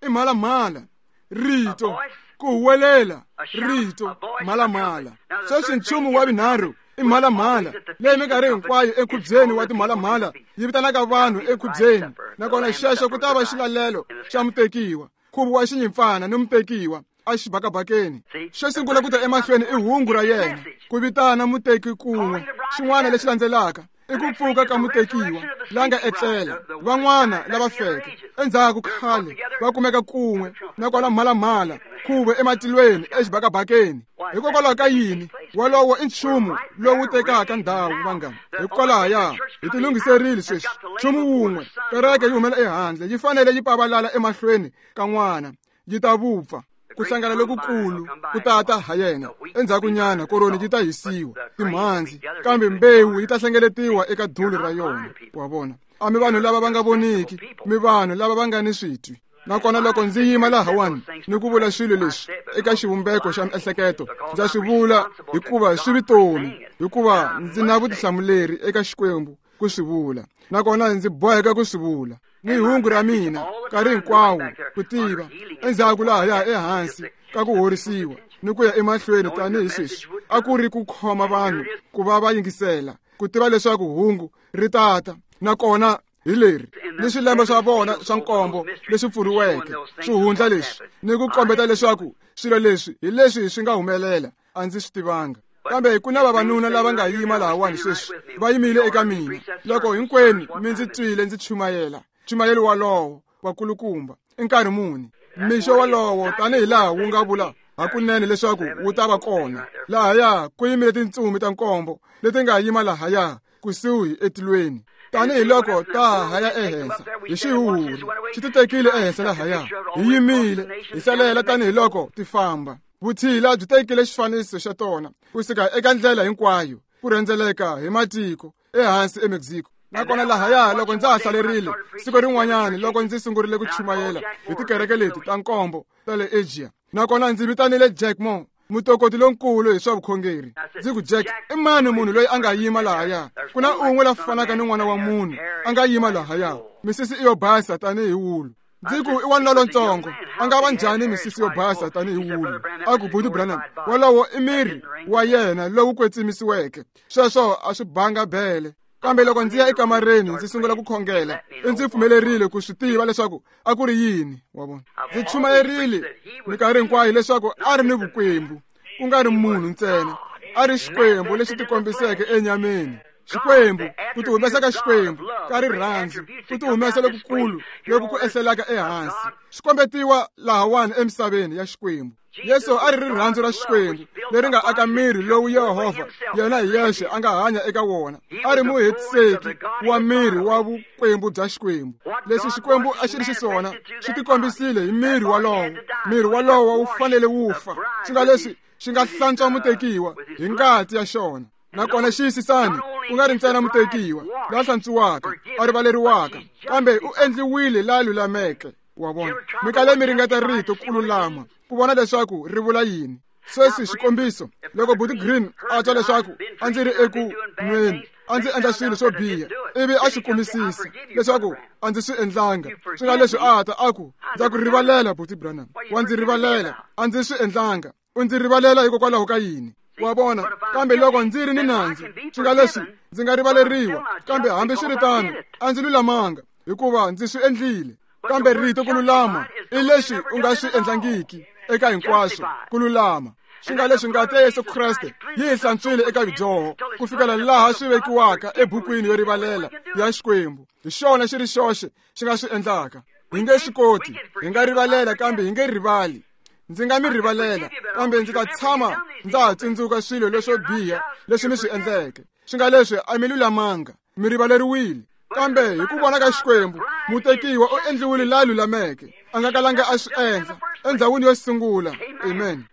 I mhalamhala, rito, ku huwelela, rito, mhalamhala. Sweswi nchumu wa vunharhu i mhalamhala, leyi minkarhi hinkwayo enkhubyeni wa timhalamhala yi vitanaka vanhu enkhubyeni, nakona xexo ku ta va xilalelo xa mutekiwa, nkhuvo wa xinyimpfana ni mutekiwa exibakabakeni. Xo sungula ku ta emahlweni i hungu ra yena, ku vitana muteki kun'we. Xin'wana lexi landzelaka i ku pfuka ka mutekiwa la nga etlela, van'wana lava feke endzhaku khale va kumeka kun'we, nakona mhalamhala, nkhuvo ematilweni exibakabakeni. Hikokwalaho ka yini? Wolowo i nchumu lowu tekaka ndhawu, vanghana. Hikwalaho hi tilunghiserile sweswi. Nchumu wun'we, kereke yi humela ehandle, yi fanele yi pavalala emahlweni ka n'wana, yi ta vupfa. Ku hlangana lokukulu ku tata ha yena. Endzhakunyana koroni yi ta hisiwa, timhandzi, kambe mbewu yi ta hlengeletiwa eka dulu ra yona. Wa vona, a mi vanhu lava va nga voniki, mi vanhu lava va nga ni switwi. Nakona loko ndzi yima lahawani ni ku vula swilo leswi eka xivumbeko xa miehleketo, ndza swi vula hikuva swi vutomi, hikuva ndzi na vutihlamuleri eka Xikwembu ku swi vula, nakona ndzi boheka ku swi vula. Ni hungu ra mina nkarhi hinkwawo ku tiva endzhaku lahaya ehansi ka ku horisiwa ni ku ya emahlweni tanihi sweswi, a ku ri ku khoma vanhu ku va va yingisela, ku tiva leswaku hungu ri tata, nakona hi leri ni swilembe swa vona swa nkombo leswi pfuriweke, swihundla leswi, ni ku kombeta leswaku swilo leswi hi leswi swi nga humelela, a ndzi swi tivanga. Kambe ku na vavanuna lava nga yima lahawani sweswi, va yimile eka mina loko hinkwenu mi ndzi twile ndzi chumayela nchumayelo walowo wakulukumba i nkarhi muni mixo walowo, tanihi laha wu nga vula hakunene leswaku wu ta va kona. Lahaya ku yimile tintsumi ta nkombo leti nga yima lahaya kusuhi etilweni, tanihiloko ta haya ehenhla hi xihuhuri xi ti tekile ehenhla lahaya. Hi yimile hi hlalela tanihiloko ti famba. Vutshila byi tekile xifaniso xa tona kusuka eka ndlela hinkwayo ku rhendzeleka hi matiko ehansi eMexico. Nakona lahaya loko ndza ha hlalerile siku rin'wanyana loko ndzi sungurile ku chumayela hi tikereke leti ta nkombo ta le Asia, nakona ndzi vitanile Jack Moore, mutokoti lonkulu hi swa vukhongeri. Ndzi ku, Jack, i mani munhu loyi a nga yima lahaya? Ku na un'we la fanaka ni n'wana wa munhu a nga yima lahaya, misisi i yo basa tanihi wulu. Ndzi ku, i wanuna lontsongo, a nga va njhani misisi yo basa tanihi wulu? A ku, Buti Branham, wolowo i miri wa yena lowu kwetsimisiweke. Sweswo a swi banga bele. Kambe loko ndzi ya ekamareni ndzi sungula ku khongela, i ndzi pfumelerile ku swi tiva leswaku a ku ri yini. Wa vona, ndzi chumayerile minkarhi hinkwayo leswaku a ri ni vukwembu, ku nga ri munhu ntsena, a ri Xikwembu lexi tikombiseke enyameni. Xikwembu, ku tihumesa ka Xikwembu ka rirhandzu, ku tihumesa lokukulu loku ku ehlelaka ehansi, swi kombetiwa lahawani emisaveni ya Xikwembu. Yesu a ri rirhandzu ra Xikwembu leri nga aka miri lowu Yehovha yena hi yexe a nga hanya eka wona. A ri muhetiseki wa miri wa vukwembu bya Xikwembu. Leswi Xikwembu a xi ri xiswona swi tikombisile hi miri walowo. Miri walowo wu fanele wu fa, swi nga leswi xi nga hlantswa mutekiwa hi ngati ya xona. Nakona xiyisisani, ku nga ri ntsena mutekiwa la hlantswiwaka, a rivaleriwaka, kambe u endliwile la lulameke. Wa vona, mi kale mi ringeta rito ku lulama ku vona leswaku ri vula yini. Sweswi xikombiso, loko Buti Green a twa leswaku a ndzi ri eku nweni, a ndzi endla swilo swo biha, ivi a swi kumisisa leswaku a ndzi swi endlanga, swi nga leswi a ta a ku, ndza ku rivalela Buti Branham, wa ndzi rivalela, a ndzi swi endlanga. U ndzi rivalela hikokwalaho ka yini? Wa vona, kambe loko ndzi ri ni nandzu, swi nga leswi ndzi nga rivaleriwa, kambe hambiswiritano a ndzi lulamanga hikuva ndzi swi endlile. Kambe rito ku lulama i leswi u nga swi endlangiki eka hinkwaswo ku lulama. Swi nga leswi ngati ya Yesu Kreste yi hi hlantswile eka vudyoho ku fikela laha swi vekiwaka ebukwini yo rivalela ya Xikwembu. Hi xona xi ri xoxe xi nga swi endlaka. Hi nge swi koti, hi nga rivalela kambe hi nge rivali. Ndzi nga mi rivalela kambe ndzi ta tshama ndza ha tsundzuka swilo leswo biha leswi mi swi endleke. Swi nga leswi a mi lulamanga, mi rivaleriwile. Kambe hi ku vona ka Xikwembu, mutekiwa u endliwile la lulameke. A nga kalanga a swi endla endzhawini yo sungula. Amen.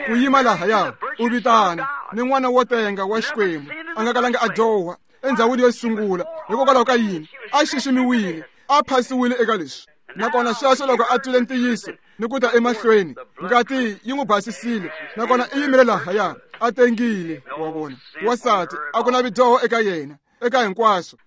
Ku yima lahaya u vitana ni n'wana wo tenga wa Xikwembu, a nga kalanga a dyoha endzhawini yo sungula. Hikokwalaho ka yini? A xiximiwile, a phasiwile eka leswi. Nakona sweswo loko a twile ntiyiso ni ku ta emahlweni, ngati yi n'wi basisile, nakona i yimile lahaya a tengile. Wa vona, wansati a ku na vidyoho eka yena eka hinkwaswo.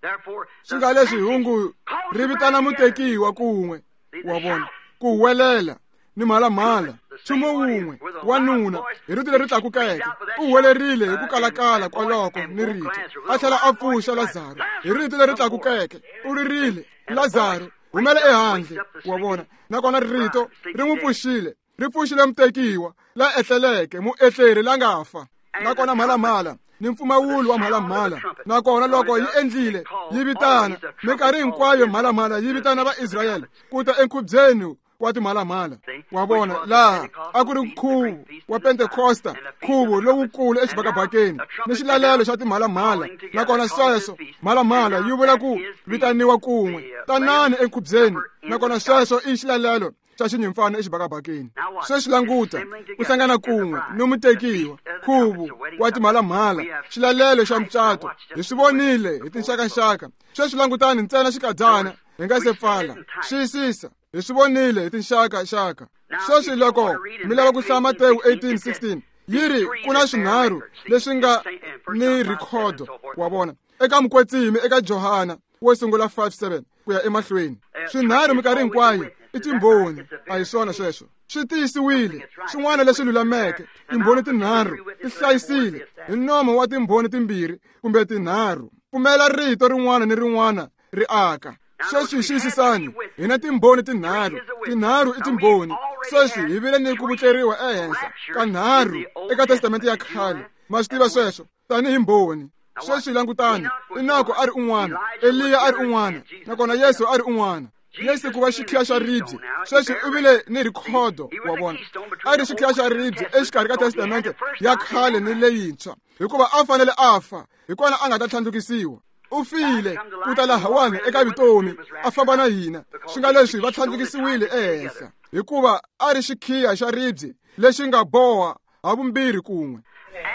Swi nga leswi hungu ri vitana mutekiwa kun'we, wa vona, ku huwelela ni mhalamhala, nchumu wun'we. Wanuna hi rito leri tlakukeke u huwelerile hi ku kalakala kwaloko ni rito, a tlhela a pfuxa Lazaro hi rito leri tlakukeke. U ririle, Lazaro, humela ehandle. Wa vona, nakona rito ri n'wi pfuxile, ri pfuxile mutekiwa la etleleke, muetleri la nga fa. Nakona mhalamhala ni mpfumawulo wa mhalamhala, nakona loko yi endlile yi vitana minkarhi hinkwayo, mhalamhala yi vitana Vaisrayele ku ta enkhubyeni wa timhalamhala. Wa vona, laha a ku ri nkhuvo wa Pentekosta, nkhuvo lowukulu exibakabakeni ni xilalelo xa timhalamhala. Nakona sweswo mhalamhala yi vula ku vitaniwa kun'we, tanani enkhubyeni. Nakona sweswo i xilalelo xa xinyimpfana exibakabakeni. Sweswi languta, ku hlangana kun'we ni mutekiwa, nkhuvo wa timhalamhala, xilalelo xa mucato. Hi swi vonile hi tinxakaxaka. Sweswi langutani ntsena xikadyana hi nga se pfala. Xiyisisa, hi swi vonile hi tinxakaxaka. Sweswi loko mi lava ku hlaya Matewu 18:16, yi ri ku na swinharhu leswi nga ni rhikhodo. Wa vona, eka Mukwetsimi, eka Johana wo sungula 5:7 ku ya emahlweni, swinharhu minkarhi hinkwayo i timbhoni. A hi swona sweswo? Swi tiyisiwile swin'wana leswi lulameke. Timbhoni tinharhu ti hlayisile hi nomo wa timbhoni timbirhi kumbe tinharhu. Pfumela rito rin'wana ni rin'wana ri aka. Sweswi xiyisisani, hi na timbhoni tinharhu. Tinharhu i timbhoni. Sweswi hi vile ni ku vutleriwa ehenhla ka nharhu eka Testamente ya khale. Ma swi tiva sweswo tanihi mbhoni. Sweswi langutani, Enoko a ri un'wana, Eliya a ri un'wana, nakona Yesu a ri un'wana. Yesu ku va xikhiya xa ribye. Sweswi u vile ni rhikhodo. Wa vona, a ri xikhiya xa ribye exikarhi ka Testamente ya khale ni leyintshwa, hikuva a fanele a fa, hi kona a nga ta tlhandlukisiwa. U file ku ta lahawani eka vutomi, a famba na hina. Swi nga leswi va tlhandlukisiwile ehenhla, hikuva a ri xikhiya xa ribye lexi nga boha havumbirhi kun'we.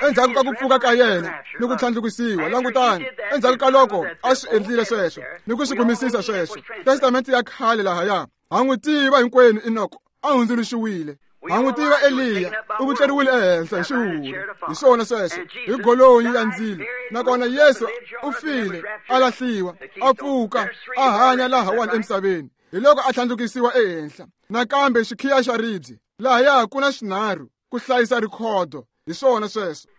Endzhaku ka ku pfuka ka yena ni ku tlhandlukisiwa, langutani, endzhaku ka loko a swi endlile sweswo ni ku swi kumisisa sweswo, Testamente ya khale lahaya, ha n'wi tiva hinkwenu Enoko a hundzuluxiwile. Ha n'wi tiva Eliya u vutleriwile ehenhla hi xihuhuri. Hi swona sweswo, hi golonyi ya ndzilo. Nakona Yesu u file, a lahliwa, a pfuka, a hanya lahawani emisaveni. Hi loko a tlhandlukisiwa ehenhla. Nakambe xikhiya xa ribye lahaya ku na swinharhu ku hlayisa rhikhodo. Hi swona sweswo.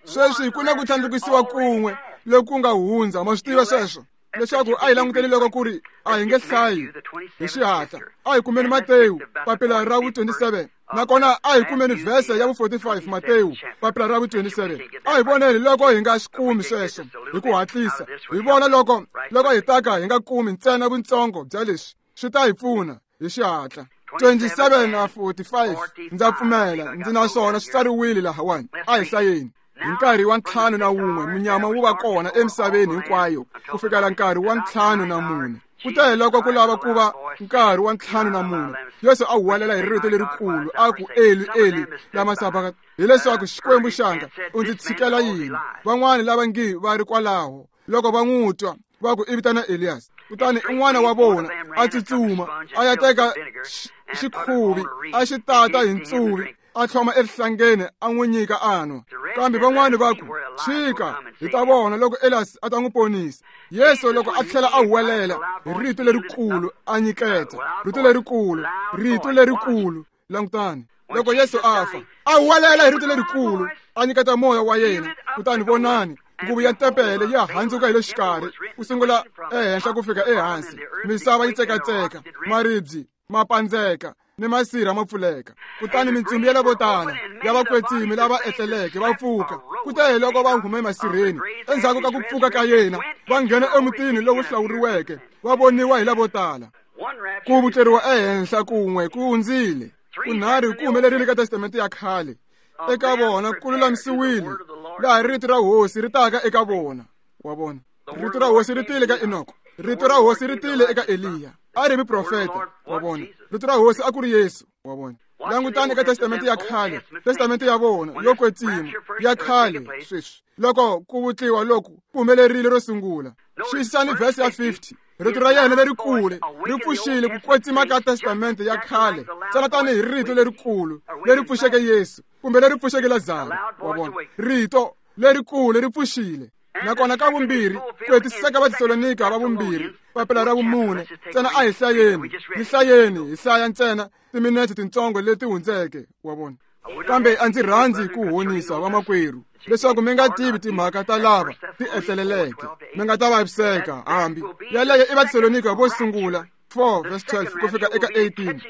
Sweswi ku na ku tlhandlukisiwa kun'we loku nga hundza. Ma swi tiva sweswo, leswaku a hi languteli loko ku ri a hi nge hlayi hi xihatla. A hi kumeni Matewu papila ra vu 27, nakona a hi kumeni vhese ya vu 45. Matewu papila ra vu 27. A hi voneni loko hi nga swi kumi sweswo hi ku hatlisa. Hi vona loko hi taka hi nga kumi ntsena vuntsongo bya leswi, swi ta hi pfuna hi xihatla. 27 na 45, ndza pfumela ndzi na swona swi tsariwile lahawani. A hi hlayeni. Hi nkarhi wa 51 munyama wu va kona emisaveni hinkwayo ku fikela nkarhi wa 54. Kute loko ku lava ku va nkarhi wa 54, Yesu a huwelela hi rito lerikulu a ku, Eli, Eli, lama sabaka, hileswaku Xikwembu xanga, u ndzi tshikela yini? Van'wani lava ngi va ri kwalaho loko va n'wi twa va ku i vitana Elias. Kutani un'wana wa vona a tsutsuma a ya teka xikhuvi a xi tata hi ntsuvi, a tlhoma erihlangeni a n'wi nyika a nwa. Kambe van'wani va ku, tshika, hi ta vona loko Elias a ta n'wi ponisa. Yesu loko a tlhela a huwelela hi rito lerikulu a nyiketa, rito lerikulu, rito lerikulu. Langutani, loko Yesu a fa, a huwelela hi rito lerikulu a nyiketa moya wa yena. Kutani vonani, Nguvu ya tempele ya handzuka hi le xikarhi ku sungula ehenhla ku fika ehansi. Misava yi tsekatseka, maribye ma pandzeka ni masirha ma pfuleka. Kutani mintsumbu ya lavo tala ya vakwetsimi lava etleleke va pfuka. Kute hi loko va hume emasirheni endzhaku ka ku pfuka ka yena, va nghena emutini lowu hlawuriweke, va voniwa hi lavo tala. Ku vutleriwa ehenhla kun'we ku hundzile, kunharhu ku humelerile ka testamente ya khale. Eka vona ku lulamisiwile laha rito ra hosi ri taka eka vona. Wa vona, rito ra hosi ri tile ka Enoko, rito ra hosi ri tile eka Eliya, a ri muprofeta. Wa vona, rito ra hosi a ku ri Yesu. Wa vona, langutani eka testamente ya khale, testamente ya vona yo kwetsima ya khale. Sweswi loko ku vutliwa loku ku humelerile ro sungula, xiyisisani vhesi ya 50. Rito ra yena lerikulu ri pfuxile ku kwetsima ka testamente ya khale, ntsena tanihi rito lerikulu leri pfuxeke Yesu kumbe leri pfuxeke Lazaro. Wa vona, rito lerikulu ri pfuxile. Nakona ka vumbirhi, ku hetisisa ka Vatesalonika va vumbirhi, papila ra vumune. Ntsena a hi hlayeni, hi hlayeni, hi hlaya ntsena timinete tintsongo leti hundzeke. Wa vona, kambe a ndzi rhandzi ku honisa vamakwerhu leswaku mi nga tivi timhaka ta lava ti etleleleke, mi nga ta vaviseka. Hambi yaleyo i Vatesalonika vo sungula 4 verse 12 ku fika eka 18.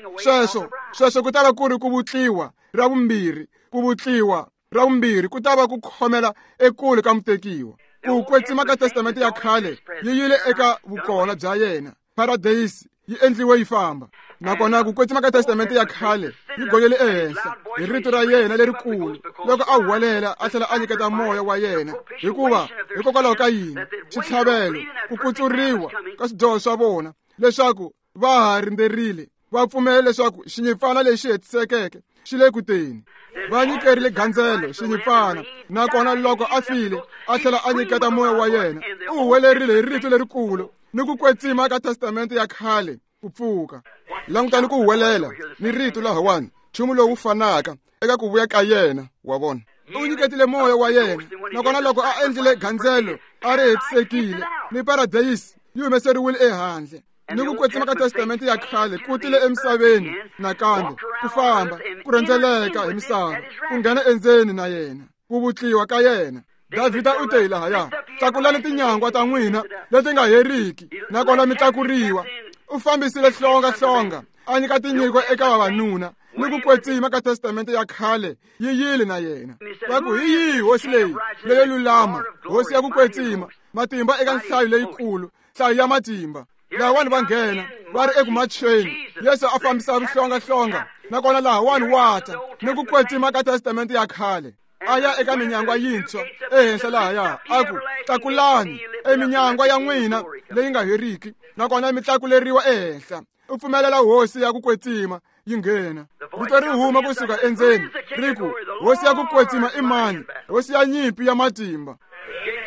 Sweswo ku ta va ku ri ku vutliwa ra vumbirhi, ku vutliwa ra vumbirhi ku ta va ku khomela ekule ka mutekiwa. Ku kwetsima ka testamente ya khale yi yile eka vukona bya yena. Paradeyisi yi endliwe yi famba. Nakona ku kwetsima ka testamente ya khale yi gonyele ehenhla hi rito ra yena lerikulu loko a huwelela a tlhela a nyiketa moya wa yena. Hikuva hikokwalaho ka yini? Xitlhavelo, ku kutsuriwa ka swidyoho swa vona, leswaku va ha rindzerile, va pfumela leswaku xinyimpfana lexi hetisekeke xi le ku teni. Va nyikerile gandzelo xinyimpfana, nakona loko a file a tlhela a nyiketa moya wa yena, u huwelerile hi rito lerikulu ni ku kwetsima ka testamente ya khale ku pfuka. Langutani ku huwelela ni rito lahawani, nchumu lowu fanaka eka ku vuya ka yena. Wa vona, u nyiketile moya wa yena, nakona loko a endlile gandzelo a ri hetisekile, ni paradeyisi yi humeseriwile ehandle. Ni ku kwetsima ka testamente ya khale ku tile emisaveni nakambe, ku famba, ku rhendzeleka hi misava, ku nghena endzeni na yena, ku vutliwa ka yena. Davhida u te lahaya, tlakulani tinyangwa ta n'wina leti nga heriki, nakona mi tlakuriwa. U fambisile hlonga, a nyika tinyiko eka vavanuna, ni ku kwetsima ka testamente ya khale yi yile na yena. Va ku hi yihi hosi leyi leyo lulama, hosi ya ku kwetsima, matimba eka nhlayo leyikulu, nhlayo ya matimba. Lahawani va nghena va ri eku macheni, Yesu a fambisa vuhlongahlonga, nakona lahawani wa ta ni ku kwetsima ka testamente ya khale. A ya eka minyangwa yintshwa ehenhla lahaya, a ku tlakulani eminyangwa ya n'wina leyi nga heriki, nakona mi tlakuleriwa ehenhla. U pfumelela hosi ya ku kwetsima yi nghena. Rito ri huma kusuka endzeni ri ku, hosi ya ku kwetsima i mani? Hosi ya nyimpi ya matimba.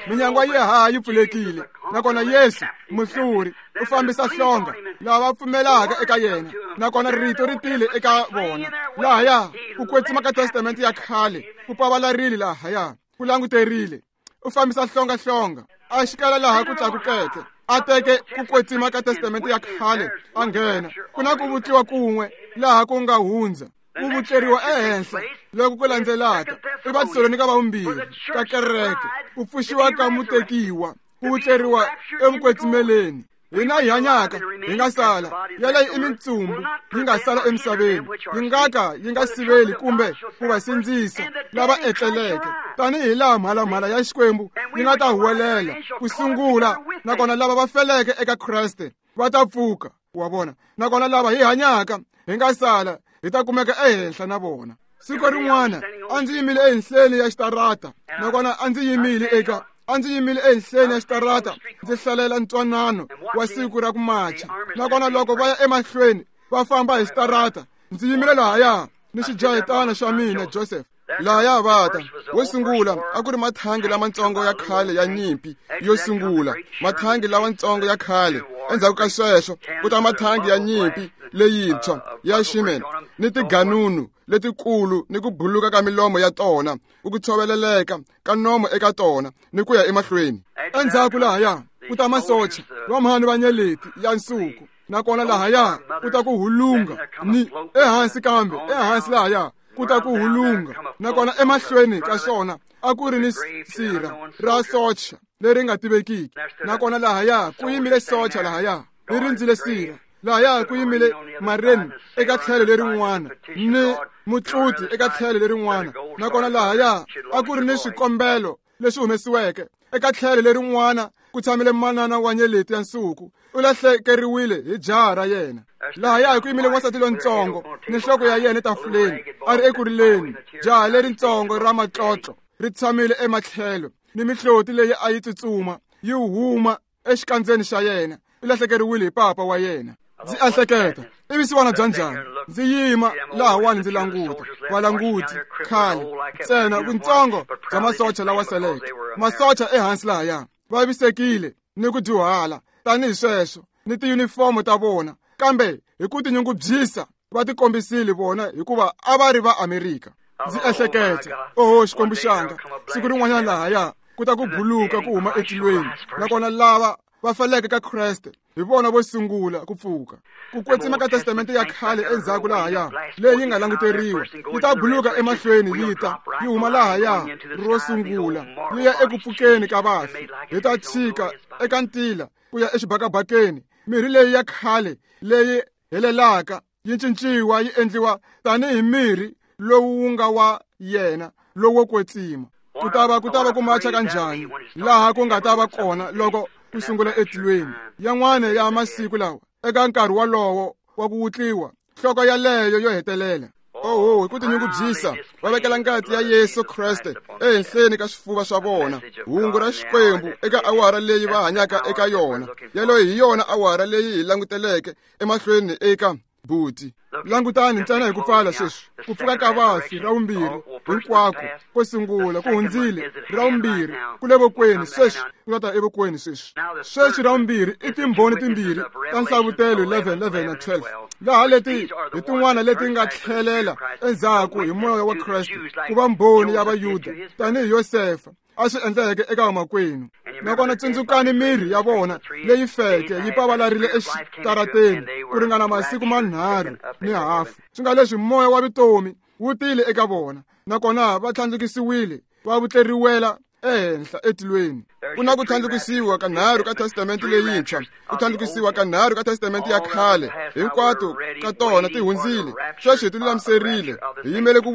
Minyangwa yi haha yi pfulekile, nakona Yesu muhluri u fambisa hlonga lava va pfumelaka eka yena, nakona rito ri tile eka vona. Lahaya ku kwetsima ka testamente ya khale ku pavalarile, lahaya ku languterile. U fambisa hlonga, a xikela laha ku tlakukeke, a teke ku kwetsima ka testamente ya khale a nghena. Ku na ku vutliwa kun'we laha ku nga hundza, ku vutleriwa ehenhla loko ku landzelaka i Vatesalonika va vumbirhi ka kereke, ku pfuxiwa ka mutekiwa, ku vutleriwa evukwetsimeleni. Hina hi hanyaka hi nga sala, yaleyo i mintsumbu yi nga sala emisaveni, yi nga ka yi nga siveli kumbe ku va sindzisa lava etleleke, tanihi laha mhalamhala ya Xikwembu yi nga ta huwelela ku sungula, nakona lava va feleke eka Kreste va ta pfuka. Wa vona, nakona lava hi hanyaka hi nga sala hi ta kumeka ehenhla na vona. Siku rin'wana a ndzi yimile ehenhleni ya xitarata, nakona a ndzi yimile ehenhleni ya xitarata ndzi hlalela ntwanano wa siku ra ku macha. Nakona loko va ya emahlweni va famba hi xitarata, ndzi yimile lahaya ni xijahitana xa mina Joseph. Lahaya va ta wo sungula a ku ri mathangi lamatsongo ya khale ya nyimpi yo sungula, mathangi lawatsongo ya khale. Endzhaku ka sweswo ku ta mathangi ya nyimpi leyintshwa ya Sherman ni tiganunu letikulu ni ku buluka ka milomo ya tona, ku tshoveleleka ka nomo eka tona ni ku ya emahlweni. Endzhaku lahaya ku ta masocha vamhani va nyeleti ya nsuku, nakona lahaya ku ta ku hulunga ni ehansi, kambe ehansi lahaya ku ta ku hulunga, nakona emahlweni ka xona a ku ri ni sirha ra socha leri nga tivekiki. Nakona lahaya ku yimile socha lahaya ri rindzile sirha, lahaya ku yimile marine eka tlhelo lerin'wana ni mutluti eka tlhelo lerin'wana. Nakona lahaya a ku ri ni swikombelo leswi humesiweke eka tlhelo lerin'wana ku tshamile manana wa nyeleti ya nsuku, u lahlekeriwile hi jaha ra yena. Lahaya ku yimile wansati lontsongo ni nhloko ya yena etafuleni a ri ekurileni, jaha leritsongo ra matlotlo ri tshamile ematlhelo ni mihloti leyi a yi tsutsuma yi huma exikandzeni xa yena, u lahlekeriwile hi papa wa yena. Ndzi ehleketa, i vusiwana bya njhani? Ndzi yima lahawani ndzi languta valanguti khale ntsena vuntsongo bya masocha lawa seleke, masocha ehansi lahaya vavisekile ni ku dyuhala tanihi sweswo ni tiyunifomo ta vona, kambe hi ku tinyungubyisa va tikombisile vona hikuva a va ri va Amerika. Ndzi ehleketa, oho Xikwembu xanga, siku rin'wanyana lahaya ku ta ku buluka ku huma etilweni, nakona lava va faleke ka Kreste hi vona vo sungula ku pfuka. Ku kwetsima ka testamente ya khale endzhaku lahaya leyi nga languteriwa yi ta buluka emahlweni, yi ta yi huma lahaya ro sungula yi ya eku pfukeni ka vafi. Hi ta tshika eka ntila ku ya exibakabakeni, mirhi leyi ya khale leyi helelaka yi cinciwa yi endliwa tanihi mirhi lowu wu nga wa yena lowo kwetsima. Ku ta va ku macha ka njhani laha ku nga ta va kona loko ku sungula etilweni yan'wana ya masiku lawa eka nkarhi wolowo wa ku wutliwa nhloko yaleyo yo hetelela. Oho, hi ku tinyungubyisa va vekela ngati ya Yesu Kreste ehenhleni ka swifuva swa vona, hungu ra Xikwembu eka awara leyi va hanyaka eka yona. Yaleyo hi yona awara leyi hi languteleke emahlweni eka buti. Langutani ntsena hi ku pfala sweswi, ku pfuka ka vafi ra vumbirhi hinkwako ko sungula ku hundzile, ra vumbirhi ku le vokweni sweswi, ku ta ta evokweni sweswi. Sweswi ra vumbirhi i timbhoni timbirhi ta nhlavutelo 11, 11 na 12, laha leti hi tin'wana leti nga tlhelela endzhaku hi moya wa Kreste ku va mbhoni ya Vayuda tanihi Yosefa a swi endleke eka vamakwenu. Nakona tsundzukani mirhi ya vona leyi feke yi pavalarile exitarateni ku ringana masiku manharhu ni hafu, swi nga leswi moya wa vutomi wu tile eka vona, nakona va tlhandlukisiwile va vutleriwela ehenhla etilweni. Ku na ku tlhandlukisiwa ka nharhu ka testamente leyintshwa, ku tlhandlukisiwa ka nharhu ka testamente ya khale, hinkwato ka tona ti hundzile. Sweswi hi ti lulamiserile, hi yimele ku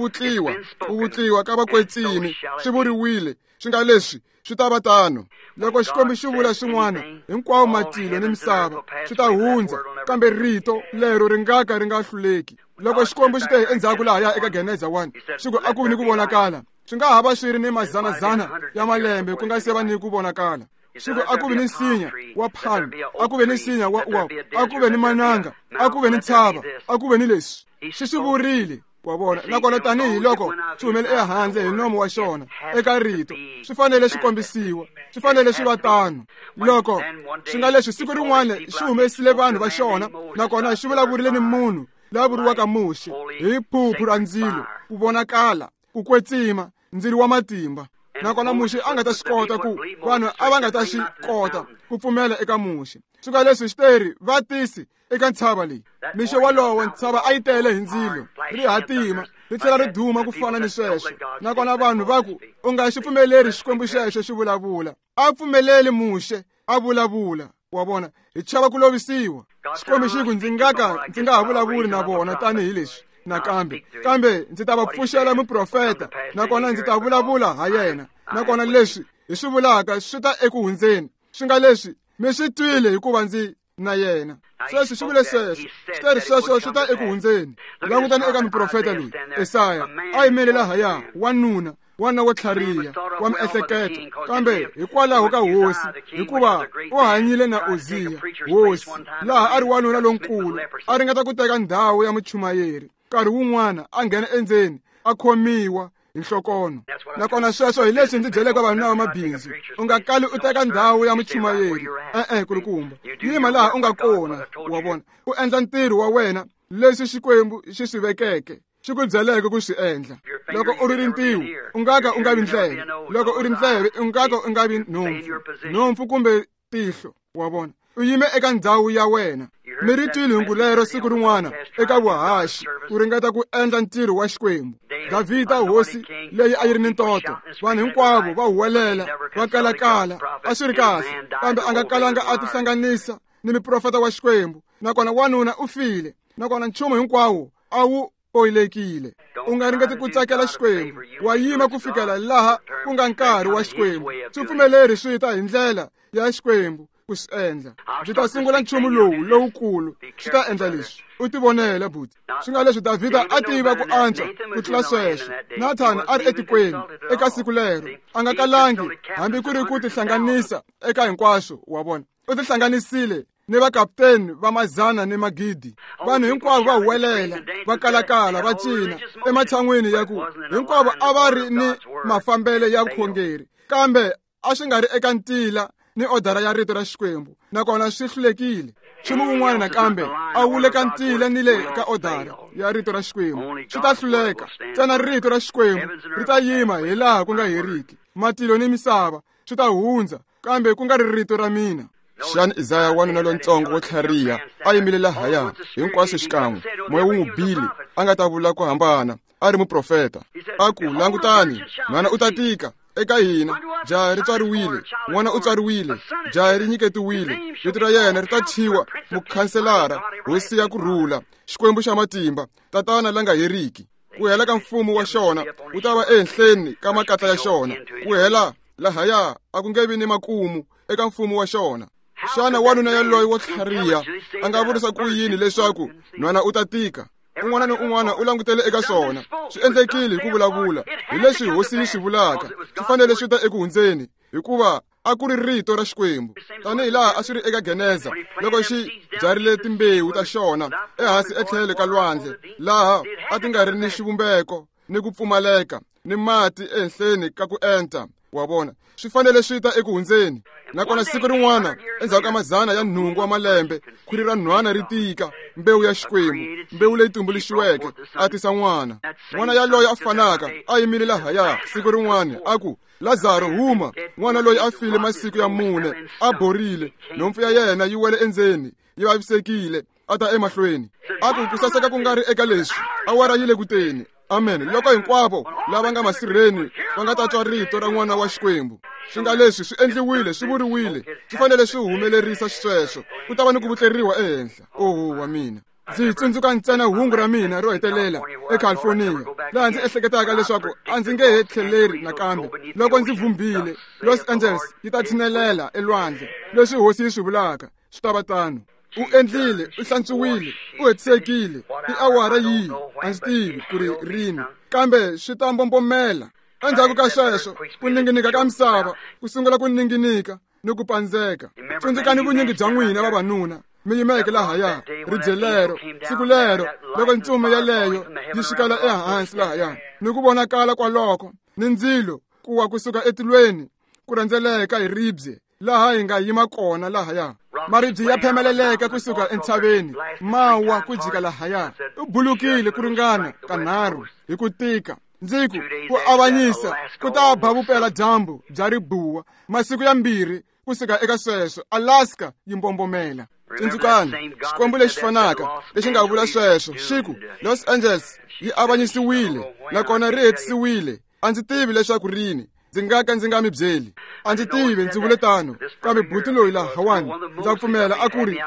vutliwa ka vakwetsimi. Swi vuriwile swi nga leswi swi ta va tano. Loko Xikwembu xi vula swin'wana, hinkwawo matilo ni misava swi ta hundza, kambe rito lero ri nga ka ri nga hluleki. Loko Xikwembu xi te endzhaku lahaya eka Geneza 1, xi ku a ku vi ni ku vonakala, swi nga ha va swi ri ni mazanazana ya malembe ku nga se va ni ku vonakala. Xi ku a ku vi ni nsinya wa palm, a ku ve ni nsinya wa uwa, a ku ve ni mananga, a ku ve ni ntshava, a ku ve ni leswi. Xi swi vurile, wa vona. Nakona tanihi loko swi humele ehandle hi nomo wa xona eka rito, swi fanele swi kombisiwa, swi fanele swi va tano. Loko swi nga leswi siku rin'wana xi humesile vanhu va xona, nakona xi vulavurile ni munhu la vuriwaka Muxe hi phuphu ra ndzilo, ku vonakala, ku kwetsima, ndzilo wa matimba. Nakona Muxe a nga ta swi kota ku vanhu a va nga ta swi kota ku pfumela eka Muxe. Swi nga leswi xiteri va tisi eka ntshava leyi. Mixo wolowo ntshava a yi tele hi ndzilo, ri hatima ri tlhela ri duma ku fana ni sweswo. Nakona vanhu va ku, u nga xi pfumeleri Xikwembu xexo xi vulavula. A pfumeleli Muxe a vulavula, wa vona, hi chava ku lovisiwa. Xikwembu xi ku, ndzi nga ka ndzi nga ha vulavuli na vona tanihileswi nakambe, kambe ndzi ta va pfuxela muprofeta, nakona ndzi ta vulavula ha yena. Nakona leswi hi swi vulaka swi ta eku hundzeni, swi nga leswi mi swi twile hikuva ndzi na yena. Sweswi xi vule sweswo, xi sweswo swi ta eku hundzeni. Langutani eka muprofeta loyi Esaya, a yimele lahaya, wanuna wana wo tlhariha wa miehleketo, kambe hikwalaho ka hosi, hikuva u hanyile na Uziya hosi, laha a ri wanuna lonkulu, a ringeta ku teka ndhawu ya muchumayeri. Nkarhi wun'wana a nghena endzeni a khomiwa hi nhlokono. Nakona sweswo hi leswi ndzi byeleke vavanuna va mabindzu, u nga kali u teka ndhawu ya muchumayeri. E-e, kulukumba, yima laha u nga kona, wa vona, u endla ntirho wa wena leswi Xikwembu xi swi vekeke, xi ku byeleke ku swi endla. Loko u ri rintiho, u nga ka u nga vi ndleve. Loko u ri ndleve, u nga ka u nga vi nhompfu, nhompfu kumbe tihlo, wa vona. U yime eka ndhawu ya wena. Mi ri twile hungu lero siku rin'wana eka vuhaxi ku ringeta ku endla ntirho wa Xikwembu. Davhida hosi leyi a yi ri ni ntoto, vanhu hinkwavo va huwelela va kalakala, a swi ri kahle, kambe a nga kalanga a tihlanganisa ni muprofeta wa Xikwembu, nakona wanuna u file, nakona nchumu hinkwawo a wu oyilekile. U nga ringeti ku tsakela Xikwembu, wa yima ku fikela laha ku nga nkarhi wa Xikwembu. Swi pfumeleri swi ta hi ndlela ya Xikwembu ku swi endla. Ndzi ta sungula nchumu lowu lowukulu, swi ta endla leswi. U tivonele buti. Swi nga leswi Davhida a tiva ku antswa ku tlula sweswo. Nathani a ri etikweni eka siku lero, a nga kalangi hambi ku ri ku tihlanganisa eka hinkwaswo wa vona. U tihlanganisile ni vakapteni va mazana ni magidi. Vanhu hinkwavo va huwelela, va kalakala, va cina ematshan'wini ya ku hinkwavo a va ri ni mafambele ya vukhongeri, kambe a swi nga ri eka ntila ni odara ya rito ra Xikwembu, nakona swi hlulekile. Nchumu wun'wana nakambe a wu le ka ntila ni le ka odara ya rito ra Xikwembu, swi ta hluleka. Ntsena rito ra Xikwembu ri ta yima hi laha ku nga heriki. Matilo ni misava swi ta hundza, kambe ku nga ri rito ra mina. Xana Isaya wanuna lontsongo wo tlhariha a yimile lahaya hinkwaswo xikan'we, moya wu n'wi bile, a nga ta vula ku hambana, a ri muprofeta. A ku, langutani, nhwana u ta tika eka hina, jaha ri tswariwile, n'wana u tswariwile, jaha ri nyiketiwile, vito ra yena ri ta thyiwa mukhanselara, hosi ya ku rhula, Xikwembu xa matimba, tatana la nga heriki. Ku hela ka mfumo wa xona wu ta va ehenhleni ka makatla ya xona, ku hela lahaya a ku nge vi ni makumu eka mfumo wa xona. Xana wanuna yaloye wo tlhariha a nga vurisa ku yini leswaku nhwana u ta tika? Un'wana ni un'wana u langutele eka swona. Swi endlekile hi ku vulavula hi leswi hosi yi swi vulaka, swi fanele swi ta eku hundzeni, hikuva a ku ri rito ra Xikwembu. Tanihi laha a swi ri eka Geneza, loko xi byarile timbewu ta xona ehansi etlhelo ka lwandle, laha a ti nga ri ni xivumbeko ni ku pfumaleka ni mati ehenhleni ka ku enta, wa vona, swi fanele swi ta eku hundzeni. Nakona siku rin'wana endzhaku ka mazana ya nhungu wa malembe, khwiri ra nhwana ri tika, mbewu ya Xikwembu, mbewu leyi tumbuluxiweke, a tisa n'wana. N'wana yaloye a fanaka a yimile lahaya siku rin'wana a ku, Lazaro huma. N'wana loyi a file masiku ya 4, a borile, nhompfu ya yena yi wele endzeni, yi vavisekile, a ta emahlweni. A ku, ku saseka ku nga ri eka leswi, awara yi le ku teni. Amen. Loko hinkwavo lava nga masirheni va nga ta twa rito ra n'wana wa Xikwembu, swi nga leswi swi endliwile, swi vuriwile, swi fanele swi humelerisa xisweswo, ku ta va ni ku vutleriwa ehenhla. Oho wa mina. Ndzi tsundzuka ntsena hungu ra mina ro hetelela eCalifornia, laha ndzi ehleketaka leswaku a ndzi nge he tlheleri nakambe. Loko ndzi vhumbile, Los Angeles yi ta tshinelela elwandle. Leswi hosi yi swi vulaka swi ta va tano. U endlile, u hlantswiwile, u hetisekile. I awara yihi? A ndzi tivi ku ri rini, kambe swi ta mbombomela. Endzhaku ka sweswo, ku ninginika ka misava ku sungula ku ninginika ni ku pandzeka. Tsundzukani vunyingi bya n'wina vavanuna mi yimeke lahaya ribye lero, siku lero loko ntsumi yaleyo yi xikela ehansi lahaya ni ku vonakala kwaloko ni ndzilo ku wa kusuka etilweni ku rhendzeleka hi ribye laha hi nga yima kona lahaya. Maribye ya phemeleleka kusuka entshaveni, ma wa ku jika lahaya. U bulukile ku ringana kanharhu hi ku tika. Ndzi ku, ku avanyisa ku ta ba vupela dyambu bya ribuwa masiku ya 2 kusuka eka sweswo, Alaska yi mbombomela. Tsundzukani, Xikwembu lexi fanaka lexi nga vula sweswo xi ku, Los Angeles yi avanyisiwile nakona ri hetisiwile. A ndzi tivi leswaku rini, ndzi nga ka ndzi nga mi byeli. A ndzi tivi, ndzi vule tano, kambe buti loyi lahawani, ndza pfumela a ku ri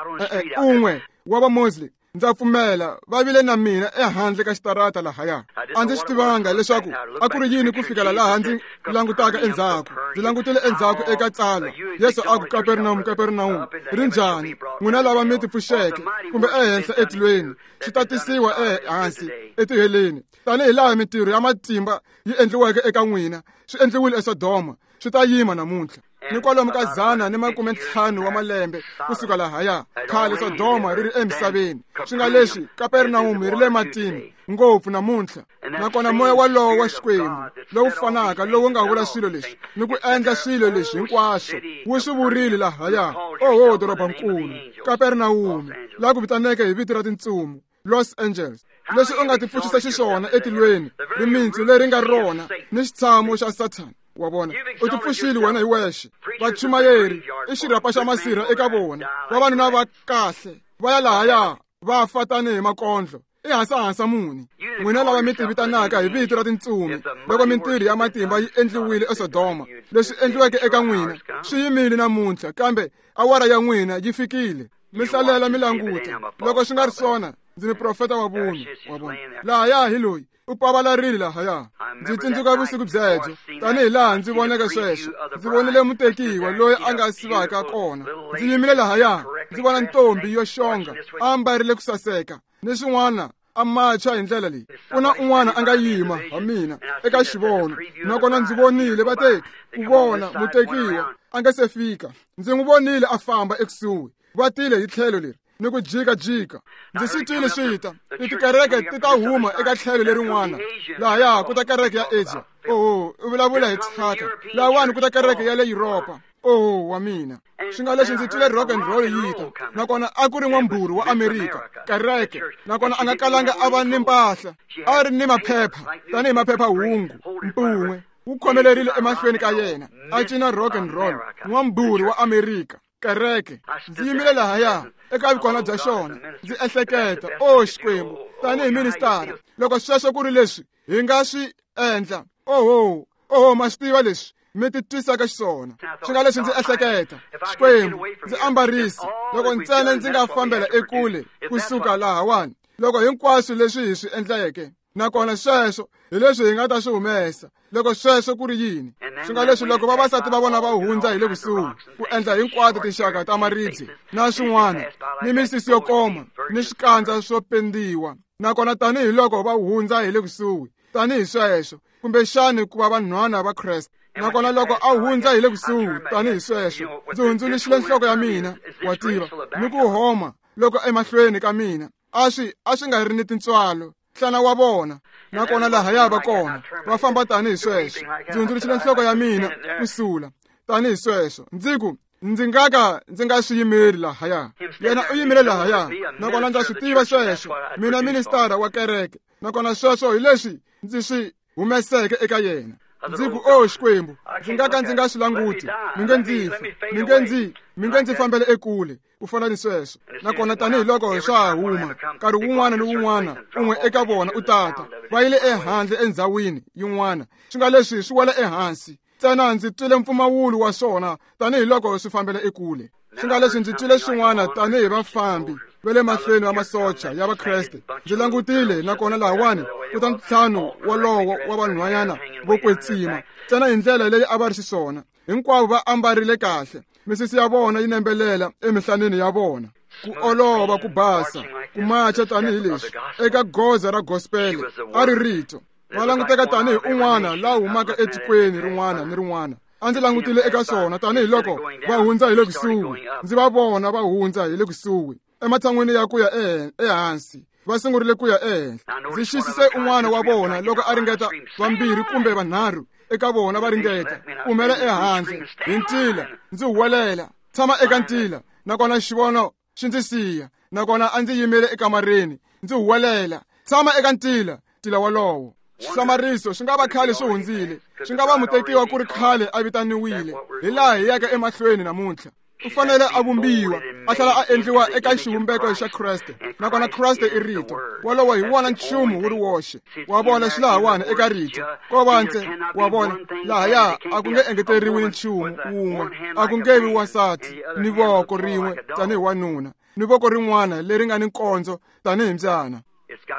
un'we wa va Mosley. Ndza pfumela va vile na mina ehandle ka xitarata lahaya. A ndzi swi tivanga leswaku a ku ri yini ku fikela laha ndzi langutaka endzhaku. Ndzi langutile endzhaku eka tsalwa. Yesu a ku, Kapernawum, Kapernawum, ri njhani n'wina lava mi tipfuxeke kumbe ehenhla etilweni, swi ta tisiwa ehansi etiheleni. Tanihi laha mintirho ya matimba yi endliweke eka n'wina, swi endliwile eSodoma, swi ta yima namuntlha. Ni kwalomu ka 150 wa malembe kusuka lahaya, khale Sodoma ri ri emisaveni. Swi nga leswi Kapernawum ri le matini ngopfu namuntlha. Nakona moya walowo wa Xikwembu lowu fanaka lowu nga vula swilo leswi ni ku endla swilo leswi hinkwaswo, wu swi vurile lahaya. Oho dorobankulu Kapernawum, laha ku vitaneke hi vito ra tintsumi, Los Angeles. Leswi u nga tipfuxisa xiswona etilweni, rimintsu leri nga rona ni xitshamo xa Sathana. Wa vona, u tipfuxile wena hi wexe. Vachumayeri i xirhapa xa masirha eka vona, vavanuna va kahle. Va ya lahaya va fa tanihi makondlo. I hasahasa muni n'wina lava mi tivitanaka hi vito ra tintsumi, loko mintirho ya matimba yi endliwile eSodoma, leswi endliweke eka n'wina swi yimile namuntlha, kambe awara ya n'wina yi fikile. Mi hlalela mi languta, loko swi nga ri swona ndzi muprofeta wa vunwa. Wa vona lahaya hi loyi u pavalarile lahaya. Ndzi tsundzuka vusiku byebyo tanihi laha ndzi voneke sweswo. Ndzi vonile mutekiwa loyi a nga sivaka kona. Ndzi yimile lahaya ndzi vona ntombi yo xonga a ambarile ku saseka ni swin'wana, a macha hi ndlela leyi. Ku na un'wana a nga yima ha mina eka xivono, nakona ndzi vonile va te ku vona mutekiwa a nga se fika. Ndzi n'wi vonile a famba ekusuhi, va tile hi tlhelo leri ni ku jikajika. Ndzi swi twile swi ta tikereke ti ta huma eka tlhelo lerin'wana lahaya ku ta kereke ya Asia. Oho, u vulavula hi thyaka. Lahawani ku ta kereke ya le Yuropa. Oho wa mina, swi nga leswi ndzi twile rock and roll yi ta, nakona a ku ri n'wambhuri wa Amerika kereke, nakona a nga kalanga a va ni mpahla, a ri ni maphepha tanihi maphephahungu mpun'we wu khomelerile emahlweni ka yena, a cina rock and roll, n'wambhuri wa Amerika kereke. Ndzi yimile lahaya eka vukona bya xona, ndzi ehleketa, o Xikwembu, tanihi ministara, loko sweswo ku ri leswi hi nga swi endla, oho oho, ma swi tiva leswi mi ti twisaka xiswona. Swi nga leswi ndzi ehleketa, Xikwembu, ndzi ambarisi loko ntsena ndzi nga fambela ekule kusuka lahawani, loko hinkwaswo leswi hi swi endleke, nakona sweswo hi leswi hi nga ta swi humesa, loko sweswo ku ri yini. Swi nga leswi loko vavasati va vona va hundza hi le kusuhi ku endla hinkwato tinxaka ta maribye na swin'wana, ni misisi yo koma ni swikandza swo pendiwa, nakona tanihiloko va hundza hi le kusuhi tanihi sweswo, kumbexani ku va vanhwana va Kreste, nakona loko a hundza hi le kusuhi tanihi sweswo, ndzi hundzuluxile nhloko ya mina, wa tiva, ni ku homa loko emahlweni ka mina a swi nga ri ni tintswalo nhlana wa vona, nakona lahaya va kona va famba tanihi sweswo. Ndzi hundzuluxile nhloko ya mina ku sula tanihi sweswo, ndzi ku ndzi nga ka ndzi nga swi yimeli lahaya. Yena u yimile lahaya, nakona ndza swi tiva sweswo, mina ministara wa kereke, nakona sweswo hi leswi ndzi swi humeseke eka yena. Ndzi ku, o Xikwembu, ndzi nga ka ndzi nga swi languti, mi nge ndzi fi, mi nge ndzi fambele ekule ku fana ni sweswo. Nakona tanihiloko swa ha huma nkarhi wun'wana ni wun'wana un'we eka vona u tata, va yile ehandle endhawini yin'wana, swi nga leswi swi wela ehansi ntsena. Ndzi twile mpfumawulo wa swona tanihiloko swi fambela ekule. Swi nga leswi ndzi twile swin'wana tanihi vafambi va le mahlweni va masocha ya Vakreste. Ndzi langutile, nakona lahawani ku ta ntlhanu wolowo wa vanhwanyana vo kwetsima, ntsena hi ndlela leyi a va ri xiswona. Hinkwavo va ambarile kahle, misisi ya vona yi nembelela emihlaneni ya vona, ku olova, ku basa, ku macha tanihi leswi eka goza ra gospel a ri rito. Va languteka tanihi un'wana la humaka etikweni rin'wana ni rin'wana. A ndzi langutile eka swona tanihiloko va hundza hi le kusuhi, ndzi va vona va hundza hi le kusuhi ematshan'wini ya ku ya ehansi, va sungurile ku ya ehenhla. Ndzi xisise un'wana wa vona loko a ringeta, vambirhi kumbe vanharhu eka vona va ringeta ku humela ehandle hi ntila. Ndzi huwelela, tshama eka ntila, nakona xivono xi ndzi siya, nakona a ndzi yimile ekamareni ndzi huwelela, tshama eka ntila, ntila wolowo. Xihlamariso swi nga va khale swi hundzile, swi nga va mutekiwa ku ri khale a vitaniwile, hi laha hi yaka emahlweni namuntlha. U fanele a vumbiwa, a tlhela a endliwa eka xivumbeko xa Kreste, nakona Kreste i rito. Wolowo hi wona nchumu wu ri woxe. Wa vona xilahawani eka rito ko va ntse, wa vona lahaya a ku nge engeteriwi nchumu wun'we, a ku nge vi wansati ni voko rin'we tanihi wanuna ni voko rin'wana leri nga ni nkondzo tanihi mbyana.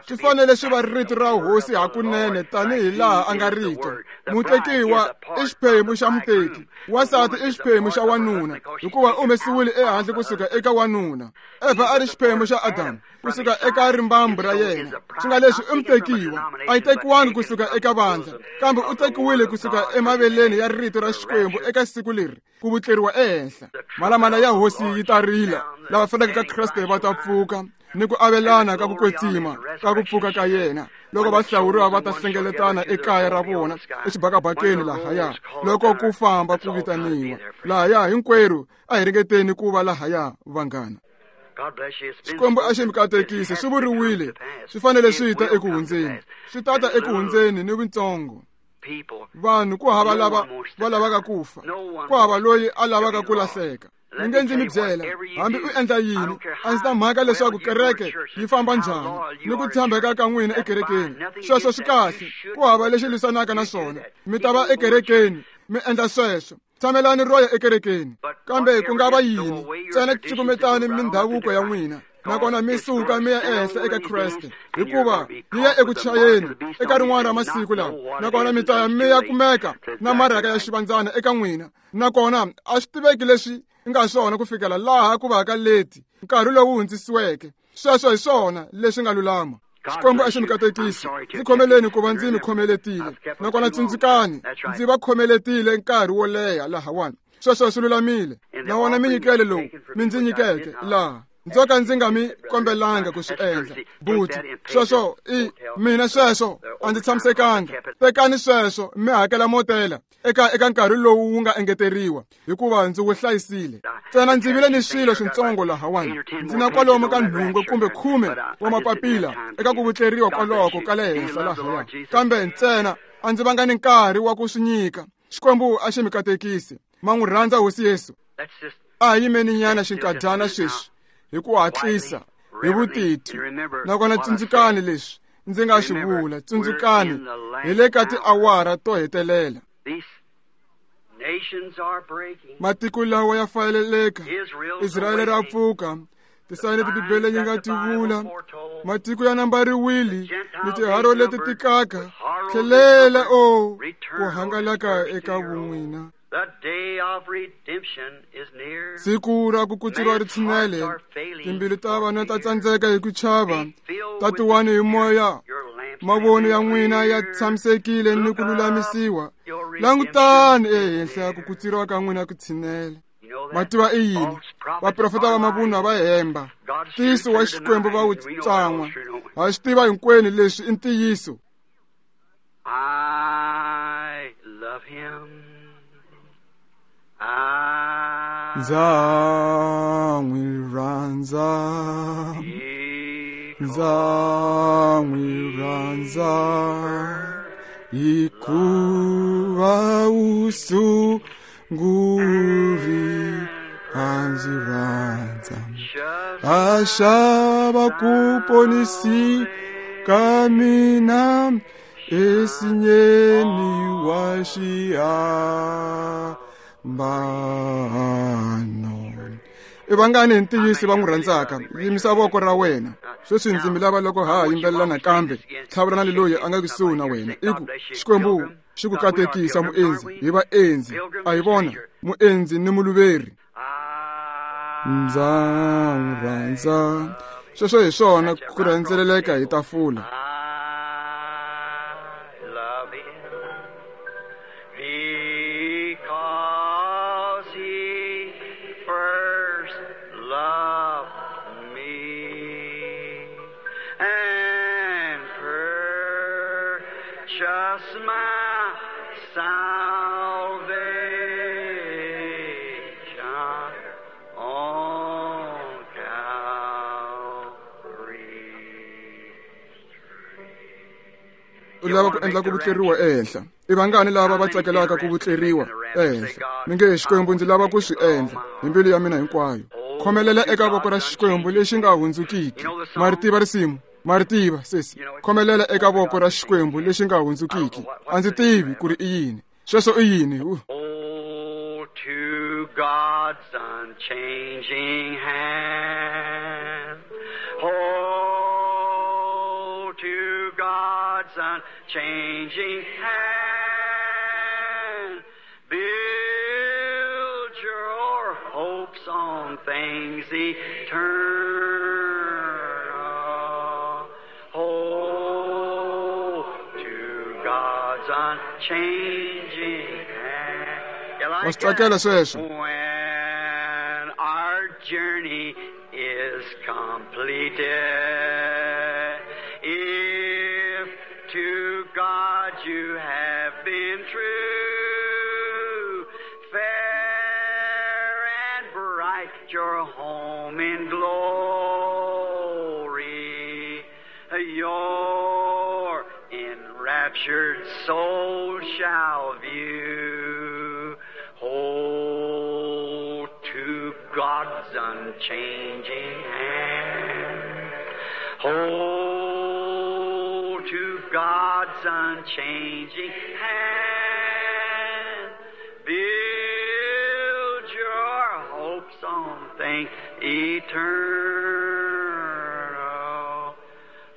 Swi fanele swi va rito ra hosi hakunene tanihi laha a nga rito. Mutekiwa i xiphemu xa muteki, wansati i xiphemu xa wanuna, hikuva u humesiwile ehandle kusuka eka wanuna. Evha a ri xiphemu xa Adamu kusuka eka rimbambu ra yena. Swi nga leswi i mutekiwa, a yi tekiwangi kusuka eka vandla, kambe u tekiwile kusuka emaveleni ya rito ra Xikwembu eka siku leri ku vutleriwa ehenhla. Malamala ya hosi yi ta rila, lava faneleke ka Kreste va ta pfuka ni ku avelana ka ku kwetsima ka ku pfuka ka yena, loko va hlawuriwa va ta hlengeletana ekaya ra vona exibakabakeni lahaya, loko ku famba ku vitaniwa lahaya. Hinkwerhu a hi ringeteni ku va lahaya, vanghana. Xikwembu a xi mi katekise. Swi vuriwile, swi fanele swi ta eku hundzeni, swi tata eku hundzeni ni vuntsongo. Vanhu ku hava lava va lavaka ku fa, ku hava loyi a lavaka ku lahleka. Mi nge ndzi mi byela, hambi u endla yini, a ndzi ta mhaka leswaku kereke yi famba njhani ni ku tshembeka ka n'wina ekerekeni. Sweswo swi kahle, ku hava lexi lwisanaka na swona. Mi ta va ekerekeni, mi endla sweswo. Tshamelani ro ya ekerekeni, kambe ku nga va yini, ntsena cukumetani mindhavuko ya n'wina, nakona mi suka mi ya ehenhla eka Kreste, hikuva yi ya eku chayeni eka rin'wana ra masiku lawa, nakona mi ta ya mi ya kumeka na marhaka ya xivandzana eka n'wina, nakona a swi tiveki leswi nga swona ku fikela laha ku vaka leti nkarhi lowu hundzisiweke. Sweswo hi swona leswi nga lulama. Xikwembu a xi mi katekisi. Ndzi khomeleni ku va ndzi mi khomeletile, nakona tsundzukani, ndzi va khomeletile nkarhi wo leha lahawani. Sweswo swi lulamile. Na wona minyikelo lowu mi ndzi nyikeke laha, ndzo ka ndzi nga mi kombelanga ku swi endla. Buti, sweswo i mina, sweswo a ndzi tshamisekanga. Tekani sweswo mi hakela motela eka nkarhi lowu wu nga engeteriwa, hikuva ndzi wu hlayisile. Ntsena ndzi vile ni swilo swintsongo lahawani. Ndzi na kwalomu ka 8 kumbe 10 wa mapapila eka ku vutleriwa kwaloko ka le henhla lahaya, kambe ntsena a ndzi vanga ni nkarhi wa ku swi nyika. Xikwembu a xi mi katekisi. Ma n'wi rhandza Hosi Yesu? A hi yimeni nyana xinkadyana sweswi hi ku hatlisa, hi vutitwi. Nakona tsundzukani leswi ndzi nga swi vula. Tsundzukani, hi le ka tiawara to hetelela. Matiko lawa ya fayeleleka, Israyele ra pfuka, tisayini leti Bibele yi nga ti vula, matiko ya nambariwile ni tiharo leti tikaka, tlhelela o ku hangalaka eka vun'wina. Siku ra ku kutsuriwa ri tshinele, timbilu ta vana ta tsandzeka hi ku chava, tatiwani hi moya, mavoni ya n'wina ya tshamisekile ni ku lulamisiwa. Langutani ehenhla, ku kutsuriwa ka n'wina ku tshinele. Mativa i yini? Vaprofeta va mavunwa va hemba, ntiyiso wa Xikwembu va wu tsan'wa. Ha swi tiva hinkwenu leswi i ntiyiso. I love him. Ndza n'wi rhandza, ndza n'wi rhandza, hikuva u sunguri a ndzi rhandza, a xava ku ponisi ka mina esinyeni wa xihambano. I vangani hi ntiyiso va n'wi rhandzaka? Yimisa voko ra wena. Sweswi ndzi mi lava loko ha yimbelela nakambe, tlhavulana ni loyi a nga kusuhi na wena, i ku, Xikwembu xi ku katekisa muendzi, hi vaendzi, a hi vona muendzi ni muluveri. Ndza n'wi rhandza. Sweswo hi swona ku rhendzeleleka hi tafula. Because he first loved me and purchased my salvation on Calvary. U lava ku endla ku vutleriwa ehenhla. I vangani lava va tsakelaka ku vutleriwa ehenhla? Mi nge, Xikwembu, ndzi lava ku swi endla hi mbilu ya mina hinkwayo. Khomelela eka voko ra Xikwembu lexi nga hundzukiki. Ma ri tiva risimu? Ma ri tiva, sesi? Khomelela eka voko ra Xikwembu lexi nga hundzukiki. A ndzi tivi ku ri i yini. Sweswo i yini? Oh, to God's unchanging hand. Oh, to God's unchanging hand. Build your hopes on things eternal. Oh, to God's unchanging hand. You Wa like swi tsakela that? sweswo? When our journey is completed, if to God you have been true, fair and bright your home in glory, your enraptured soul shall view. Hold to unchanging hand. Hold to God's unchanging hand. Build your hopes on things eternal.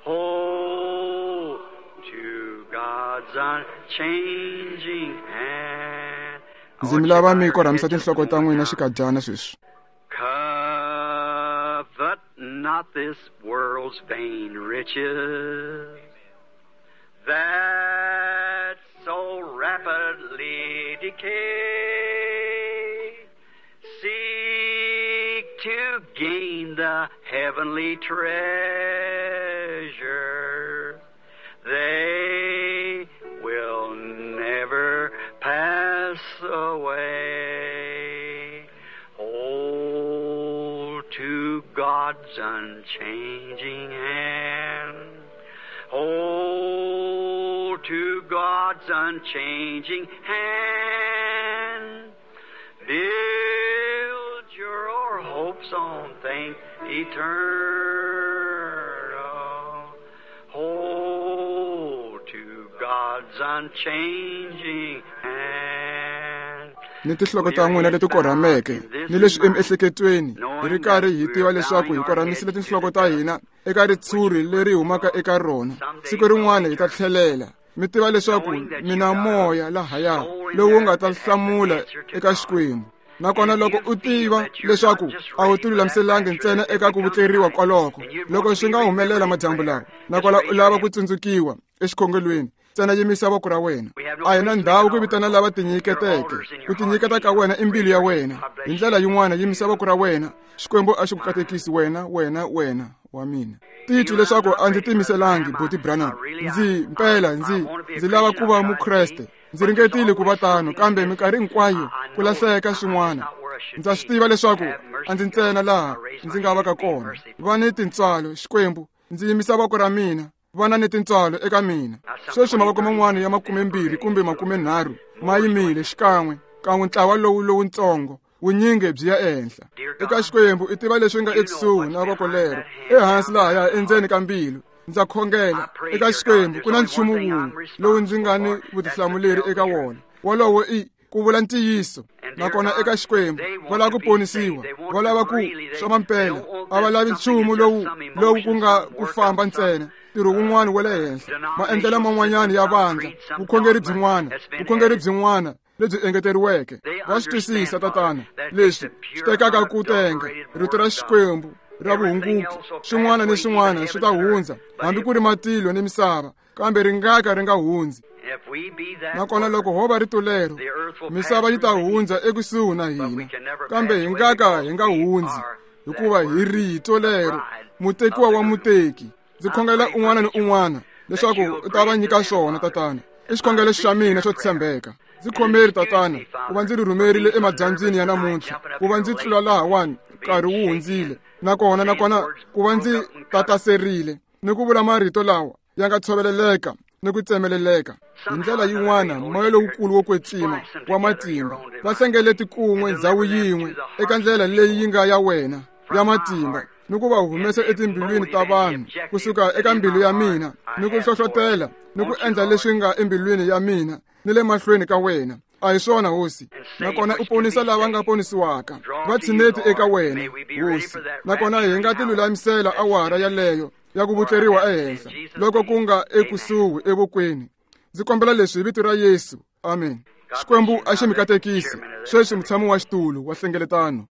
Hold to God's unchanging hand. Ndzi mi lava mi korhamisa tinhloko ta n'wina xikadyana sweswi. Covet not this world's vain riches that so rapidly decay. Seek to gain the heavenly treasure. They will never pass away. Hold to God's unchanging hand. Hold to God's unchanging hand. Build your hopes on things eternal. Hold to God's unchanging hand. Ni tinhloko ta n'wina leti korhameke ni leswi emiehleketweni hi ri karhi hi tiva leswaku hi korhamisile tinhloko ta hina eka ritshuri leri humaka eka rona. Siku rin'wana hi ta tlhelela. Mi tiva leswaku mina moya lahaya lowu nga ta hlamula eka Xikwembu. Nakona loko u tiva leswaku a wu tilulamiselangi ntsena eka ku vutleriwa kwaloko, loko swi nga humelela madyambu lawa, nakona u lava ku tsundzukiwa exikhongelweni, ntsena yimisa voko ra wena. A hi na ndhawu ku vitana lava tinyiketeke. Ku tinyiketa ka wena i mbilu ya wena. Hi ndlela yin'wana, yimisa voko ra wena. Xikwembu a xi ku katekisi wena, wena, wena wa mina. Titwi leswaku a ndzi tiyimiselangi, Buti Branham. Ndzi mpela ndzi lava ku va Mukreste. Ndzi ringetile ku va tano, kambe minkarhi hinkwayo ku lahleka swin'wana. Ndza swi tiva leswaku a ndzi ntsena laha ndzi nga vaka kona. Va ni tintswalo, Xikwembu. Ndzi yimisa voko ra mina. Vana ni tintswalo eka mina. Sweswi mavoko man'wana ya 20 kumbe 30 ma yimile xikan'we kan'we ntlawa lowu lowuntsongo wunyingi byi ya ehenhla. Eka Xikwembu i tiva leswi nga ekusuhi na voko lero, ehansi lahaya endzeni ka mbilu. Ndza khongela eka Xikwembu, ku na nchumu wun'we lowu ndzi nga ni vutihlamuleri eka wona. Wolowo i ku vula ntiyiso. Nakona eka Xikwembu va lava ku ponisiwa, va lava ku swa mampela, a va lavi nchumu lowu ku nga ku famba ntsena, ntirho wun'wana wa le henhla, maendlelo man'wanyana ya vandla, vukhongeri byin'wana lebyi engeteriweke. Va swi twisisa, Tatana, leswi swi tekaka ku tenga rito ra Xikwembu ra vuhunguki. Swin'wana ni swin'wana swi ta hundza, hambi ku ri matilo ni misava, kambe ri nga ka ri nga hundzi. Nakona loko ho va rito lero, misava yi ta hundza ekusuhi na hina, kambe hi nga ka hi nga hundzi, hikuva hi rito lero, mutekiwa wa muteki. Ndzi khongela un'wana ni un'wana leswaku u ta va nyika swona, Tatana. I xikhongelo xa mina xo tshembeka. Ndzi khomeri, Tatana, ku va ndzi ri rhumerile emadyambyini ya namuntlha, ku va ndzi tlula lahawani nkarhi wu hundzile, nakona ku va ndzi tataserile ni ku vula marito lawa ya nga tshoveleleka ni ku tsemeleleka. Hi ndlela yin'wana, moya lowukulu wo kwetsima wa matimba va hlengeleti kun'we ndzhawu yin'we eka ndlela leyi yi nga ya wena ya matimba, ni ku va humesa etimbilwini ta vanhu kusuka eka mbilu ya mina, ni ku hlohlotela ni ku endla leswi nga embilwini ya mina ni le mahlweni ka wena. A hi swona, Hosi. Nakona u ponisa lava nga ponisiwaka, va tshineti eka wena, Hosi. Nakona hi nga tilulamisela awara yaleyo ya ku vutleriwa ehenhla loko ku nga ekusuhi evokweni. Ndzi kombela leswi hi vito ra Yesu. Amen. Xikwembu a xi mi katekisi. Sweswi mutshami wa xitulu wa hlengeletano.